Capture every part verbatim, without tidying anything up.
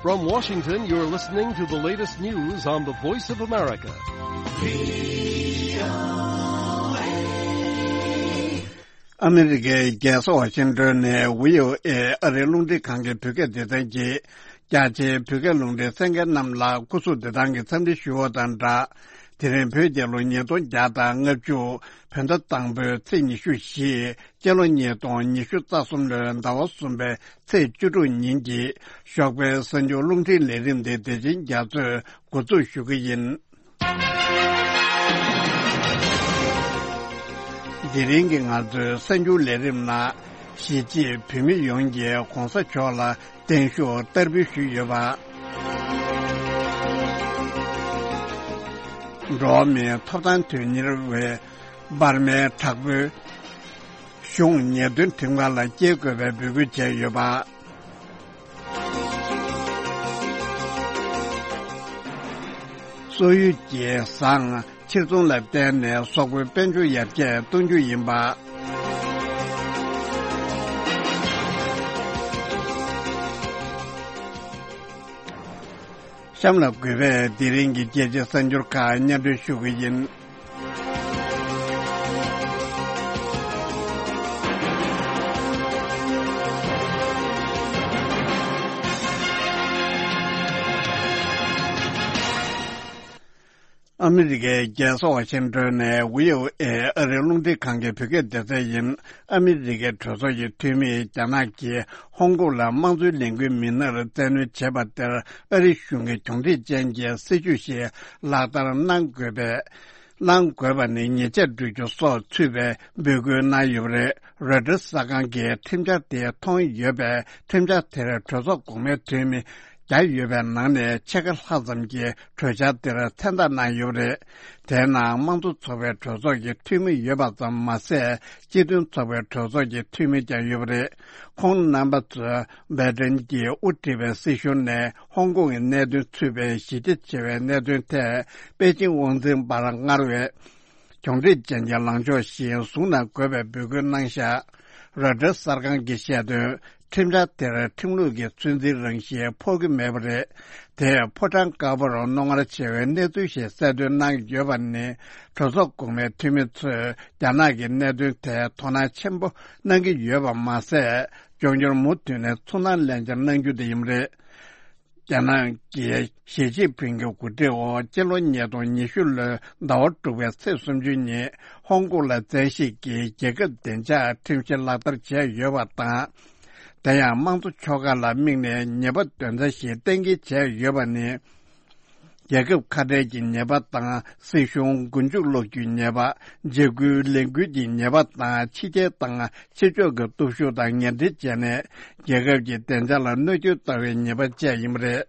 From Washington, you're listening to the latest news on the Voice of America. ཨ་མི་རི་ཀའི་རྒྱལ་ས་ཝ་ཤིང་ཏོན་ནས་བྷི་ཨོ་ཨེ་ཨ་རིའི་རླུང་འཕྲིན་ཁང་གི་བོད་སྐད་སྡེ་ཚན་གྱིས། རྒྱ་ཆེའི་བོད་སྐད་རླུང་འཕྲིན་གསན་མཁན་རྣམས་ལ་སྐུ་གཟུགས་བདེ་ཐང་གི་འཚམས་འདྲི་ཞུ་བ་དང་སྦྲགས། དེ་རིང་བོད་རྒྱལ་ལོ་ཉིས་སྟོང་བརྒྱ་དང་ལྔ་བཅུ། བོད་ཟླ་དང་པོའི་ཚེས་ཉི་ཤུ་བཞི། སྤྱི་ལོ་ཉིས་སྟོང་ཉི་ཤུ་རྩ་གསུམ་ལོའི་ཟླ་བ་གསུམ་པའི་ཚེས་བཅུ་དྲུག་ཉིན་གྱི་ཞོགས་པའི་གསར་འགྱུར་རླུང་འཕྲིན་ལས་རིམ་འདི་བདེ་ཆེན་རྒྱ་མཚོས་འགོ་འཛུགས་ཞུ་གི་ཡིན། དེ་རིང་གི་ང་ཚོའི་གསར་འགྱུར་ལས་རིམ་ནང་། གཞིས་བྱེས་བོད་མི་ཡོངས་ཀྱིས་༧གོང་ས་མཆོག་ལ་བརྟན་བཞུགས་བསྟར་འབུལ་ཞུས་ཡོད་པ། འགྲོ་བ་མིའི་ཐོབ་ཐང་དོན་གཉེར་བས་འབར་མའི་དྲག་པོའི་གཞུང་ཉེས་དོན་ཁྲིམས་ཁང་ལ་སྐྱེལ་དགོས་པའི་འབོད་སྐུལ་བྱས་ཡོད་པ། སོག་ཡུལ་གྱི་ཟངས་ཕྱིར་ཚོང་ལ་བརྟེན་ནས་སོག་པོའི་དཔལ་འབྱོར་ཡར་རྒྱས་གཏོང་རྒྱུ་ཡིན་པ། གཤམ་ལ་གུས་པས་དེ་རིང་གི་རྒྱལ་སྤྱིའི་གསར་འགྱུར་ཁག་སྙན་སྒྲོན་ཞུ་གི་ཡིན། ཨ་མི་རི་ཀའི་རྒྱལ་ས་ཝ་ཤིང་ཏོན་ནས་བྷི་ཨོ་ཨེ་ཨ་རིའི་རླུང་འཕྲིན་ཁང་གི་བོད་སྐད་སྡེ་ཚན་ཡིན། ཨ་མི་རི་ཀའི་གྲོས་ཚོགས་ཀྱི་འཐུས་མིས་རྒྱ་ནག་གིས་ཧོང་ཀོང་ལ་དམངས་གཙོའི་ལས་འགུལ་མི་སྣར་བཙན་གནོན་བྱས་པ་དེར་ཨ་རི་གཞུང་གིས་གྱོང་འདྲེས་ཅན་གྱི་སྲིད་ཇུས་ཤིག་ལག་བསྟར་གནང་དགོས་པའི། གནང་དགོས་པ་ནི་ཉེས་ཆད་སྤྲོད་རྒྱུ་སོགས་ཚུད་པའི་འབོད་སྐུལ་གནང་ཡོད་པ་རེད། རོའི་ཊར་གསར་ཁང་གིས་ཁྲིམས་འཆར་དེ་མཐོང་ཡོད་པས། ཁྲིམས་འཆར་དེར་གྲོས་ཚོགས་གོང་མའི་འཐུས་མི་བརྒྱ་ཡོད་པའི་ནང་ནས་ཕྱེད་ཀ་ལྷག་ཙམ་གྱིས་གྲོས་འཆར་དེར་མཚན་རྟགས་གནང་ཡོད་པ་རེད། དེའི་ནང་དམངས་གཙོ་ཚོགས་པའི་གྲོས་ཚོགས་ཀྱི་འཐུས་མི་ཡོད་པ་ཙམ་མ་ཟད། སྤྱི་མཐུན་ཚོགས་པའི་གྲོས་ཚོགས་ཀྱི་འཐུས་མི་ཀྱང་ཡོད་པ་རེད། ཁོང་རྣམ་པ་ཚོས་སྦའི་ཏན་གྱིས་དབུ་ཁྲིད་པའི་སྲིད་གཞུང་ནས་ཧོང་ཀོང་གི་གནད་དོན་ཚུད་པའི་གཞི་རྒྱ་ཆེ་བའི་གནད་དོན་ཐད་པེ་ཅིང་དབང་འཛིན་པར་སྔར་བས་གྱོང་འདྲེས་ཅན་གྱི་ལངས་ཕྱོགས་ཤིག་བཟུང་གནང་དགོས་པའི་འབོད་སྐུལ་གནང་བཞག་རོའི་ཊར་གསར་ཁང་གིས་བཤད་དོན། ཁྲིམས་འཆར་དེར་ཁྲིམས་ལུགས་ཀྱི་ཚོད་འཛིན་རང་བཞིན་ཕོག་གི་མེད་པ་རེད། དེས་ཕོ་བྲང་དཀར་པོར་རྣོ་ངར་ཆེ་བའི་གནས་ཚུལ་ཞིག་གསལ་སྟོན་གནང་ཡོད་པ་ནི། གྲོས་ཚོགས་གོང་མའི་འཐུས་མི་ཚོས་རྒྱ་ནག་གི་གནད་དོན་ཐད་དོ་སྣང་ཆེན་པོ་གནང་གི་ཡོད་པ་མ་ཟད། འབྱུང་འགྱུར་མུ་མཐུད་ནས་ཚོར་སྣང་ལེན་བྱ་གནང་རྒྱུ་དེ་ཡིན་པ་རེད། རྒྱ་ནག་གིས་ཞི་ཅིན་ཕིང་གི་འགོ་ཁྲིད་འོག་སྤྱི་ལོ་ཉིས་སྟོང་ཉི་ཤུ་ལོའི་ཟླ་བ་དྲུག་པའི་ཚེས་སུམ་ཅུ་ཉིན་ཧོང་ཀོང་ལ་བཙན་ཤེད་ཀྱིས་རྒྱལ་ཁབ་བདེ་འཇགས་ཁྲིམས་གཞི་ལག་བསྟར་བྱས་ཡོད་པ་དང་། དེ་ཡང་དམངས་གཙོ་ཕྱོགས་ཁག་ལ་དམིགས་ནས་ཉེས་པ་འདོན་རྩ་ཞིག་གཏན་འཁེལ་བྱས་ཡོད་པ་ནི། རྒྱལ་ཁབ་ཁ་བྲལ་གྱི་ཉེས་པ་དང་། སྲིད་གཞུང་མགོ་མཇུག་སློག་རྒྱུའི་ཉེས་པ། འཇིགས་སྐུལ་ལས་འགུལ་གྱི་ཉེས་པ་དང་། ཕྱི་རྒྱལ་དང་ཕྱི་ཕྱོགས་ཀྱི་སྟོབས་ཤུགས་དང་ངན་འབྲེལ་བྱས་ནས། རྒྱལ་ཁབ་ཀྱི་བདེ་འཇགས་ལ་གནོད་སྐྱོན་བཏང་བའི་ཉེས་པ་བཅས་ཡིན་པ་རེད།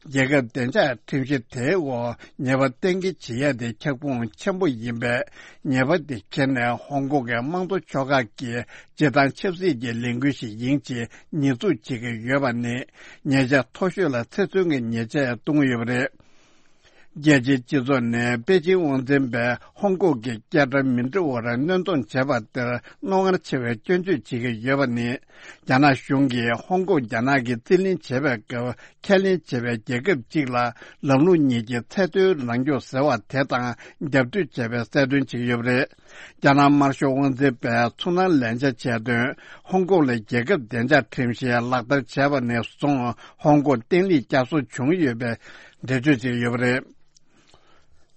རྒྱལ་ཁབ་བདེ་འཇགས་ཁྲིམས་གཞི་དེའི་འོག་ཉེས་པ་གཏན་འཁེལ་བྱེད་ཡ་དེ་ཁྱབ་ཁོངས་ཆེན་པོ་ཡིན་པས། ཉེས་པ་དེ་འཁྱེར་ནས་ཧོང་ཀོང་གི་དམངས་གཙོ་ཕྱོགས་ཁག་གིས་སྤྱིར་བཏང་ཆབ་སྲིད་ཀྱི་ལས་འགུལ་ཞིག་ཡིན་ཕྱིན་ཉེས་འཛུགས་བྱེད་ཀྱི་ཡོད་པ་ནི། ཉེས་ཆད་མཐོ་ཤོས་ལ་ཚེ་བཙོན་གྱི་ཉེས་ཆད་གཏོང་གི་ཡོད་པ་རེད། རྒྱལ་སྤྱིའི་སྤྱི་ཚོགས་ནས་པེ་ཅིང་དབང་འཛིན་པས་ཧོང་ཀོང་གི་སྐད་སྒྲ་མི་འདྲ་བར་སྣོན་རྫོང་བྱས་པ་དེར་རྣོ་ངར་ཆེ་བའི་སྐྱོན་བརྗོད་བྱེད་ཀྱི་ཡོད་པ་ནི། རྒྱ་ནག་གཞུང་གིས་ཧོང་ཀོང་རྒྱ་ནག་གིས་རྩིས་ལེན་བྱེད་པའི་སྐབས། ཁས་ལེན་བྱས་པའི་རྒྱལ་ཁབ་གཅིག་ལ་ལམ་ལུགས་གཉིས་ཀྱི་ཚད་མཐོའི་རང་སྐྱོང་ཟེར་བ་དེ་དང་རྒྱབ་གཏོད་བྱས་པའི་གསལ་སྟོན་བྱེད་ཀྱི་ཡོད་པ་རེད། རྒྱ་ནག་དམར་ཤོག་དབང་འཛིན་པས་ཚོར་སྣང་ལེན་བྱ་བྱས་དོན། ཧོང་ཀོང་ལ་རྒྱལ་ཁབ་བདེ་འཇགས་ཁྲིམས་གཞི་ལག་བསྟར་བྱས་པ་ནས་བཟུང་ཧོང་ཀོང་བརྟན་ལྷིང་བསྐྱར་གསོ་བྱུང་ཡོད་པའི་འགྲེལ་བརྗོད་བྱས་ཡོད་པ་རེད།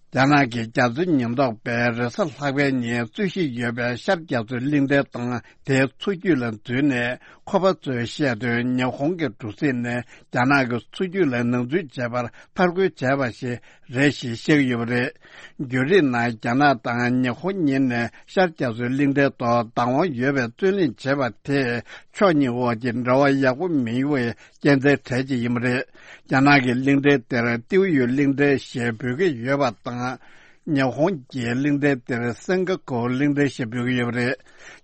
རྒྱ་ནག་གི་རྒྱ་མཚོའི་ཉེན་རྟོག་པས་རེས་གཟའ་ལྷག་པའི་ཉིན་རྩོད་གཞི་ཡོད་པའི་ཤར་རྒྱ་མཚོའི་གླིང་ཕྲན་དང་དེའི་མཚོ་རྒྱུད་ལ་འཛུལ་ནས། ཁོ་པ་ཚོས་བཤད་དོན། ཉི་ཧོང་གི་གྲུ་གཟིངས་ནས་རྒྱ་ནག་གི་མཚོ་རྒྱུད་ལ་ནང་འཛུལ་བྱས་པར་ཕར་རྒོལ་བྱས་པ་ཞིག་རེད་ཞེས་བཤད་ཀྱི་ཡོད་པ་རེད། བརྒྱུད་རིམ་ནང་རྒྱ་ནག་དང་ཉི་ཧོང་གཉིས་ནས་ཤར་རྒྱ་མཚོའི་གླིང་ཕྲན་ཐོག་བདག་དབང་ཡོད་པའི་རྩོད་གླེང་བྱས་པ་དེས་ཕྱོགས་གཉིས་དབར་གྱི་འབྲེལ་བ་ཡག་པོ་མིན་པའི་རྐྱེན་རྩའི་གྲས་ཅིག་ཡིན་པ་རེད། རྒྱ་ནག་གིས་གླིང་ཕྲན་དེར་ཏེའུ་ཡུས་གླིང་ཕྲན་ཞེས་འབོད་ཀྱི་ཡོད་པ་དང་། ཉི་ཧོང་གིས་གླིང་ཕྲན་དེར་སིང་ག་ཀོ་གླིང་ཕྲན་ཞེས་འབོད་ཀྱི་ཡོད་པ་རེད།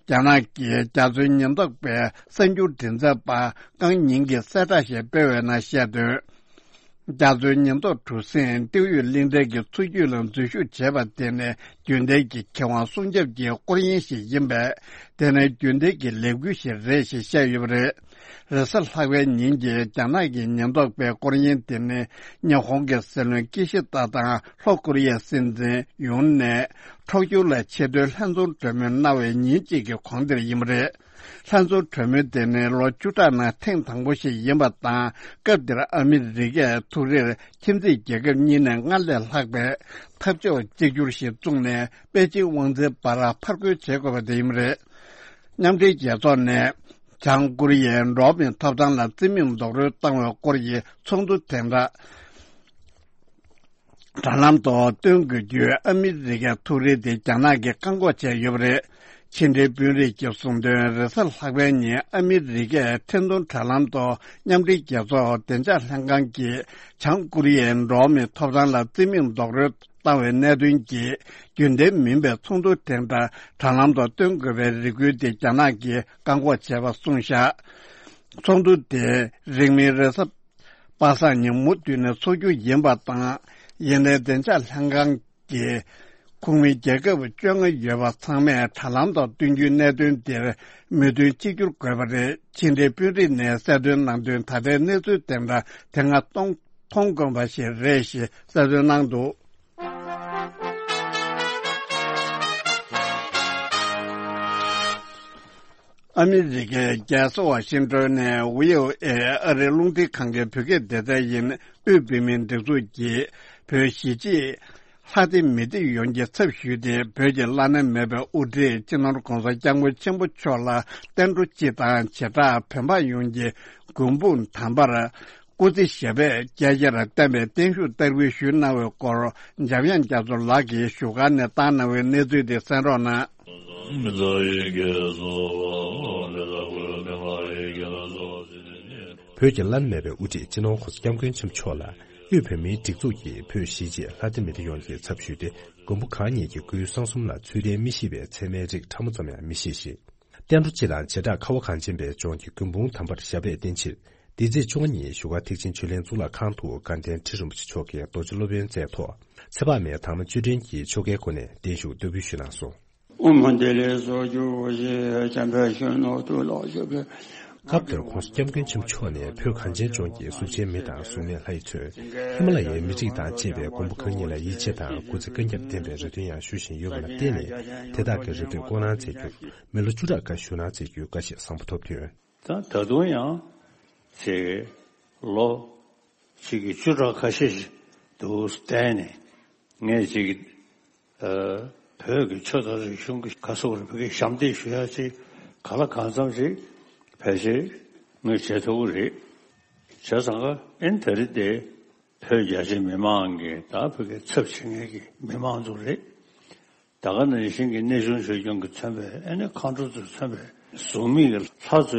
རྒྱ་ནག་གིས་རྒྱ་མཚོའི་ཉེན་རྟོག་པའི་གསར་འགྱུར་མགྲིན་ཚབ་པ་ཀང་ཉིང་གིས་གསལ་བསྒྲགས་ཤིག་སྤེལ་བའི་ནང་བཤད་དོན། རྒྱ་མཚོའི་ཉེན་རྟོག་གྲུ་གཟིངས་ཏིའུ་ཡུས་གླིང་ཕྲན་གྱི་མཚོ་རྒྱུད་ལ་འཛུལ་ཞུགས་བྱས་པ་དེ་ནི་རྒྱུན་ལྡན་གྱི་ཁེ་དབང་སྲུང་སྐྱོབ་ཀྱི་སྐོར་གཡེང་ཞིག་ཡིན་པས། དེ་ནི་རྒྱུན་ལྡན་གྱི་ལས་འགུལ་ཞིག་རེད་ཞེས་བཤད་ཡོད་པ་རེད། རེས་གཟའ་ལྷག་པའི་ཉིན་གྱི་རྒྱ་ནག་གི་ཉེན་རྟོག་པའི་སྐོར་གཡེང་དེ་ནི་ཉི་ཧོང་གི་སྲིད་བློན་ཀི་ཤི་ཏ་དང་ལྷོ་ཀོ་རི་ཡའི་སྲིད་འཛིན་ཡུན་ནས་ཁྲོག་ཆུ་ལ་ཆེས་མཐོའི་ལྷན་འཛོམས་གྲོས་མོལ་གནང་བའི་ཉིན་གཅིག་གི་གོང་དེར་ཡིན་པ་རེད། ལྷན་འཛོམས་གྲོས་མོལ་དེ་ནི་ལོ་བཅུ་ཕྲག་ནང་ཐེངས་དང་པོ་ཞིག་ཡིན་པ་དང་། སྐབས་དེར་ཨ་མི་རི་ཀས་ཐུག་རེར་ཁྱིམ་མཚེས་རྒྱལ་ཁབ་གཉིས་ནས་སྔར་ལས་ལྷག་པའི་འཐབ་ཕྱོགས་གཅིག་གྱུར་ཞིག་བཙུགས་ནས་པེ་ཅིང་དབང་འཛིན་བར་ཕར་རྒོལ་བྱེད་དགོས་པ་དེ་ཡིན་པ་རེད། མཉམ་འབྲེལ་རྒྱལ་ཚོགས་ནས་བྱང་ཀོ་རི་ཡའི་འགྲོ་བ་མིའི་ཐོབ་ཐང་ལ་རྩིས་མེད་རྡོག་རོལ་བཏང་བའི་སྐོར་གྱི་ཚོགས་འདུ་དེ་འདྲ་དྲ་ལམ་ཐོག་སྟོན་དགོས་རྒྱུའི་ཨ་མི་རི་ཀའི་ཐུགས་རེ་དེ་རྒྱ་ནག་གིས་བཀག་འགོག་བྱས་ཡོད་པ་རེད། ཕྱི་འབྲེལ་དཔོན་རིགས་ཀྱིས་གསུངས་དོན། རེས་གཟའ་ལྷག་པའི་ཉིན་ཨ་མི་རི་ཀས་འཕྲིན་གཏོང་དྲ་ལམ་ཐོག་མཉམ་འབྲེལ་རྒྱལ་ཚོགས་བདེ་འཇགས་ལྷན་ཁང་གིས་བྱང་ཀོ་རི་ཡའི་འགྲོ་བ་མིའི་ཐོབ་ཐང་ལ་རྩིས་མེད་རྡོག་རོལ་བཏང་བའི་གནད་དོན་གྱིས་རྒྱུན་ལྡན་མིན་པའི་ཚོགས་འདུ་དེ་འདྲ་དྲ་ལམ་ཐོག་སྟོན་དགོས་པའི་རེ་སྐུལ་དེ་རྒྱ་ནག་གིས་བཀག་འགོག་བྱས་པ་གསུངས་བཞག་ཚོགས་འདུ་དེ་རིང་མིན་རེས་གཟའ་པ་སངས་ཉིན་མུ་མཐུད་ནས་འཚོགས་རྒྱུ་ཡིན་པ་དང་། ཡིན་ནའི་བདེ་འཇགས་ལྷན་ཁང་གི་ཁོངས་མི་རྒྱལ་ཁབ་བཅོ་ལྔ་ཡོད་པ་ཚང་མས་དྲ་ལམ་ཐོག་སྟོན་རྒྱུའི་གནད་དོན་དེར་མོས་མཐུན་གཅིག་གྱུར་དགོས་པ་རེད། ཕྱི་འབྲེལ་དཔོན་རིགས་ནས་གསལ་སྟོན་གནང་དོན། ད་ལྟའི་གནས་ཚུལ་དེ་འདྲ་དེ་སྔ་མཐོང་མཐོང་དཀོན་པ་ཞིག་རེད་ཞེས་གསལ་སྟོན་གནང་འདུག་ཨ་མི་རི་ཀའི་རྒྱལ་ས་ཝ་ཤིང་ཏོན་ནས་ཝི་ཨོ་ཨེ་ཨ་རིའི་རླུང་འཕྲིན་ཁང་གི་བོད་སྐད་སྡེ་ཚན་ཡིན། དབུས་བོད་མིའི་སྒྲིག་འཛུགས་ཀྱིས་བོད་གཞིས་བྱེས་ལྷ་སྡེ་མི་སྡེ་ཡོངས་ཀྱི་ཚབ་ཞུས་ཏེ། བོད་ཀྱི་བླ་ན་མེད་པའི་དབུ་ཁྲིད་སྤྱི་ནོར་༧གོང་ས་༧སྐྱབས་མགོན་ཆེན་པོ་མཆོག་ལ་བསྟན་འགྲོ་སྤྱི་དང་བྱེ་བྲག་བོད་འབངས་ཡོངས་ཀྱི་མགོན་དཔུང་དམ་པར་སྐུ་ཚེ་ཞབས་པད་བསྐལ་བརྒྱར་བརྟན་པའི་བརྟན་བཞུགས་བསྟར་འབུལ་ཞུས་གནང་བའི་སྐོར། འཇམ་དབྱངས་རྒྱ་མཚོ་ལགས་ཀྱིས་བཞུགས་སྒར་ནས་བཏང་གནང་བའི་གནས་ཚུལ་དེ་གསན་རོགས་གནང་། བོད་ཀྱི་བླ་ན་མེད་པའི་དབུ་ཁྲིད་སྤྱི་ནོར་༧གོང་ས་༧སྐྱབས་མགོན་ཆེན་པོ་མཆོག་ལ་དབུས་བོད་མིའི་སྒྲིག་འཛུགས་ཀྱིས་བོད་གཞིས་བྱེས་ལྷ་སྡེ་མི་སྡེ་ཡོངས་ཀྱི་ཚབ་ཞུས་ཏེ། མགོན་པོ་གང་ཉིད་ཀྱི་སྐུའི་གསང་གསུམ་ལ་ཚུལ་ལྡན་མི་བཞེས་པའི་ཚད་མའི་རིགས་ཕྲ་མོ་ཙམ་ཡང་མི་བཞེས་ཤིང་། བསྟན་འགྲོ་སྤྱི་དང་བྱེ་བྲག་ཁ་བ་གངས་ཅན་པའི་ལྗོངས་ཀྱི་མགོན་དཔུང་དམ་པར་ཞབས་པད་བརྟན་ཕྱིར། འདི་ཚེས་བཅོ་ལྔ་ཉིན་བཞུགས་སྒར་ཐེག་ཆེན་ཆོས་གླིང་གཙུག་ལག་ཁང་དུ་དགའ་ལྡན་ཁྲི་རིན་པོ་ཆེ་མཆོག་གིས་རྡོ་རྗེ་སློབ་དཔོན་མཛད་ཐོག་ཚེ་དཔག་མེད་དར་མ་བཅུ་དྲན་གྱིས་ཆོ་གའི་སྒོ་ནས་བརྟན་བཞུགས་བསྟར་འབུལ་ཞུས་གནང་སོང་། ཨོཾ་ཧ་ཏི་ལེ་སོ་ཇོ་ཞེས་བྱམས་པའི་གཞོན་ནུ་ཐུགས་ལ་བཞག་པའི། སྐབས་དེར་༧གོང་ས་༧སྐྱབས་མགོན་ཆེན་པོ་མཆོག་ནས་བོད་གངས་ཅན་ལྗོངས་ཀྱི་གཟུགས་ཅན་མི་དང་གཟུགས་མེད་ལྷ་ཡི་མཚོན་ཧི་མ་ལ་ཡའི་མི་རིགས་དང་བཅས་པའི་མགོན་པོ་གང་ཉིད་ལ་ཡིད་ཆེས་དང་སྐུ་ཚེ་བསྐལ་བརྒྱར་བརྟན་པའི་རེ་འདུན་ཡང་ཞུ་བཞིན་ཡོད་པ་ལ་བརྟེན་ནས། དེ་དག་གི་རེ་འདུན་སྐོང་གནང་མཛད་རྒྱུར་མི་ལོ་བཅུ་ཕྲག་འགའ་བཞུགས་གནང་མཛད་རྒྱུའི་བཀའ་བཞེས་བཟང་པོ་ཐོབ་དོན། ད་ད་དུང་ཡང་ཅིག་ལོ་གཅིག་གི་བཅུ་ཕྲག་ཁ་ཤས་ཤིག་འདུག་བསྡད་ནས། ངས་ཅིག་ཨ་བོད་ཀྱི་ཆོས་དང་རིག་གཞུང་གི་ག་སོགས་རིག་པའི་ཞབས་འདེགས་ཞུ་ཡ་ཅིག་ག་ལ་གང་འཚམ་ཞིག་ཕལ་ཆེར་ངས་བྱེད་ཐུབ་ཀྱི་རེད། བྱས་ཙང་ཀ་ཨེན་དེ་རིང་དེ་བོད་རྒྱ་ཆེ་མི་མང་གི་ད་བོད་ཀྱི་ཚབ་བྱེད་མཁན་གྱི་མི་མང་ཚོ་རེད། ད་ག་ནང་བཞིན་གྱི་གནས་ཆུང་ཆོས་སྐྱོང་གིས་མཚོན་པའི་ཨ་ནི་མཁའ་འགྲོ་ཚོས་མཚོན་པའི་གཟུགས་མེད་ཀྱི་ལྷ་ཚོས་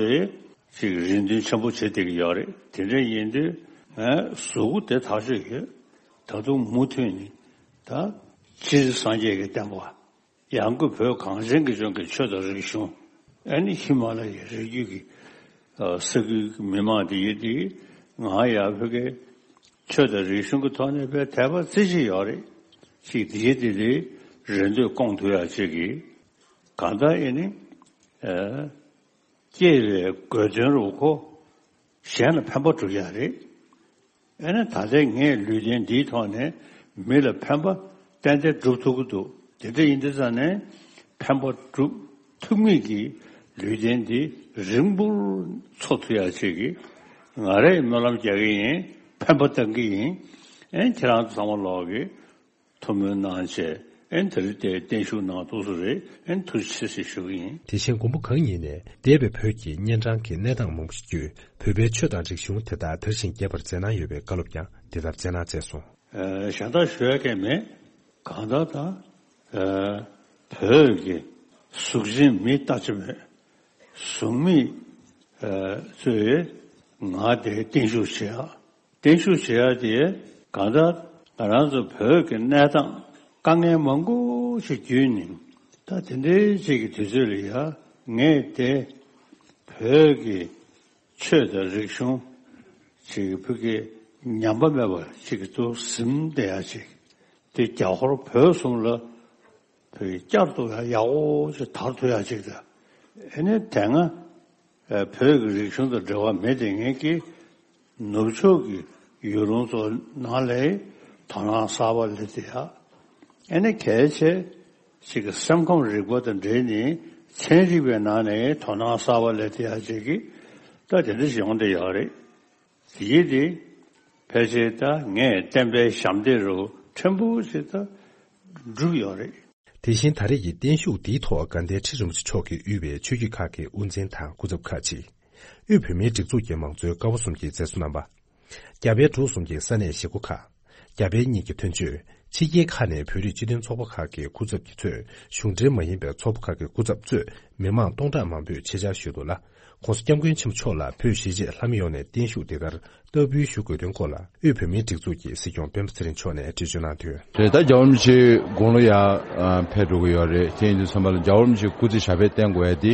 ཅིག་རེ་འདུན་ཆེན་པོ་བྱེད་བསྡད་ཀྱི་ཡོད་རེད། དེ་འདྲ་ཡིན་དུས་ངས་གཟུགས་པོ་དེ་ཐག་ཆོད་ཡོད། ད་དུང་མུ་མཐུད་ནས་ད་སྤྱིར་སངས་རྒྱས་ཀྱི་བསྟན་པ། ཡང་སྒོས་བོད་གངས་ཅན་གྱི་ལྗོངས་ཀྱི་ཆོས་དང་རིག་གཞུང་། ཨ་ནི་ཧི་མ་ལ་ཡའི་རི་རྒྱུད་ཀྱི་ས་ཁུལ་གྱི་མི་མང་དེ་ཡིན་དེ། ང་ཡང་བོད་ཀྱི་ཆོས་དང་རིག་གཞུང་གི་ཐོག་ནས་དཔེ་དད་པ་རྩེ་གཅིག་ཡོད་རེད། ཅིག་དེ་ཡིན་དེ་དེ་རེ་འདོད་སྐོང་ཐུབ་ཡག་ཅིག་གིས། གང་ལྟར་ཨེ་ནི་སྐྱེས་པའི་དགོས་དོན་རུ་ཁོ་གཞན་ལ་ཕན་པ་སྒྲུབ་ཡག་རེད། ཨེ་ནི་ད་ལྟའི་ངས་ལུས་རྟེན་འདིའི་ཐོག་ནས་མི་ལ་ཕན་པ་ཏན་ཏན་སྒྲུབ་ཐུབ་ཀྱི་འདུག་དེ་འདྲ་ཡིན་དུས་ཙང་ནས་ཕན་པ་སྒྲུབ་ཐུབ་མཁན་གྱི་ལུས་རྟེན་འདི་རིང་པོར་འཚོ་ཐུབ་ཡག་ཅིག་གི་ང་རས་སྨོན་ལམ་རྒྱག་གི་ཡིན། ཕན་པ་བཏང་གི་ཡིན། ཨེ་ཁྱེད་རང་ཚོ་ཚང་མ་ལོག་གི་ཐུགས་སྨོན་གནང་བྱས། ཨེ་དེ་རིང་དེ་བརྟན་བཞུགས་གནང་ཐུབ་སོང་རེད། ཨེ་ཐུགས་རྗེ་ཆེ་ཞུ་གི་ཡིན། དེ་བཞིན་མགོན་པོ་གང་ཉིད་ནས་འདས་པའི་བོད་ཀྱི་གཉན་འཕྲང་གི་གནས་སྟངས་མང་པོ་ཞིག་བརྒྱུད། བོད་པའི་ཆོས་དང་རིག་གཞུང་དེ་དག་དར་ཞིང་རྒྱས་པར་མཛད་གནང་ཡོད་པའི་བཀའ་སློབ་ཀྱང་འདི་ལྟར་སྩལ་གནང་མཛད་སོང་། ཨ་གཞན་དག་ཞུ་ཡ་གང་མེད། གང་ལྟར་ད་ཨ་བོད་ཀྱི་གཟུགས་ཅན་མི་ལྟ་ཅི་མོད་གཟུགས་མེད་ཨ་ཚོས་ང་དེ་བརྟན་བཞུགས་བྱེད་ཡ། བརྟན་བཞུགས་བྱེད་ཡ་དེ་གང་ལྟར་ང་རང་ཚོ་བོད་ཀྱི་གནས་སྟངས་དཀའ་ངལ་མང་པོ་ཞིག་བརྒྱུད་ནས། ད་དེ་འདྲའི་ཅིག་གི་དུས་ཚོད་ལ་ཡ་ངས་དེ་བོད་ཀྱི་ཆོས་དང་རིག་གཞུང་ཅིག་གི་བོད་ཀྱི་ ཉམས་པ་མེད་པ་ཅིག་ཏུ་ཟིན་བསྡད་ཡ་ཅིག་དེ་རྒྱ་ཧོར་བོད་གསུམ་ལ་བོད་བསྐྱར་དུ་ཡག་པོ་ཅིག་དར་ཐུབ་ཡ་ཅིག་དང་། ཨེ་ནས་དེ་སྔ་བོད་ཀྱི་རིག་གཞུང་དང་འབྲེལ་བ་མེད་དེ་ངེད་ཀྱི་ནུབ་ཕྱོགས་ཀྱི་ཡུལ་ལུང་ཚོ་ནང་ལ་དོ་སྣང་གསར་པ་སླེབས་ཏེ་ཡ། ཨེ་ནས་གལ་ཆེ་ཞིག་གི་སེམས་ཁམས་རིག་པ་དང་འབྲེལ་ནས་ཚན་རིག་པའི་ནང་ནས་དོ་སྣང་གསར་པ་སླེབས་ཏེ་ཡ་ཅིག་གི་ད་དེ་འདྲ་ཞིག་ཡོང་བསྡད་ཡོད་རེད། དེ་ཡིན་དེ་ཕལ་ཆེར་ད་ངས་བསྟན་པའི་ཞབས་འདེགས་རུ་ཕྲན་བུ་ཞིག་ད་བསྒྲུབས་ཡོད་རེད། དེ་བཞིན་ད་རེས་ཀྱི་བརྟན་བཞུགས་འདིའི་ཐོག་དགའ་ལྡན་ཁྲི་རིན་པོ་ཆེ་མཆོག་གིས་དབུས་པའི་ཆོས་བརྒྱུད་ཁག་གི་དབུ་འཛིན་དང་སྐུ་ཚབ་ཁག་ཅིག་དབུས་བོད་མིའི་སྒྲིག་འཛུགས་ཀྱི་མང་གཙོའི་ཀ་བ་གསུམ་གྱི་མཛད་གཙོ་རྣམ་པ། རྒྱ་བལ་འབྲུག་གསུམ་གྱི་ས་གནས་གཞིས་འགོ་ཁག་རྒྱ་བལ་གཉིས་ཀྱི་དོན་གཅོད། ཕྱི་རྒྱལ་ཁག་ནས་བོད་རིགས་སྤྱི་མཐུན་ཚོགས་པ་ཁག་གི་སྐུ་ཚབ་ཀྱིས་གཙོས་གཞུང་འབྲེལ་མ་ཡིན་པའི་ཚོགས་པ་ཁག་གི་སྐུ་ཚབ་གཙོས་མི་མང་སྟོང་ཕྲག་མང་པོས་ཆེད་བཅར་ཞུས་འདུག་ལ། ྋགོང་ས་ྋསྐྱབས་མགོན་ཆེན་པོ་མཆོག་ལ་བོད་གཞིས་བྱེས་ལྷ་མི་ཡོངས་ནས་བརྟན་བཞུགས་འདི་ལྟར་བསྟར་འབུལ་ཞུ་དགོས་དོན་སྐོར་ལ་དབུས་བོད་མིའི་སྒྲིག་འཛུགས་ཀྱི་སྲིད་སྐྱོང་སྤེན་པ་ཚེ་རིང་མཆོག་ནས་འགྲེལ་བརྗོད་གནང་དོན། རེད། ད་རྒྱལ་བ་རིན་པོ་ཆེ་དགུང་ལོ་ཡར་ཨ་ཕེབས་འགྲོ་གི་ཡོད་རེད། དེ་ཡིན་དུས་ཙམ་པ་ལ་རྒྱལ་བ་རིན་པོ་ཆེ་སྐུ་ཚེ་ཞབས་པད་བརྟན་དགོས་ཡ་དེ་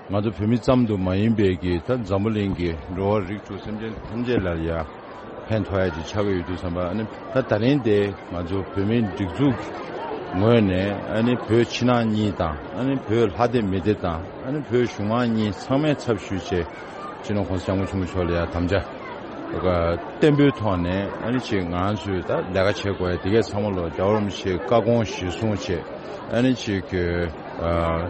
ང་ཚོ་བོད་མི་ཙམ་དུ་མ་ཡིན་པའི་གི་ད་འཛམ་བུ་གླིང་གི་འགྲོ་བ་རིགས་དྲུག་སེམས་ཅན་ཐམས་ཅད་ལ་ཡ་ཕན་ཐོགས་ཡ་ཅིག་ཆགས་ཀྱི་ཡོད་དུས་ཙམ་པ། ཨ་ནི་ད་ད་རིང་དེ་ང་ཚོ་བོད་མིའི་སྒྲིག་འཛུགས་ངོས་ནས་ཨ་ནི་བོད་ཕྱི་ནང་གཉིས་དང་ཨ་ནི་བོད་ལྷ་སྡེ་མི་སྡེ་དང་ཨ་ནི་བོད་གཞུང་མང་གཉིས་ཚང་མའི་ཚབ་ཞུས་བྱས་སྤྱི་ནོར་ྋགོང་ས་ྋསྐྱབས་མགོན་ཆེན་པོ་མཆོག་ལ་ཡ་དམ་བཅའ་བརྟན་པོའི་ཐོག་ནས་ཨ་ནི་ཅིག་ང་ཚོས་ད་ལས་ཀ་བྱེད་དགོས་ཡ་དེ་གས་ཚང་མ་ལོ་རྒྱལ་བ་རིན་པོ་ཆེའི་བཀའ་དགོངས་གཞིར་བཟུང་བྱས་ཨ་ནི་ཅིག་གི་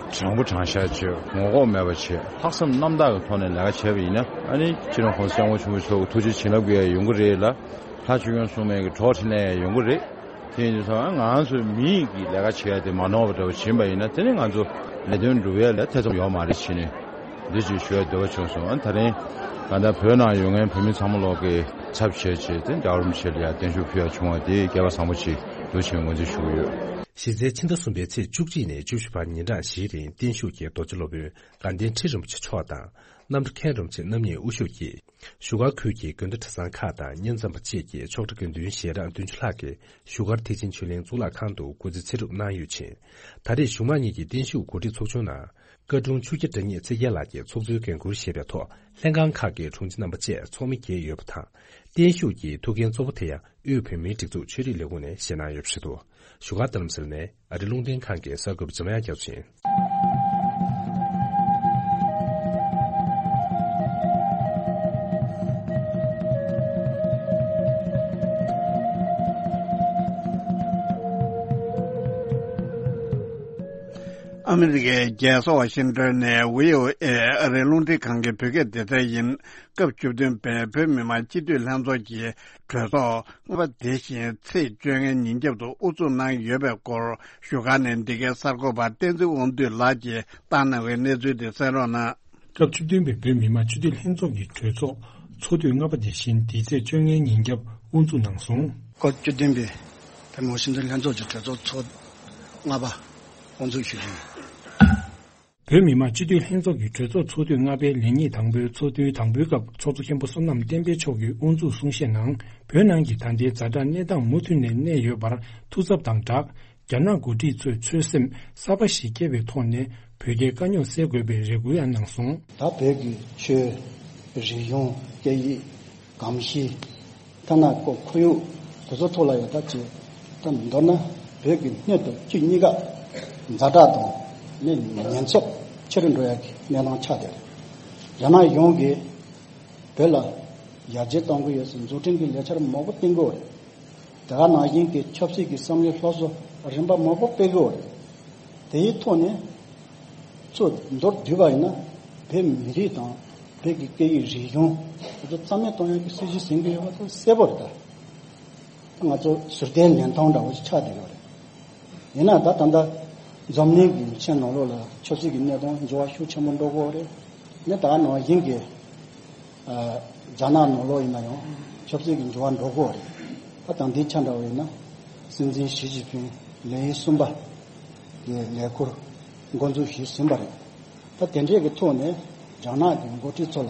དྲང་པོ་དྲང་བཞག་བྱས་ངོ་ལྐོག་མེད་པ་བྱས་ལྷག་བསམ་རྣམ་དག་གི་ཐོག་ནས་ལས་ཀ་བྱས་པ་ཡིན་ན་ཨ་ནི་སྤྱི་ནོར་ྋགོང་ས་ྋསྐྱབས་མགོན་ཆེན་པོ་མཆོག་གི་ཐུགས་རྗེ་བྱིན་རླབས་ཀྱིས་ཡོང་གི་རེད་ལ། ལྷ་ཆོས་སྐྱོང་སྲུང་མའི་གི་གྲོགས་འཕྲིན་ལས་ཡོང་གི་རེད། དེ་ཡིན་དུས་ཙང་ང་ཚོའི་མི་ཡིས་ཀྱི་ལས་ཀ་བྱེད་ཡ་དེ་མ་ནོར་བ་འདྲ་བོ་བྱིན་པ་ཡིན་ན་དེ་ནི་ང་ཚོ་ལས་དོན་འགྲུབ་ཡ་ལ་ཐེ་ཚོམ་ཡོད་མ་རེད་བྱས་ནས་འདི་ཅིག་ཞུ་ཡ་འདོད་པ་བྱུང་སོང་། ཨ་ད་རིང་གང་ལྟར་བོད་ནང་ཡོད་མཁན་བོད་མི་ཚང་མ་ལོག་གི་ཚབ་བྱས་བྱས་དེ་རྒྱལ་བ་རིན་པོ་ཆེ་ལ་ཡ་བརྟན་བཞུགས་ཕུལ་ཡ་བྱུང་བ་དེ་སྐལ་བ་བཟང་པོ་ཅིག་འདུག་ཅེས་ངོས་འཛིན་ཞུ་གི་ཡོད། གཞི་རྩའི་ཕྱི་ཟླ་གསུམ་པའི་ཚེས་བཅུ་གཅིག་ནས་བཅུ་བཞི་བར་ཉིན་གྲངས་བཞིའི་རིང་བརྟན་བཞུགས་ཀྱི་རྡོ་རྗེ་སློབ་དཔོན་དགའ་ལྡན་ཁྲི་རིན་པོ་ཆེ་མཆོག་དང་རྣམ་གྲྭ་མཁན་རིན་པོ་ཆེ་རྣམ་གཉིས་དབུ་བཞུགས་ཀྱིས། བཞུགས་སྒར་ཁུལ་གྱི་དགོན་སྡེ་གྲྭ་ཚང་ཁག་དང་བསྙེན་མཚམས་པ་བཅས་ཀྱི་ཆོག་གྲྭ་དགེ་འདུན་ཞལ་གྲངས་བདུན་ཅུ་ལྷག་གིས་བཞུགས་སྒར་ཐེག་ཆེན་ཆོས་གླིང་གཙུག་ལག་ཁང་དུ་སྐུ་ཚེ་ཚེ་སྒྲུབ་གནང་ཡོད་ཅིང་། ད་རེས་གཞུང་མང་གཉིས་ཀྱི་བརྟན་བཞུགས་གོ་སྒྲིག་ཚོགས་ཆུང་ནང་། བཀའ་དྲུང་ཆོས་རྒྱལ་དྲ་ཉེ་ཚེ་རྒྱལ་ལགས་ཀྱིས་ཚོགས་གཙོའི་འགན་འཁུར་བཞེས་པའི་ཐོག་ལྷན་ཁང་ཁག་གི་དྲུང་ཆེ་རྣམ་པ་བཅས་ཚོགས་མི་བརྒྱད་ཡོད་པ་དང་། བརྟན་བཞུགས་ཀྱི་ཐུགས་འགན་གཙོ་བོ་དེ་ཡང་དབུས་བོད་མིའི་སྒྲིག་འཛུགས་ཆོས་རིག་ལས་ཁུངས་ནས་བཞེས་གནང་ཡོད་པ་རེད་འདུག་བཞུགས་སྒར་རྡ་རམ་ས་ལ་ནས་ཨ་རི་རླུང་འཕྲིན་ཁང་གི་གསར་འགོད་པ་འཇམ་དབྱངས་རྒྱ་མཚོ་ཡིན། ཨ་མི་རི་ཀའི་རྒྱལ་ས་ཝ་ཤིང་ཏོན་ནས་བྷི་ཨོ་ཨེ་ཨ་རིའི་རླུང་འཕྲིན་ཁང་གི་བོད་སྐད་སྡེ་ཚན་ཡིན། སྐབས་བཅུ་བདུན་པའི་བོད་མི་མང་སྤྱི་འཐུས་ལྷན་ཚོགས་ཀྱི་གྲོས་ཚོགས་ལྔ་པ་དེ་བཞིན་ཚེས་བཅོ་ལྔའི་ཉིན་རྒྱབ་ཏུ་དབུ་འཛུགས་གནང་ཡོད་པའི་སྐོར་བཞུགས་སྒར་ནས་འདི་གའི་གསར་འགོད་པ་བསྟན་འཛིན་དབང་འདུས་ལགས་ཀྱིས་བཏང་གནང་བའི་གནས་ཚུལ་དེ་གསན་རོགས་གནང་། སྐབས་བཅུ་བདུན་པའི་བོད་མི་མང་སྤྱི་འཐུས་ལྷན་ཚོགས་ཀྱི་གྲོས་ཚོགས་ཚོགས་དུས་ལྔ་པ་དེ་བཞིན་འདི་ཚེས་བཅོ་ལྔའི་ཉིན་རྒྱབ་དབུ་འཛུགས་གནང་སོང་། སྐབས་བཅུ་བདུན་པའི་བོད་མི་མང་སྤྱི་འཐུས་ལྷན་ཚོགས་ཀྱི་གྲོས་ཚོགས་ཚོགས་ལྔ་པ་དབུ་འཛུགས་ཞུ་རྒྱུ་ཡིན། བོད་མི་མང་སྤྱི་འཐུས་ལྷན་ཚོགས་ཀྱི་གྲོས་ཚོགས་ཚོགས་དུས་ལྔ་པའི་ལས་ཉིན་དང་པོའི་ཚོགས་དུས་དང་པོའི་སྐབས་ཚོགས་གཙོ་མཁན་པོ་བསོད་ནམས་བསྟན་འཕེལ་མཆོག་གིས་དབུ་འཛུགས་གསུང་བཤད་ནང་། བོད་ནང་གི་ད་ལྟའི་ཛ་དྲག་གནས་སྟངས་མུ་མཐུད་ནས་གནས་ཡོད་པར་ཐུགས་འཚབ་དང་སྦྲགས། རྒྱ་ནག་འགོ་ཁྲིད་ཚོས་ཆོད་སེམས་གསར་པ་ཞིག་བསྐྱེད་པའི་ཐོག་ནས་བོད་རྒྱའི་དཀའ་རྙོག་སེལ་དགོས་པའི་རེ་སྐུལ་ཡང་གནང་སོང་། ད་བོད་ཀྱི་ཆོས་རིག་གཞུང་སྐད་ཡིག་གོམས་གཤིས། ཐ་ན་ཁོ་ཁོར་ཡུག་དེ་ཚོ་ཐོག་ལ་ཡང་ད་ཅིག་ད་མདོར་ན་བོད་ཀྱི་སྣོད་དང་བཅུད་གཉིས་ཀ་ཛ་དྲག་དང་ནི་ཉེན་ཚབས་ཆེ་རུ་འགྲོ་ཡ་གི་གནས་སྟངས་ཆགས་བསྡད་རེད། རྒྱ་ནག་གཞུང་གིས་བོད་ལ་ཡར་རྒྱས་གཏོང་གི་ཡོད་ཟེར་འཛུགས་སྐྲུན་གྱི་ལས་འཆར་མང་པོ་བཏིང་གི་ཡོད་རེད། དེ་ག་ནང་བཞིན་གྱི་ཆབ་སྲིད་ཀྱི་བསམ་བློའི་སློབ་གསོ་རིམ་པ་མང་པོ་སྤེལ་གི་ཡོད་རེད། དེའི་ཐོག་ནས་གཙོ་མདོར་བསྡུས་པ་ཡིན་ན་བོད་མི་རིགས་དང་བོད་ཀྱི་སྐད་ཡིག་རིག་གཞུང་དེ་ཚོ་རྩ་མེད་གཏོང་ཡག་གི་སྲིད་ཇུས་ཟིན་གྱི་ཡོད་པ་དེ་གསལ་པོ་རེད་ད། ང་ཚོ་ཟུར་བལྟའི་ལེན་སྟངས་འདྲ་བོ་ཞིག་ཆགས་བསྡད་ཡོད་རེད། ཡིན་ན་ད་ད་ལྟ་འཛམ་གླིང་གི་ཆེས་ནང་ལོགས་ལ་ཆབ་སྲིད་ཀྱི་གནས་སྟངས་འགྱུར་བ་ཤུགས་ཆེན་པོ་འགྲོ་གི་ཡོད་རེད། ནི་ད་ནང་བཞིན་གྱི་རྒྱ་ནག་ནང་ལོགས་ཡིན་ན་ཡང་ཆབ་སྲིད་ཀྱི་འགྱུར་བ་འགྲོ་གི་ཡོད་རེད། ད་དང་དེའི་ཆ་འདྲ་བ་ཡིན་ན་སྲིད་འཛིན་ཞི་ཅིན་ཕིང་ལས་ཡུན་གསུམ་པ་གི་ལས་འཁུར་འགོ་འཛུགས་ཞུས་ཟིན་པ་རེད། ད་དེ་འདྲས་ཀྱི་ཐོག་ནས་རྒྱ་ནག་གི་འགོ་ཁྲིད་ཚོ་ལ་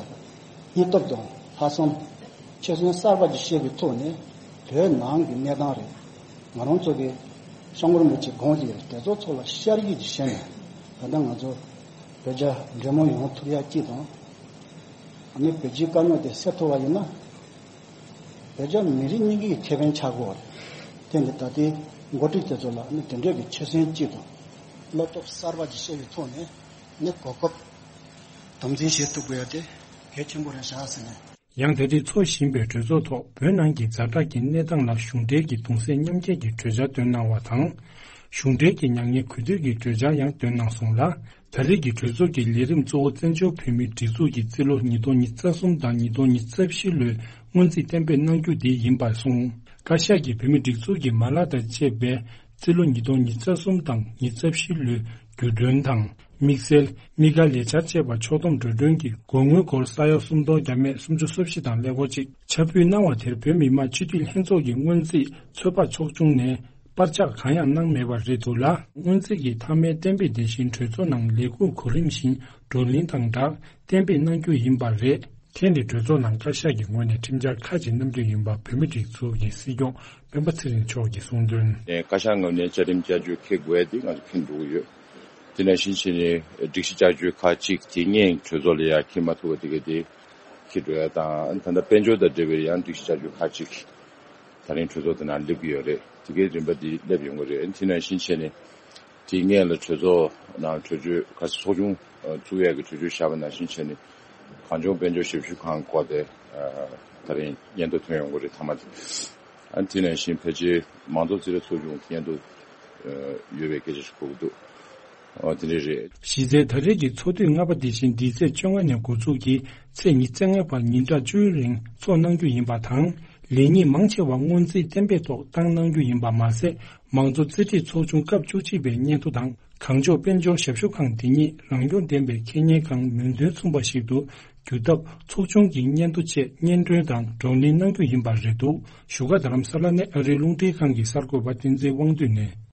སྙིང་སྟོབས་དང་ལྷག་བསམ་ཆོད་སེམས་གསར་པ་ཅིག་བཤད་པའི་ཐོག་ནས་བོད་ནང་གི་གནས་སྟངས་རེད། ང་རང་ཚོ་གི་སྐྱབས་མགོན་རིན་པོ་ཆེ་དགོངས་ཀྱི་དེ་ཚོ་ཚོ་ལ་ཤར་གྱི་ཅིག་བྱས་ནས་ད་ལྟ་ང་ཚོ་བོད་རྒྱ་འབྲེལ་མོལ་ཡོང་ཐུབ་ཡ་གཅིག་དང་། ཨ་ནི་བོད་སྤྱིའི་དཀའ་རྙོག་དེ་སེལ་ཐུབ་པ་ཡིན་ན། བོད་རྒྱ་མི་རིགས་གཉིས་ཀྱི་ཁེ་ཕན་ཆགས་ཀྱི་ཡོད་རེད། དེ་འདི་ད་ལྟའི་འགོ་ཁྲིད་དེ་ཚོ་ལ་ནི་དེ་འདྲའི་གི་ཆོད་སེམས་གཅིག་དང་བློ་སྟོབས་གསར་པ་ཅིག་བཤད་པའི་ཐོག་ནས་ནི་གོ་སྐབས་དམ་འཛིན་བྱེད་ཐུབ་དགོས་ཡ་དེ་གལ་ཆེན་པོ་རེད་ཤག་ཟེར་ནས། ཡང་ད་རེས་འཚོགས་བཞིན་པའི་གྲོས་ཚོགས་ཐོག་བོད་ནང་གི་ཛ་དྲག་གི་གནས་སྟངས་ལ་གཞུང་འབྲེལ་གྱི་གདུང་སེམས་མཉམ་སྐྱེད་ཀྱི་གྲོས་འཆར་བཏོན་གནང་བ་དང་། གཞུང་འབྲེལ་གྱི་མྱ་ངན་གུས་འདུད་ཀྱི་གྲོས་འཆར་ཡང་བཏོན་གནང་སོང་ལ། ད་རེས་ཀྱི་གྲོས་ཚོགས་ཀྱི་ལས་རིམ་གཙོ་བོ་བཙན་བྱོལ་བོད་མིའི་སྒྲིག་འཛུགས་ཀྱི་རྩིས་ལོ་ཉིས་སྟོང་ཉི་ཤུ་རྩ་གསུམ་དང་ཉིས་སྟོང་ཉི་ཤུ་རྩ་བཞི་ལོའི་སྔོན་རྩིས་གཏན་འབེབས་གནང་རྒྱུ་དེ་ཡིན་པར་གསུངས། བཀའ་ཤག་གིས་བོད་མིའི་སྒྲིག་འཛུགས་ཀྱི་མ་ལག་དང་བཅས་པའི་རྩིས་ལོ་ཉིས་སྟོང་ཉི་ཤུ་རྩ་གསུམ་དང་ཉི་ཤུ་རྩ་བཞི་ལོའི་བརྒྱུད་སྟོན་དང་། དམིགས་བསལ་དམིགས་བཀར་ལས་འཆར་བཅས་པ་ཕྱོགས་བསྡོམས་འགྲོ་གྲོན་གྱི་དགོས་དངུལ་སྒོར་ས་ཡ་སུམ་སྟོང་བརྒྱ་མེད་སུམ་ཅུ་སོ་བཞི་དང་ཀླད་ཀོར་གཅིག་ཕྱིར་འབུད་གནང་བ་དེར་བོད་མི་མང་སྤྱི་འཐུས་ལྷན་ཚོགས་ཀྱི་སྔོན་རྩིས་ཚོད་དཔག་ཚོགས་ཆུང་ནས་པར་ཆག་གང་ཡང་གནང་མེད་པ་རེད་འདུག་ལ། སྔོན་རྩིས་ཀྱི་མཐའ་མའི་གཏན་འབེབས་དེ་བཞིན་གྲོས་ཚོགས་ནང་ལས་ཁུངས་གོ་རིམ་བཞིན་བགྲོ་གླེང་དང་སྦྲགས་གཏན་འབེབས་གནང་རྒྱུ་ཡིན་པ་རེད། ཐེངས་འདིའི་གྲོས་ཚོགས་ནང་བཀའ་ཤག་གི་ངོས་ནས་ཁྲིམས་འཆར་ཁག་ཅིག་བསྣམས་རྒྱུ་ཡིན་པ་བོད་མིའི་སྒྲིག་འཛུགས་ཀྱི་སྲིད་སྐྱོང་སྤེན་པ་ཚེ་རིང་མཆོག་གིས་གསུངས་དོན། བཀའ་ཤག་ངོས་ནས་བཅའ་ཁྲིམས་བསྐྱར་བཅོས་འཁྱེར་དགོས་ཡ་དེ་ང་ཚོ་མཁྱེན་འགྲོ་གི་ཡོད། དེ་ནང་བཞིན་བྱས་ནས་སྒྲིག་གཞི་བསྐྱར་བཅོས་ཁག་ཅིག་དེ་སྔོན་གྲོས་ཚོགས་ལ་ཡ་འཁྱེར་མ་ཐུབ་པ་དེ་ག་དེ་འཁྱེར་འགྲོ་ཡ་དང་། ད་ལྟ་དཔལ་འབྱོར་དང་འབྲེལ་བའི་ཡང་སྒྲིག་གཞི་བསྐྱར་བཅོས་ཁག་ཅིག་ད་རིང་གྲོས་ཚོགས་དེ་ནང་སླེབས་ཀྱི་ཡོད་རེད། དེ་གའི་རིམ་པ་འདི་སླེབས་ཡོང་གི་རེད། དེ་ནང་བཞིན་བྱས་ནས་དེ་སྔོན་ལ་གྲོས་ཚོགས་ནང་གྲོས་ཆོད་ག་ཚོགས་ཆུང་ཨ་བཙུགས་ཡས་ཀྱི་གྲོས་ཆོད་བཞག་པ་ནང་བཞིན་བྱས་ནས་གངས་ལྗོངས་དཔལ་འབྱོར་ཞབས་ཞུ་ཁང་སྐོར་དེ་ཨ་ད་རིང་སྙན་ཐོ་ཐོན་ཡོང་གི་རེད། མཐའ་མ་དེ། ཨ་དེ་ནང་བཞིན་ཕལ་ཆེར་མང་གཙོ་རྩིས་ར་ཚོགས་ཆུང་སྙན་ཐོ་ཨ་ཡོད་པའི་སྐད་ཆ་ཞིག་གོ་གི་འདུག་ཨ་དེ་འདྲ་རེད། གཞི་རྩའི་ད་རེས་ཀྱི་ཚོགས་དུས་ལྔ་པ་དེ་བཞིན་འདི་ཚེས་བཅོ་ལྔ་ནས་འགོ་འཛུགས་ཀྱིས་ཚེས་ཉི་ཤུ་རྩ་ལྔ་བར་ཉིན་གྲངས་བཅུའི་རིང་ཚོགས་གནང་རྒྱུ་ཡིན་པ་དང་། ལས་ཉིན་མང་ཆེ་བ་སྔོན་རྩིས་གཏན་འབེབས་ཐོག་བཏང་གནང་རྒྱུ་ཡིན་པ་མ་ཟད། མང་གཙོ་རྩིས་ཁྲའི་ཚོགས་ཆུང་སྐབས་བཅུ་གཅིག་པའི་སྙན་ཐོ་དང་། གངས་ལྗོངས་དཔལ་འབྱོར་ཞབས་ཞུ་ཁང་དེ་ཉིད་རང་སྐྱོང་ལྡན་པའི་ཁེ་གཉེར་ཁང་མིང་དོན་མཚུངས་པ་ཞིག་ཏུ་བསྒྱུར་ཐབས་ཚོགས་ཆུང་གི་སྙན་ཐོ་ཆེད་སྙན་སྒྲོན་དང་བགྲོ་གླེང་གནང་རྒྱུ་ཡིན་པ་རེད་འདུག་བཞུགས་སྒར་རྡ་རམ་ས་ལ་ནས་ཨ་རིའི་རླུང་འཕྲིན་ཁང་གི་གསར་འགོད་པ་བསྟན་འཛིན་དབང་འདུས་ནས།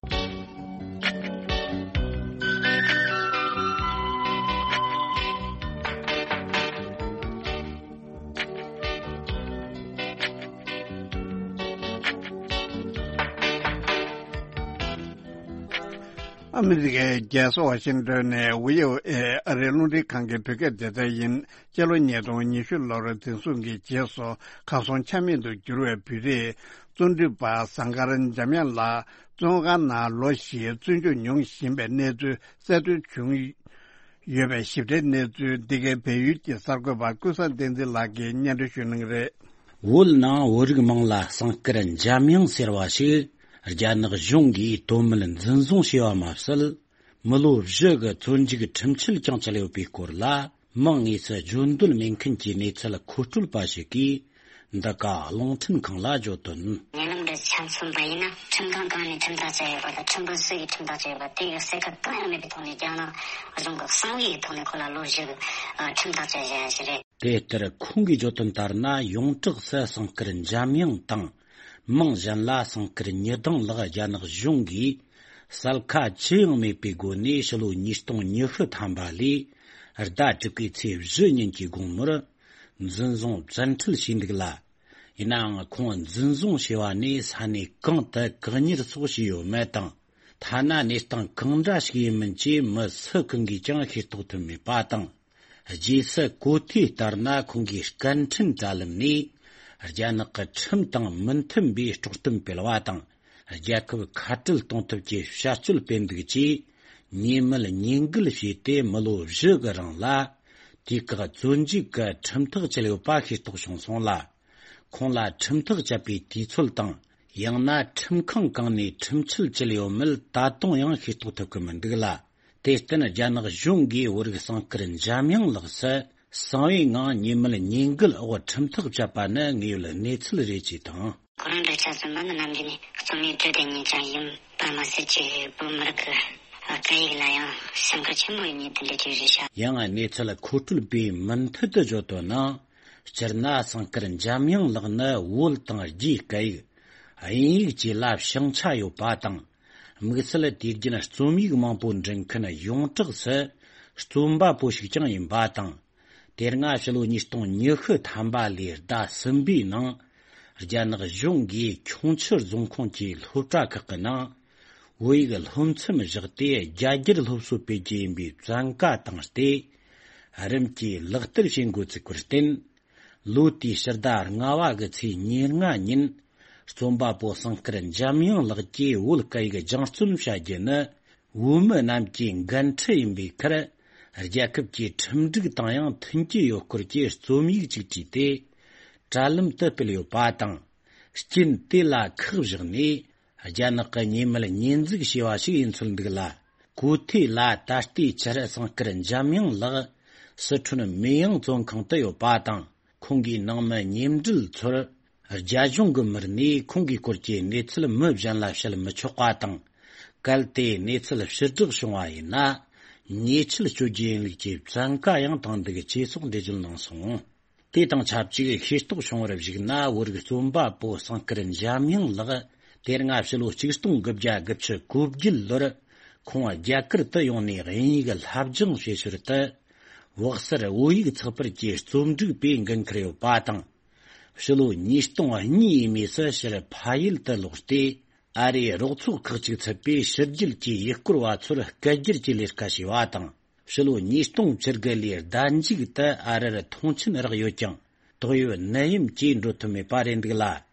ཨ་མི་རི་ཀའི་རྒྱལ་ས་ཝ་ཤིང་ཏོན་ནས་ཝི་ཨོ་ཨེ་ཨ་རིའི་རླུང་འཕྲིན་ཁང་གི་བོད་སྐད་སྡེ་ཚན་ཡིན། སྤྱི་ལོ་ཉིས་སྟོང་ཉི་ཤུ་ལོར་འཛིན་བཟུང་གིས་རྗེས་སུ་གར་སོང་ཆ་མེད་དུ་གྱུར་བའི་བོད་རིགས་བརྩོན་འགྲུས་པ་ཟངས་དཀར་འཇམ་དབྱངས་ལགས་བཙོན་ཁང་ནང་ལོ་བཞི་བཙོན་འཇུག་མྱོང་བཞིན་པའི་གནས་ཚུལ་གསལ་སྟོན་བྱུང་ཡོད་པའི་ཞིབ་ཕྲའི་གནས་ཚུལ་འདི་གའི་བལ་ཡུལ་གྱི་གསར་འགོད་པ་ཀུན་བཟང་བསྟན་འཛིན་ལགས་ཀྱིས་སྙན་སྒྲོན་ཞུ་གནང་གི་རེད། བོད་ནང་བོད་རིགས་མིང་ལ་ཟངས་དཀར་འཇམ་དབྱངས་ཟེར་བ་ཞིག་རྒྱ་ནག་གཞུང་གིས་དོན་མེད་འཛིན་བཟུང་བྱས་པ་མ་ཟད། མི་ལོ་བཞི་གི་བཙོན་འཇུག་ཁྲིམས་ཆད་ཀྱང་བཅད་ཡོད་པའི་སྐོར་ལ། མིང་དངོས་སུ་བརྗོད་འདོད་མེད་མཁན་གྱི་གནས་ཚུལ་མཁོ་སྤྲོད་པ་ཞིག་གིས། འདི་ག་རླུང་འཕྲིན་ཁང་ལ་བརྗོད་དོན། ཉེ་ལམ་འདི་ཆ་མཚོན་པ་ཡིན་ན། ཁྲིམས་ཁང་གང་ནས་ཁྲིམས་ཐག་བཅད་ཡོད་པ་དང་། ཁྲིམས་དཔོན་སུ་ཡིས་ཁྲིམས་ཐག་བཅད་ཡོད་པ་དེ་གི་གསལ་ཁ་གང་ཡང་མེད་པའི་ཐོག་ནས། རྒྱ་ནག་གཞུང་གི་གསང་བའི་ཐོག་ནས་ཁོ་ལ་ལོ་བཞི་གི་ཁྲིམས་ཐག་བཅད་བཞག་ཡ་ཞིག་རེད། དེ་ལྟར་ཁོང་གིས་བརྗོད་དོན་ལྟར་ན། ཡོངས་གྲགས་སུ་ཟངས་དཀར་འཇམ་དབྱངས་དང་། མིང་གཞན་ལ་ཟངས་དཀར་ཉི་ལྡང་ལགས། རྒྱ་ནག་གཞུང་གིས་གསལ་ཁ་ཅི་ཡང་མེད་པའི་སྒོ་ནས་ཕྱི་ལོ་ཉིས་སྟོང་ཉི་ཤུ་ཐམ་པ་ལོའི་ཟླ་དྲུག་པའི་ཚེས་བཞི་ཉིན་གྱི་དགོང་མོར་འཛིན་བཟུང་བཙན་ཁྲིད་བྱས་འདུག་ལ། ཡིན་ནའང་ཁོང་འཛིན་བཟུང་བྱས་པ་ནས་ས་གནས་གང་དུ་བཀག་ཉར་སོགས་བྱས་ཡོད་མེད་དང་། ཐ་ན་གནས་སྟངས་གང་འདྲ་ཞིག་ཡིན་མིན་བཅས་མི་སུ་གང་གིས་ཀྱང་ཤེས་རྟོགས་ཐུབ་མེད་པ་དང་། རྗེས་སུ་གོ་ཐོས་ལྟར་ན། ཁོང་གིས་སྐད་འཕྲིན་དྲ་ལམ་ནས་རྒྱ་ནག་གི་ཁྲིམས་དང་མི་མཐུན་པའི་དཀྲོག་གཏམ་སྤེལ་བ་དང་། རྒྱལ་ཁབ་ཁ་བྲལ་གཏོང་ཐབས་ཀྱི་བྱ་སྤྱོད་སྤེལ་འདུག་ཅེས་ཉེས་མེད་ཉེས་འགུལ་བྱས་ཏེ། མི་ལོ་བཞི་གི་རིང་ལ་དུས་བཀག་བཙོན་འཇུག་གི་ཁྲིམས་ཐག་བཅད་ཡོད་པ་ཤེས་རྟོགས་བྱུང་སོང་ལ། ཁོང་ལ་ཁྲིམས་ཐག་བཅད་པའི་དུས་ཚོད་དང་། ཡང་ན་ཁྲིམས་ཁང་གང་ནས་ཁྲིམས་ཆད་བཅད་ཡོད་མེད་ད་དུང་ཡང་ཤེས་རྟོགས་ཐུབ་ཀྱི་མི་འདུག་ལ། དེར་བརྟེན་རྒྱ་ནག་གཞུང་གིས་བོད་རིགས་ཟངས་དཀར་འཇམ་དབྱངས་ལགས་སུ་གསང་བའི་ངང་ཉེས་མེད་ཉེས་འགུལ་འོག་ཁྲིམས་ཐག་བཅད་པ་ནི་དངོས་ཡོད་གནས་ཚུལ་རེད་ཅེས་དང་། ཁོ་རང་འདྲ་ཆ་ཚང་མ་ནི་ནམ་རྒྱུན་ནས་རྩོམ་ཡིག་འབྲི་བསྡད་མཁན་ཅང་ཡིན་པ་མ་ཟད། ཅིག་བོད་མི་རིགས་ཀྱི་སྐད་ཡིག་ལ་ཡང་སེམས་ཁུར་ཆེན་པོ་ཡོད་མཁན་དེ་འདྲ་ཅིག་རེད་ཤག་ཡང་གནས་ཚུལ་མཁོ་སྤྲོད་པས་མུ་མཐུད་དུ་བརྗོད་དོན་ནི། སྤྱིར་ན་ཟངས་དཀར་འཇམ་དབྱངས་ལགས་ནི་བོད་དང་རྒྱའི་སྐད་ཡིག་དབྱིན་ཡིག་བཅས་ལ་བྱང་ཆ་ཡོད་པ་དང་། དམིགས་བསལ་དུས་རྒྱུན་རྩོམ་ཡིག་མང་པོ་འབྲི་མཁན་ཡོངས་གྲགས་སུ་རྩོམ་པ་པོ་ཞིག་ཀྱང་ཡིན་པ་དང་། དེ་སྔ་ཕྱི་ལོ་ཉིས་སྟོང་ཉི་ཤུ་ཐམ་པ་ལོའི་ཟླ་གསུམ་པའི་ནང་། རྒྱ་ནག་གཞུང་གིས་ཁྱུང་མཆུ་རྫོང་ཁོངས་ཀྱི་སློབ་གྲྭ་ཁག་གི་ནང་བོད་ཡིག་སློབ་ཚན་བཞག་སྟེ། རྒྱ་སྒྱུར་སློབ་གསོ་སྤེལ་རྒྱུ་ཡིན་པའི་བཙན་བཀའ་བཏང་སྟེ། རིམ་གྱིས་ལག་བསྟར་བྱེད་འགོ་བཙུགས་པར་བརྟེན། ལོ་དེའི་ཕྱི་ཟླ་ལྔ་བ་གི་ཚེས་ཉེར་ལྔ་ཉིན། རྩོམ་པ་པོ་སེང་དཀར་འཇམ་དབྱངས་ལགས་ཀྱིས་བོད་སྐད་ཡིག་སྦྱང་བརྩོན་བྱ་རྒྱུ་ནི། བོད་མི་རྣམས་ཀྱི་འགན་འཁྲི་ཡིན་པའི་ཁར། རྒྱལ་ཁབ་ཀྱི་ཁྲིམས་སྒྲིག་དང་ཡང་མཐུན་གྱི་ཡོད་སྐོར་གྱི་རྩོམ་ཡིག་ཅིག་བྲིས་ཏེ། དྲ་ལམ་དུ་སྤེལ་ཡོད་པ་དང་། རྐྱེན་དེ་ལ་ཁག་བཞག་ནས། རྒྱ་ནག་གི་ཉེས་མེད་ཉེས་འཛུགས་བྱས་པ་ཞིག་ཡིན་ཚུལ་འདུག་ལ། གོ་ཐོས་ལ་ད་ལྟའི་ཆར་སེང་དཀར་འཇམ་དབྱངས་ལགས་སི་ཁྲོན་མེ་ཡང་བཙོན་ཁང་དུ་ཡོད་པ་དང་། ཁོང་གི་ནང་མི་མཉམ་འབྲེལ་ཚོར། རྒྱ་གཞུང་གི་མི་སྣས་ཁོང་གི་སྐོར་གྱི་གནས་ཚུལ་མི་གཞན་ལ་བཤད་མི་ཆོག་པ་དང་། གལ་ཏེ་གནས་ཚུལ་ཕྱིར་བསྒྲགས་བྱུང་བ་ཡིན་ན། ཉེས་ཆད་གཅོད་རྒྱུ་ཡིན་ལུགས་ཀྱི་བཙན་བཀའ་ཡང་བཏང་འདུག་ཅེས་སོགས་འགྲེལ་བརྗོད་གནང་སོང་། དེ་དང་ཆབས་ཅིག་ཤེས་རྟོགས་བྱུང་བར་གཞིགས་ན། བོད་རིགས་རྩོམ་པ་པོ་སེང་དཀར་འཇམ་དབྱངས་ལགས་དེ་སྔ་ཕྱི་ལོ་ཆིག་སྟོང་དགུ་བརྒྱ་དགུ་བཅུ་གོ་བརྒྱད་ལོར་ཁོང་རྒྱ་གར་དུ་ཡོང་ནས་དབྱིན་ཡིག་བསླབ་སྦྱོང་བྱེད་ཞོར་དུ། བོད་གསར་བོད་ཡིག་ཚགས་པར་གྱི་རྩོམ་སྒྲིག་པའི་འགན་འཁུར་ཡོད་པ་དང་། ཕྱི་ལོ་ཉིས་སྟོང་གཉིས་ཡས་མས་སུ་ཕྱིར་ཕ་ཡུལ་དུ་ལོག་སྟེ། ཨ་རིའི་རོགས་ཚོགས་ཁག་ཅིག་ཚུད་པའི་ཕྱི་རྒྱལ་གྱི་ཡུལ་སྐོར་བ་ཚོར་སྐད་སྒྱུར་གྱི་ལས་ཀ་བྱས་པ་དང་། ཕྱི་ལོ་ཉིས་སྟོང་བཅུ་དགུ་ལོའི་ཟླ་མཇུག་ཏུ་ཨ་རིར་མཐོང་མཆན་རག་ཡོད་ཀྱང་། ཏོག་དབྱིབས་ནད་ཡམས་ཀྱིས་འགྲོ་ཐུབ་མེད་པ་རེད་འདུག་ལ།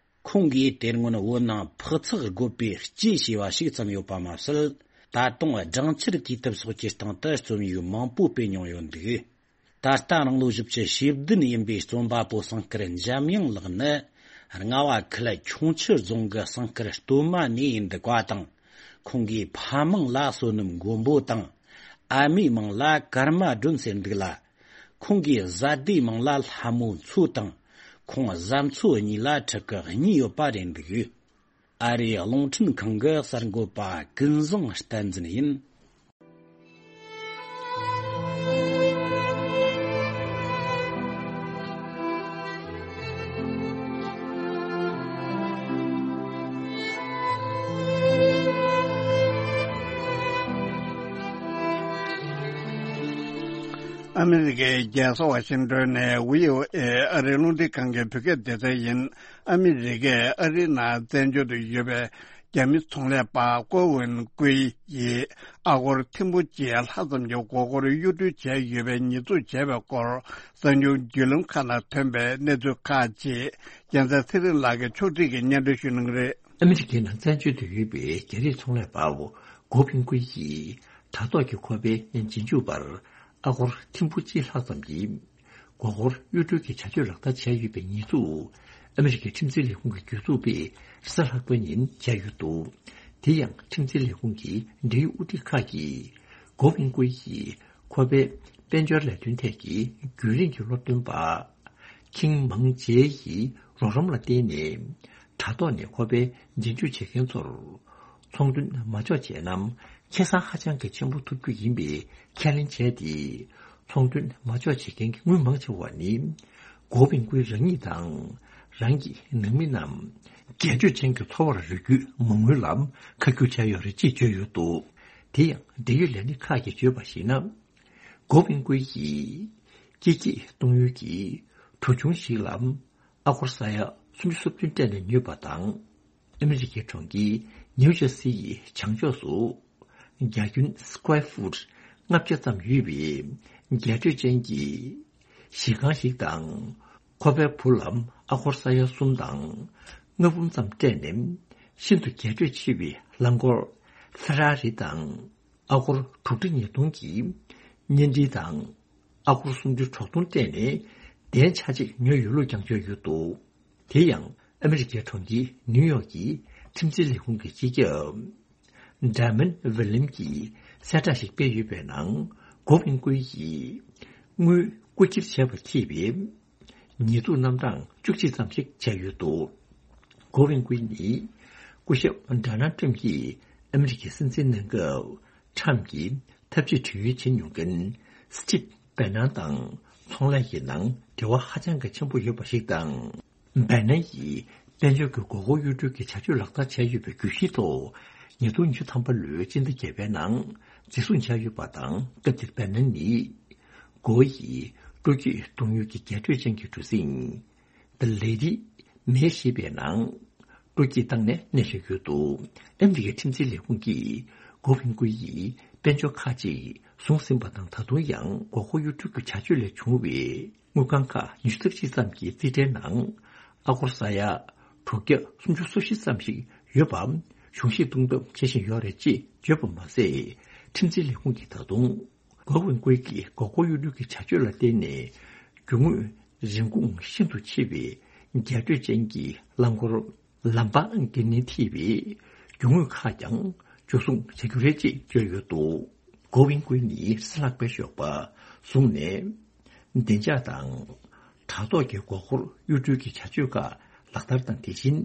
ཁོང་གིས་དེ་སྔོན་བོད་ནང་འཕག་འཚག་དགོས་པའི་གཅེས་བྱས་པ་ཞིག་ཙམ་ཡོད་པ་མ་ཟད། ད་དུང་སྦྲང་ཆར་གྱི་དུབ་སོགས་ཀྱི་སྟེང་དུ་རྩོམ་ཡིག་མང་པོ་སྤེལ་མྱོང་ཡོད་འདུག་ད་ལྟ་རང་ལོ་བཞི་བཅུ་ཞེ་བདུན་ཡིན་པའི་རྩོམ་པ་པོ་སེང་དཀར་འཇམ་དབྱངས་ལགས་ནི། རྔ་བ་ཁུལ་ཁྱུང་མཆུ་རྫོང་གི་སེང་དཀར་སྟོད་མ་ནས་ཡིན་འདུག་པ་དང་། ཁོང་གི་ཕ་མིང་ལ་བསོད་ནམས་མགོན་པོ་དང་། ཨ་མའི་མིང་ལ་ཀརྨ་སྒྲོན་ཟེར་འདུག་ལ། ཁོང་གི་བཟའ་ཟླའི་མིང་ལ་ལྷ་མོ་མཚོ་དང་། ཁོང་བཟའ་མཚོ་གཉིས་ལ་ཕྲུ་གུ་གཉིས་ཡོད་པ་རེད་འདུག་ཨ་རིའི་རླུང་འཕྲིན་ཁང་གི་གསར་འགོད་པ་ཀུན་བཟང་བསྟན་འཛིན་ཡིན། ཨ་མི་རི་ཀའི་རྒྱལ་ས་ཝ་ཤིང་ཏོན་ནས་བྷི་ཨོ་ཨེ་ཨ་རིའི་རླུང་འཕྲིན་ཁང་གི་བོད་སྐད་སྡེ་ཚན་ཡིན། ཨ་མི་རི་ཀས་ཨ་རིའི་ནང་བཙན་བྱོལ་དུ་ཡོད་པའི་རྒྱ་མི་ཚོང་ལས་པ་ཀོ་ཝུན་ཀུའེ་ཡིས་ཨ་སྒོར་ཐེར་འབུམ་གཅིག་ལྷག་ཙམ་གྱི་མགོ་སྐོར་གཡོ་འགུལ་བྱས་ཡོད་པའི་ཉེས་འཛུགས་བྱས་པའི་སྐོར། གསར་འགྱུར་བརྒྱུད་ལམ་ཁག་ནང་ཐོན་པའི་གནས་ཚུལ་ཁག་ཅིག་རྒྱལ་མཚན་ཚེ་རིང་ལགས་ཀྱིས་ཕྱོགས་སྒྲིག་གིས་སྙན་སྒྲོན་ཞུ་གནང་གི་རེད། ཨ་མི་རི་ཀའི་ནང་བཙན་བྱོལ་དུ་ཡོད་པའི་རྒྱ་རིགས་ཚོང་ལས་པ་ཀོ་ཝུན་ཀུའེ་ཡིས་དྲ་ཐོག་གི་ཁོ་པའི་རྗེས་འཇུག་པར་ཨ་སྒོར་ཐེར་འབུམ་གཅིག་ལྷག་ཙམ་གྱི་མགོ་སྐོར་གཡོ་སྒྲིག་གི་བྱ་སྤྱོད་ལག་བསྟར་བྱས་ཡོད་པའི་ཉེས་འཛུགས། ཨ་མི་རི་ཀའི་ཁྲིམས་འཛིན་ལས་ཁུངས་ཀྱི་གྱོད་འཛུགས་པས་རེས་གཟའ་ལྷག་པ་ཉིན་བྱས་ཡོད་འདུག་དེ་ཡང་ཁྲིམས་འཛིན་ལས་ཁུངས་ཀྱི་འབྲེལ་ཡོད་དབུ་ཁྲིད་ཁག་གིས་ཀོ་ཝུན་ཀུའེ་ཡིས་ཁོ་པའི་དཔལ་འབྱོར་ལས་དོན་ཐད་ཀྱི་རྒྱུན་རིང་གི་སློབ་སྟོན་པ་ཁིང་མང་ཇེ་ཡི་རོགས་རམ་ལ་བརྟེན་ནས། དྲ་ཐོག་ནས་ཁོ་པའི་རྗེས་འཇུག་བྱེད་མཁན་ཚོར། ཚོང་དོན་མ་འཇོག་བྱས་ན། ཁེ་བཟང་ཧ་ཅང་གི་ཆེན་པོ་ཐོབ་རྒྱུ་ཡིན་པའི་ཁས་ལེན་བྱས་ཏེ། ཚོང་དོན་མ་འཇོག་བྱེད་མཁན་གྱི་དངུལ་མང་ཆེ་བ་ནི། ཀོ་ཝུན་ཀུའེ་རང་ཉིད་དང་། རང་གི་ནང་མི་རྣམས། རྒྱས་སྤྲོས་ཅན་གྱི་འཚོ་བར་རོལ་རྒྱུའི་མ་དངུལ་ལ་ཁ་བསྒྱུར་བྱས་ཡོད་རེད་ཅེས་བརྗོད་ཡོད་འདུག་དེ་ཡང་འབྲེལ་ཡོད་ལས་སྣེ་ཁག་གིས་བརྗོད་པར་གཞིགས་ན། ཀོ་ཝུན་ཀུའེ་ཡིས་སྐྱེད་ཀྱིས་གཏོང་ཡུལ་གྱི་གྲོན་ཆུང་ཞིག་ལ་ཨ་སྒོར་ས་ཡ་སུམ་ཅུ་སོ་བདུན་སྤྲད་ནས་ཉོས་པ་དང་། ཨ་མི་རི་ཀའི་གྲོང་ཁྱེར་ནིའུ་ཇར་སི་ཡི་བྱང་ཕྱོགས་སུ་རྒྱ་ཁྱོན་སི་ཀོ་ཡར་ཕུཊ་ལྔ་བརྒྱ་ཙམ་ཡོད་པའི་རྒྱས་སྤྲོས་ཅན་གྱི་གཞིས་ཁང་ཞིག་དང་། ཁོ་པའི་བུ་ལ་ཨ་སྒོར་ས་ཡ་གསུམ་དང་ལྔ་འབུམ་ཙམ་སྤྲད་ནས་ཤིན་ཏུ་རྒྱས་སྤྲོས་ཆེ་བའི་རླངས་འཁོར་ཕེ་ར་རི་དང་། ཨ་སྒོར་དྲུག་ཁྲི་ཉིས་སྟོང་གི་བརྙན་འཕྲིན་དང་། ཨ་སྒོར་སུམ་ཅུ་དྲུག་སྟོང་སྤྲད་ནས་གདན་ཆ་གཅིག་ཉོས་ཡོད་ལུགས་ཀྱང་བརྗོད་ཡོད་འདུག་དེ་ཡང་ཨ་མི་རི་ཀའི་གྲོང་ཁྱེར་ནིའུ་ཡོག་གི་ཁྲིམས་འཛིན་ལས་ཁུངས་ཀྱི་སྤྱི་ཁྱབ་ཌ་མན་ཝི་ལིམ་གྱིས་གསལ་བསྒྲགས་ཤིག་སྤེལ་ཡོད་པའི་ནང་། ཀོ་ཝུན་ཀུའེ་ཡིས་དངུལ་རྐུ་འཁྱེར་བྱས་པ་ཁེལ་བའི་ཉེས་འཛུགས་རྣམ་གྲངས་བཅུ་གཅིག་ཙམ་ཞིག་བྱས་ཡོད་འདུག་ཀོ་ཝུན་ཀུའེ་ནི་སྐུ་ཞབས་ཌོ་ནལ་ཊམ་གྱིས་ཨ་མི་རི་ཀའི་སྲིད་འཛིན་གནང་སྐབས། ཊམ་གྱིས་ཐབས་ཇུས་བེད་སྤྱོད་བྱེད་མྱོང་མཁན་སི་ཊིབ་བེ་ནན་དང་ཚོང་ལས་ཀྱི་ནང་འབྲེལ་བ་ཧ་ཅང་གི་ཆེན་པོ་ཡོད་པ་ཞིག་དང་། བེ་ནན་ཡིས་དཔལ་འབྱོར་གྱི་མགོ་སྐོར་གཡོ་སྒྲིག་གི་བྱ་སྤྱོད་ལག་བསྟར་བྱས་ཡོད་པའི་གྱོད་གཞིའི་ཐོག་ཉིས་སྟོང་ཉི་ཤུ་ཐམ་པ་ལོའི་སྤྱི་ཟླ་བརྒྱད་པའི་ནང་འཛིན་བཟུང་བྱས་ཡོད་པ་དང་། སྐབས་དེར་བེ་ནན་ནི་སྒོ་ཡི་སྤྲོ་སྐྱིད་གཏོང་ཡུལ་གྱི་རྒྱས་སྤྲོས་ཅན་གྱི་གྲུ་གཟིངས། The Lady May ཞེས་པའི་ནང་སྤྲོ་སྐྱིད་བཏང་ནས་གནས་བཞག་ཡོད་འདུག་ཨ་མི་རི་ཀའི་ཁྲིམས་འཛིན་ལས་ཁུངས་ཀྱིས་ཀོ་ཝུན་ཀུའེ་ཡིས་ དཔལ་འབྱོར་ཁག་ཅིག་བཟུང་ཟིན་པ་དང་། ད་དུང་ཡང་མགོ་སྐོར་གཡོ་འགུལ་གྱི་བྱ་སྤྱོད་ལས་བྱུང་བའི་དངུལ་ཁང་ཁག་ཉི་ཤུ་རྩ་གཅིག་ཙམ་གྱི་རྩིས་ཁྲའི་ནང་ཨ་སྒོར་ས་ཡ་དྲུག་བརྒྱ་སུམ་ཅུ་སོ་བཞི་ཙམ་ཞིག་ཡོད་པ་གཞུང་བཞེས་གཏོང་ཐབས་བྱེད་བཞིན་ཡོད་རེད་ཅེས་བརྗོད་པ་མ་ཟད། ཁྲིམས་འཛིན་ལས་ཁུངས་ཀྱིས་ད་དུང་གོ་ཝིན་ཀུའེ་ཀྱི་མགོ་སྐོར་གཡོ་འགུལ་གྱི་བྱ་སྤྱོད་ལ་བརྟེན་ནས་རྒྱུ་དངོས་རིན་གོང་ཤིན་ཏུ་ཆེ་བའི་རྒྱ་སྤྲོད་ཅན་གྱི་རླངས་འཁོར་ལམ་བར་འགེལ་ནས་ཐེབས་པའི་རྒྱུ་དངོས་ཁག་ཀྱང་འཇུ་བཟུང་བྱ་རྒྱུ་རེད་ཅེས་བརྗོད་ཡོད་འདུག་གོ་ཝིན་ཀུའེ་ནི་རྩིས་ལྷག་པའི་ཞོགས་པ་བཟུང་ནས། བདེ་འཇགས་དང་དྲ་ཐོག་གི་མགོ་སྐོར་གཡོ་འགུལ་གྱི་བྱ་སྤྱོད་ཁག་ལག་བསྟར་དང་། དེ་བཞིན་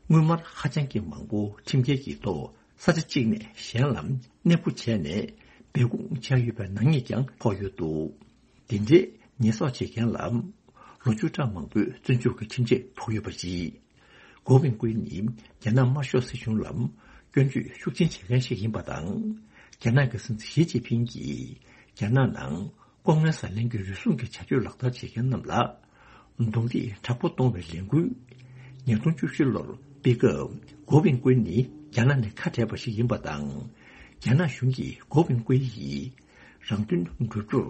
དངུལ་སྨར་ཧ་ཅང་གི་མང་པོ་ཁྲིམས་འགལ་གྱི་ཐོག་ས་ཆ་གཅིག་ནས་གཞན་ལ་གནས་སྤོ་བྱས་ནས་སྦས་སྐུང་བྱས་ཡོད་པའི་ནག་ཉེས་ཀྱང་ཕོག་ཡོད་འདུག་དེ་འདྲའི་ཉེས་གསོག་བྱེད་མཁན་ལ་ལོ་བཅུ་ཕྲག་མང་པོའི་བཙོན་འཇུག་གི་ཁྲིམས་ཆད་ཕོག་ཡོད་པ་རེད། གོ་ཝིན་ཀུའེ་ནི་རྒྱ་ནག་དམར་ཤོག་སྲིད་གཞུང་ལ་སྐྱོན་བརྗོད་ཤུགས་ཆེན་བྱེད་མཁན་ཞིག་ཡིན་པ་དང་། རྒྱ་ནག་གི་སྲིད་འཛིན་ཞི་ཅིན་ཕིང་གིས་རྒྱ་ནག་ནང་ལྐོག་རྔན་ཟ་ལེན་གྱི་རུལ་སུངས་ཀྱི་བྱ་སྤྱོད་ལག་བསྟར་བྱེད་མཁན་རྣམས་ལ་རྡུང་རྡེག་དྲག་པོ་གཏོང་བའི་ལས་འགུལ། ཉིས་སྟོང་བཅུ་བཞི་ལོར་སྤེལ་སྐབས་གོ་ཝིན་ཀུའེ་ནི་རྒྱ་ནག་ནས་ཁ་བྲལ་བ་ཞིག་ཡིན་པ་དང་། རྒྱ་ནག་གཞུང་གིས་གོ་ཝིན་ཀུའེ་ཡི་རང་དོན་བསྒྲུབ་རྒྱུར་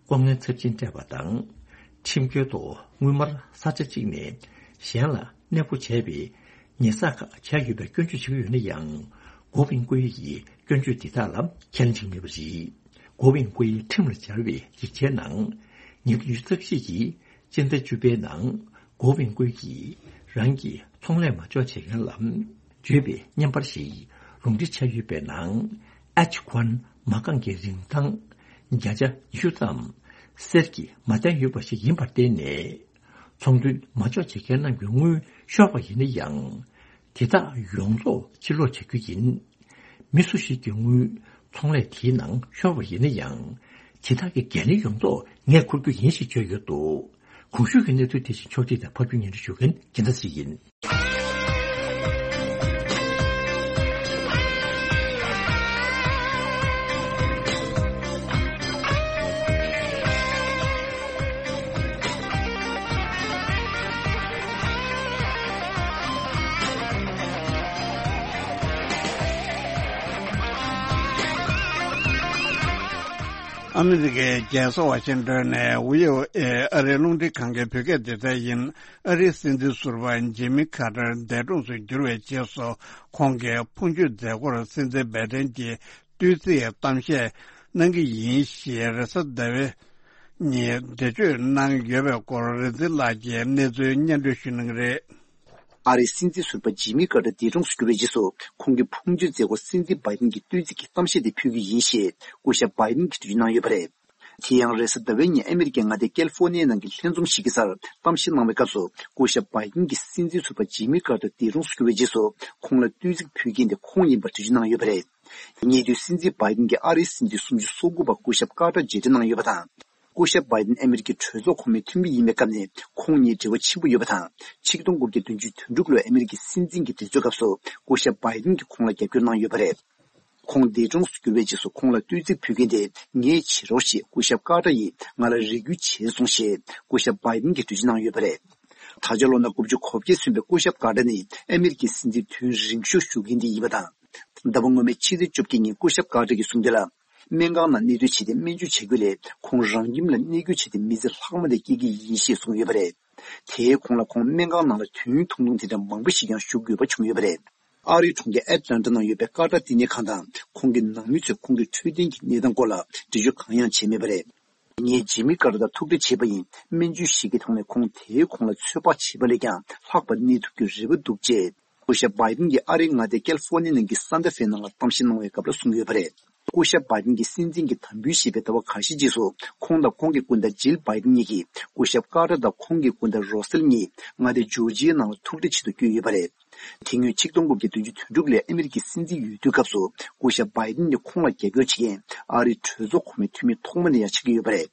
ལྐོག་རྔན་ཚབས་ཆེན་སྤྲད་པ་དང་། ཁྲིམས་འགལ་ཐོག་དངུལ་སྨར་ས་ཆ་གཅིག་ནས་གཞན་ལ་གནས་སྤོ་བྱས་པའི་ཉེས་བསགས་ཁག་བྱས་ཡོད་པའི་སྐྱོན་བརྗོད་བྱེད་ཀྱི་ཡོད་ན་ཡང་། གོ་ཝིན་ཀུའེ་ཡིས་སྐྱོན་བརྗོད་འདི་དག་ལ་ཁས་ལེན་བྱེད་མེད་པ་རེད། གོ་ཝིན་ཀུའེ་ཁྲིམས་ལ་སྦྱར་བའི་ཡིག་ཆའི་ནང་། ཉིས་སྟོང་ཉི་ཤུ་རྩ་བཞི་གི་སྤྱི་ཟླ་བཅུ་པའི་ནང་གོ་ཝིན་ཀུའེ་ཡིས་རང་གི་ཚོང་ལས་མ་འཇོག་བྱེད་མཁན་ལ་བརྗོད་པའི་བརྙན་པར་ཞིག་ལུང་འདྲེན་བྱས་ཡོད་པའི་ནང་། ཨེཆ་ཁོན་མ་རྐང་གི་རིན་ཐང་བརྒྱ་ཆ་ཉི་ཤུ་ཙམ་གསེར་གྱིས་མ་བརྟན་ཡོད་པ་ཞིག་ཡིན་པར་བརྟེན་ནས། ཚོང་དོན་མ་འཇོག་བྱེད་མཁན་རྣམས་ཀྱི་དངུལ་ཤོར་བ་ཡིན་ན་ཡང་། དེ་དག་ཡོངས་རྫོགས་ཕྱིར་སློག་བྱ་རྒྱུ་ཡིན། མི་སུ་ཞིག་གི་དངུལ་ཚོང་ལས་དེའི་ནང་ཤོར་བ་ཡིན་ན་ཡང་། དེ་དག་གི་འགན་ལེན་ཡོངས་རྫོགས་ངས་འཁུར་རྒྱུ་ཡིན་ཞེས་བརྗོད་ཡོད་འདུག་གོང་ཞུས་ཀྱི་གནས་ཚུལ་དེ་བཞིན་ཕྱོགས་སྒྲིག་དང་ཕབ་སྒྱུར་སྙན་སྒྲོན་ཞུ་མཁན་རྒྱལ་མཚན་ཞིག་ཡིན། ཨ་མི་རི་ཀའི་རྒྱལ་ས་ཝ་ཤིང་ཏོན་ནས་ཝི་ཨོ་ཨེ་ཨ་རིའི་རླུང་འཕྲིན་ཁང་གི་བོད་སྐད་སྡེ་ཚན་ཡིན། ཨ་རིའི་སྲིད་འཛིན་ཟུར་པ་ཇི་མི་ཁ་ཏར་འདས་གྲོངས་སུ་གྱུར་བའི་རྗེས་སུ། ཁོང་གི་ཕུང་མཆོད་མཛད་སྒོར་སྲིད་འཛིན་བའི་ཏན་གྱིས་བསྟོད་ཚིག་གཏམ་བཤད་གནང་གི་ཡིན་ཞེས་རེས་གཟའ་ཟླ་བའི་ཉིན་འགྲེལ་བརྗོད་གནང་ཡོད་པའི་སྐོར། རིག་འཛིན་ལགས་ཀྱིས་གནས་ཚུལ་སྙན་སྒྲོན་ཞུ་གནང་གི་རེད། ཨ་རིའི་སྲིད་འཛིན་ཟུར་པ་ཇི་མི་ཀར་ཏར་འདས་གྲོངས་སུ་གྱུར་བའི་རྗེས་སུ། ཁོང་གི་ཕུང་མཆོད་མཛད་སྒོར་སྲིད་འཛིན་བྷའི་ཏན་གྱིས་བསྟོད་ཚིག་གི་གཏམ་བཤད་དེ་ཕུལ་གྱི་ཡིན་ཞེས་སྐུ་ཞབས་བྷའི་ཏན་གྱིས་འགྲེལ་བརྗོད་གནང་ཡོད་པ་རེད། དེ་ཡང་རེས་གཟའ་ཟླ་བའི་ཉིན་ཨ་མི་རི་ཀའི་མངའ་སྡེ་ཀལ་ཧྥོ་ནི་ཡའི་ནང་གི་ལྷན་འཛོམས་ཤིག་གི་སར་གཏམ་བཤད་གནང་བའི་སྐབས་སུ། སྐུ་ཞབས་བྷའི་ཏན་གྱིས་སྲིད་འཛིན་ཟུར་པ་ཇི་མི་ཀར་ཏར་འདས་གྲོངས་སུ་གྱུར་བའི་རྗེས་སུ། ཁོང་ལ་བསྟོད་ཚིག་ཕུལ་མཁན་དེ་ཁོང་ཡིན་པར་འགྲེལ་བརྗོད་གནང་ཡོད་པ་རེད། ཉེ་དུས་སྲིད་འཛིན་བྷའི་ཏན་གྱིས་ཨ་རིའི་སྲིད་འཛིན་སུམ་ཅུ་སོ་དགུ་པ་སྐུ་ཞབས་ཀར་ཏར་མཇལ་འཕྲད་གནང་ཡོད་པ་དང་། སྐུ་ཞབས་བྷའི་ཏན་ཨ་མི་རི་ཀའི་གྲོས་ཚོགས་གོང་མའི་འཐུས་མི་ཡིན་པའི་སྐབས་ནས་ཁོང་གཉིས་འབྲེལ་བ་ཆེན་པོ་ཡོད་པ་དང་། ཆིག་སྟོང་དགུ་བརྒྱ་བདུན་ཅུ་དོན་དྲུག་ལོའི་ཨ་མི་རི་ཀའི་སྲིད་འཛིན་གྱི་འདས་གསོལ་སྐབས་སུ། སྐུ་ཞབས་བྷའི་ཏན་གྱིས་ཁོང་ལ་རྒྱབ་སྐྱོར་གནང་ཡོད་པ་རེད། ཁོང་འདས་གྲོངས་སུ་གྱུར་བའི་རྗེས་སུ་ཁོང་ལ་བསྟོད་ཚིག་ཕུལ་མཁན་དེ་ངས་བྱེད་རོགས་ཞེས་སྐུ་ཞབས་ཀར་ཏར་ཡིས་ང་ལ་རེ་སྐུལ་བྱས་སོང་ཞེས་སྐུ་ཞབས་བྷའི་ཏན་གྱིས་འགྲེལ་བརྗོད་གནང་ཡོད་པ་རེད། ད་ཆ་ལོ་ན་དགུ་བཅུ་གོ་བརྒྱད་སོན་པའི་སྐུ་ཞབས་ཀར་ཏར་ནི་ཨ་མི་རི་ཀའི་སྲིད་འཛིན་དུས་ཡུན་རིང་ཤོས་བཞུགས་མཁན་དེ་ཡིན་པ་དང་། ཟླ་བ་སྔོན་མའི་ཕྱི་ཚེས་བཅོ་བརྒྱད་ཉིན་སྐུ་ཞབས་ཀར་ཏར་གྱིས་གསུངས་དོན་ལ། སྨན་ཁང་ནང་གནས་སྡོད་བྱས་ཏེ་སྨན་བཅོས་བྱ་རྒྱུ་ལས་ཁོང་རང་ཁྱིམ་ལ་གནས་སྐྱོད་བྱས་ཏེ་མི་ཚེ་ལྷག་མ་དེ་སྐྱེལ་གྱི་ཡིན་ཞེས་གསུངས་ཡོད་པ་རེད། དེས་ཁོང་ལ་ཁོང་སྨན་ཁང་ནང་ལ་དུས་ཡུན་ཐུང་ཐུང་དེ་འདྲ་མང་པོ་ཞིག་ཀྱང་བཞུགས་དགོས་པ་བྱུང་ཡོད་པ་རེད། ཨ་རིའི་གྲོང་ཁྱེར་ཨེ་ཏི་ལན་ཊ་ནང་ཡོད་པའི་ཀར་ཏར་བསྟི་གནས་ཁང་དང་ཁོང་གི་ནང་མི་ཚོས་ཁོང་གི་འཕྲོད་བསྟེན་གྱི་གནས་སྟངས་སྐོར་ལ་འགྲེལ་བརྗོད་གང་ཡང་བྱས་མེད་པ་རེད། ངས་ཇི་མི་ཀར་ཏར་དང་ཐུག་འཕྲད་བྱས་པ་ཡིན། སྨན་བཅོས་ཤིག་གི་ཐོག་ནས་ཁོང་དེས་ཁོང་ལ་ཚོད་དཔག་བྱས་པ་ལས་ཀྱང་ལྷག་པར་གནས་ཐུབ་རྒྱུའི་རེ་བ་འདུག་ཅེས་སྐུ་ཞབས་བྷའི་ཏན་གྱིས་ཨ་རིའི་མངའ་སྡེ་ཀལ་ཧྥོ་ནི་ཡ་ནང་གི་སཱན་ཏ་ཧྥེ་ནང་ལ་གཏམ་བཤད་གནང་བའི་སྐབས་ལ་གསུངས་ཡོད་པ་རེད། སྐུ་ཞབས་བྷའི་ཏན་གྱིས་སྲིད་འཛིན་གྱི་དམ་འབུལ་ཞེས་པའི་ཟླ་བ་འགའ་ཤས་རྗེས་སུ་ཁོང་དང་ཁོང་གི་སྐུ་ཟླ་ཇིལ་བྷའི་ཏན་གཉིས་ཀྱིས་སྐུ་ཞབས་ཀར་ཏར་དང་ཁོང་གི་སྐུ་ཟླ་རོ་སེལ་གཉིས་མངའ་སྡེ་ཇོར་ཇི་ཡའི་ནང་ལ་ཐུག་འཕྲད་ཆེད་དུ་བསྐྱོད་ཡོད་པ་རེད། དེ་སྔོན་ཆིག་སྟོང་དགུ་བརྒྱ་བདུན་ཅུ་དོན་དྲུག་ལོའི་ཨ་མི་རི་ཀའི་སྲིད་འཛིན་འོས་བསྡུའི་སྐབས་སུ་སྐུ་ཞབས་བྷའི་ཏན་ནི་ཁོང་ལ་རྒྱབ་སྐྱོར་བྱེད་མཁན་ཨ་རིའི་གྲོས་ཚོགས་གོང་མའི་འཐུས་མི་ཐོག་མ་ནས་ཡང་ཆགས་ཀྱི་ཡོད་པ་རེད།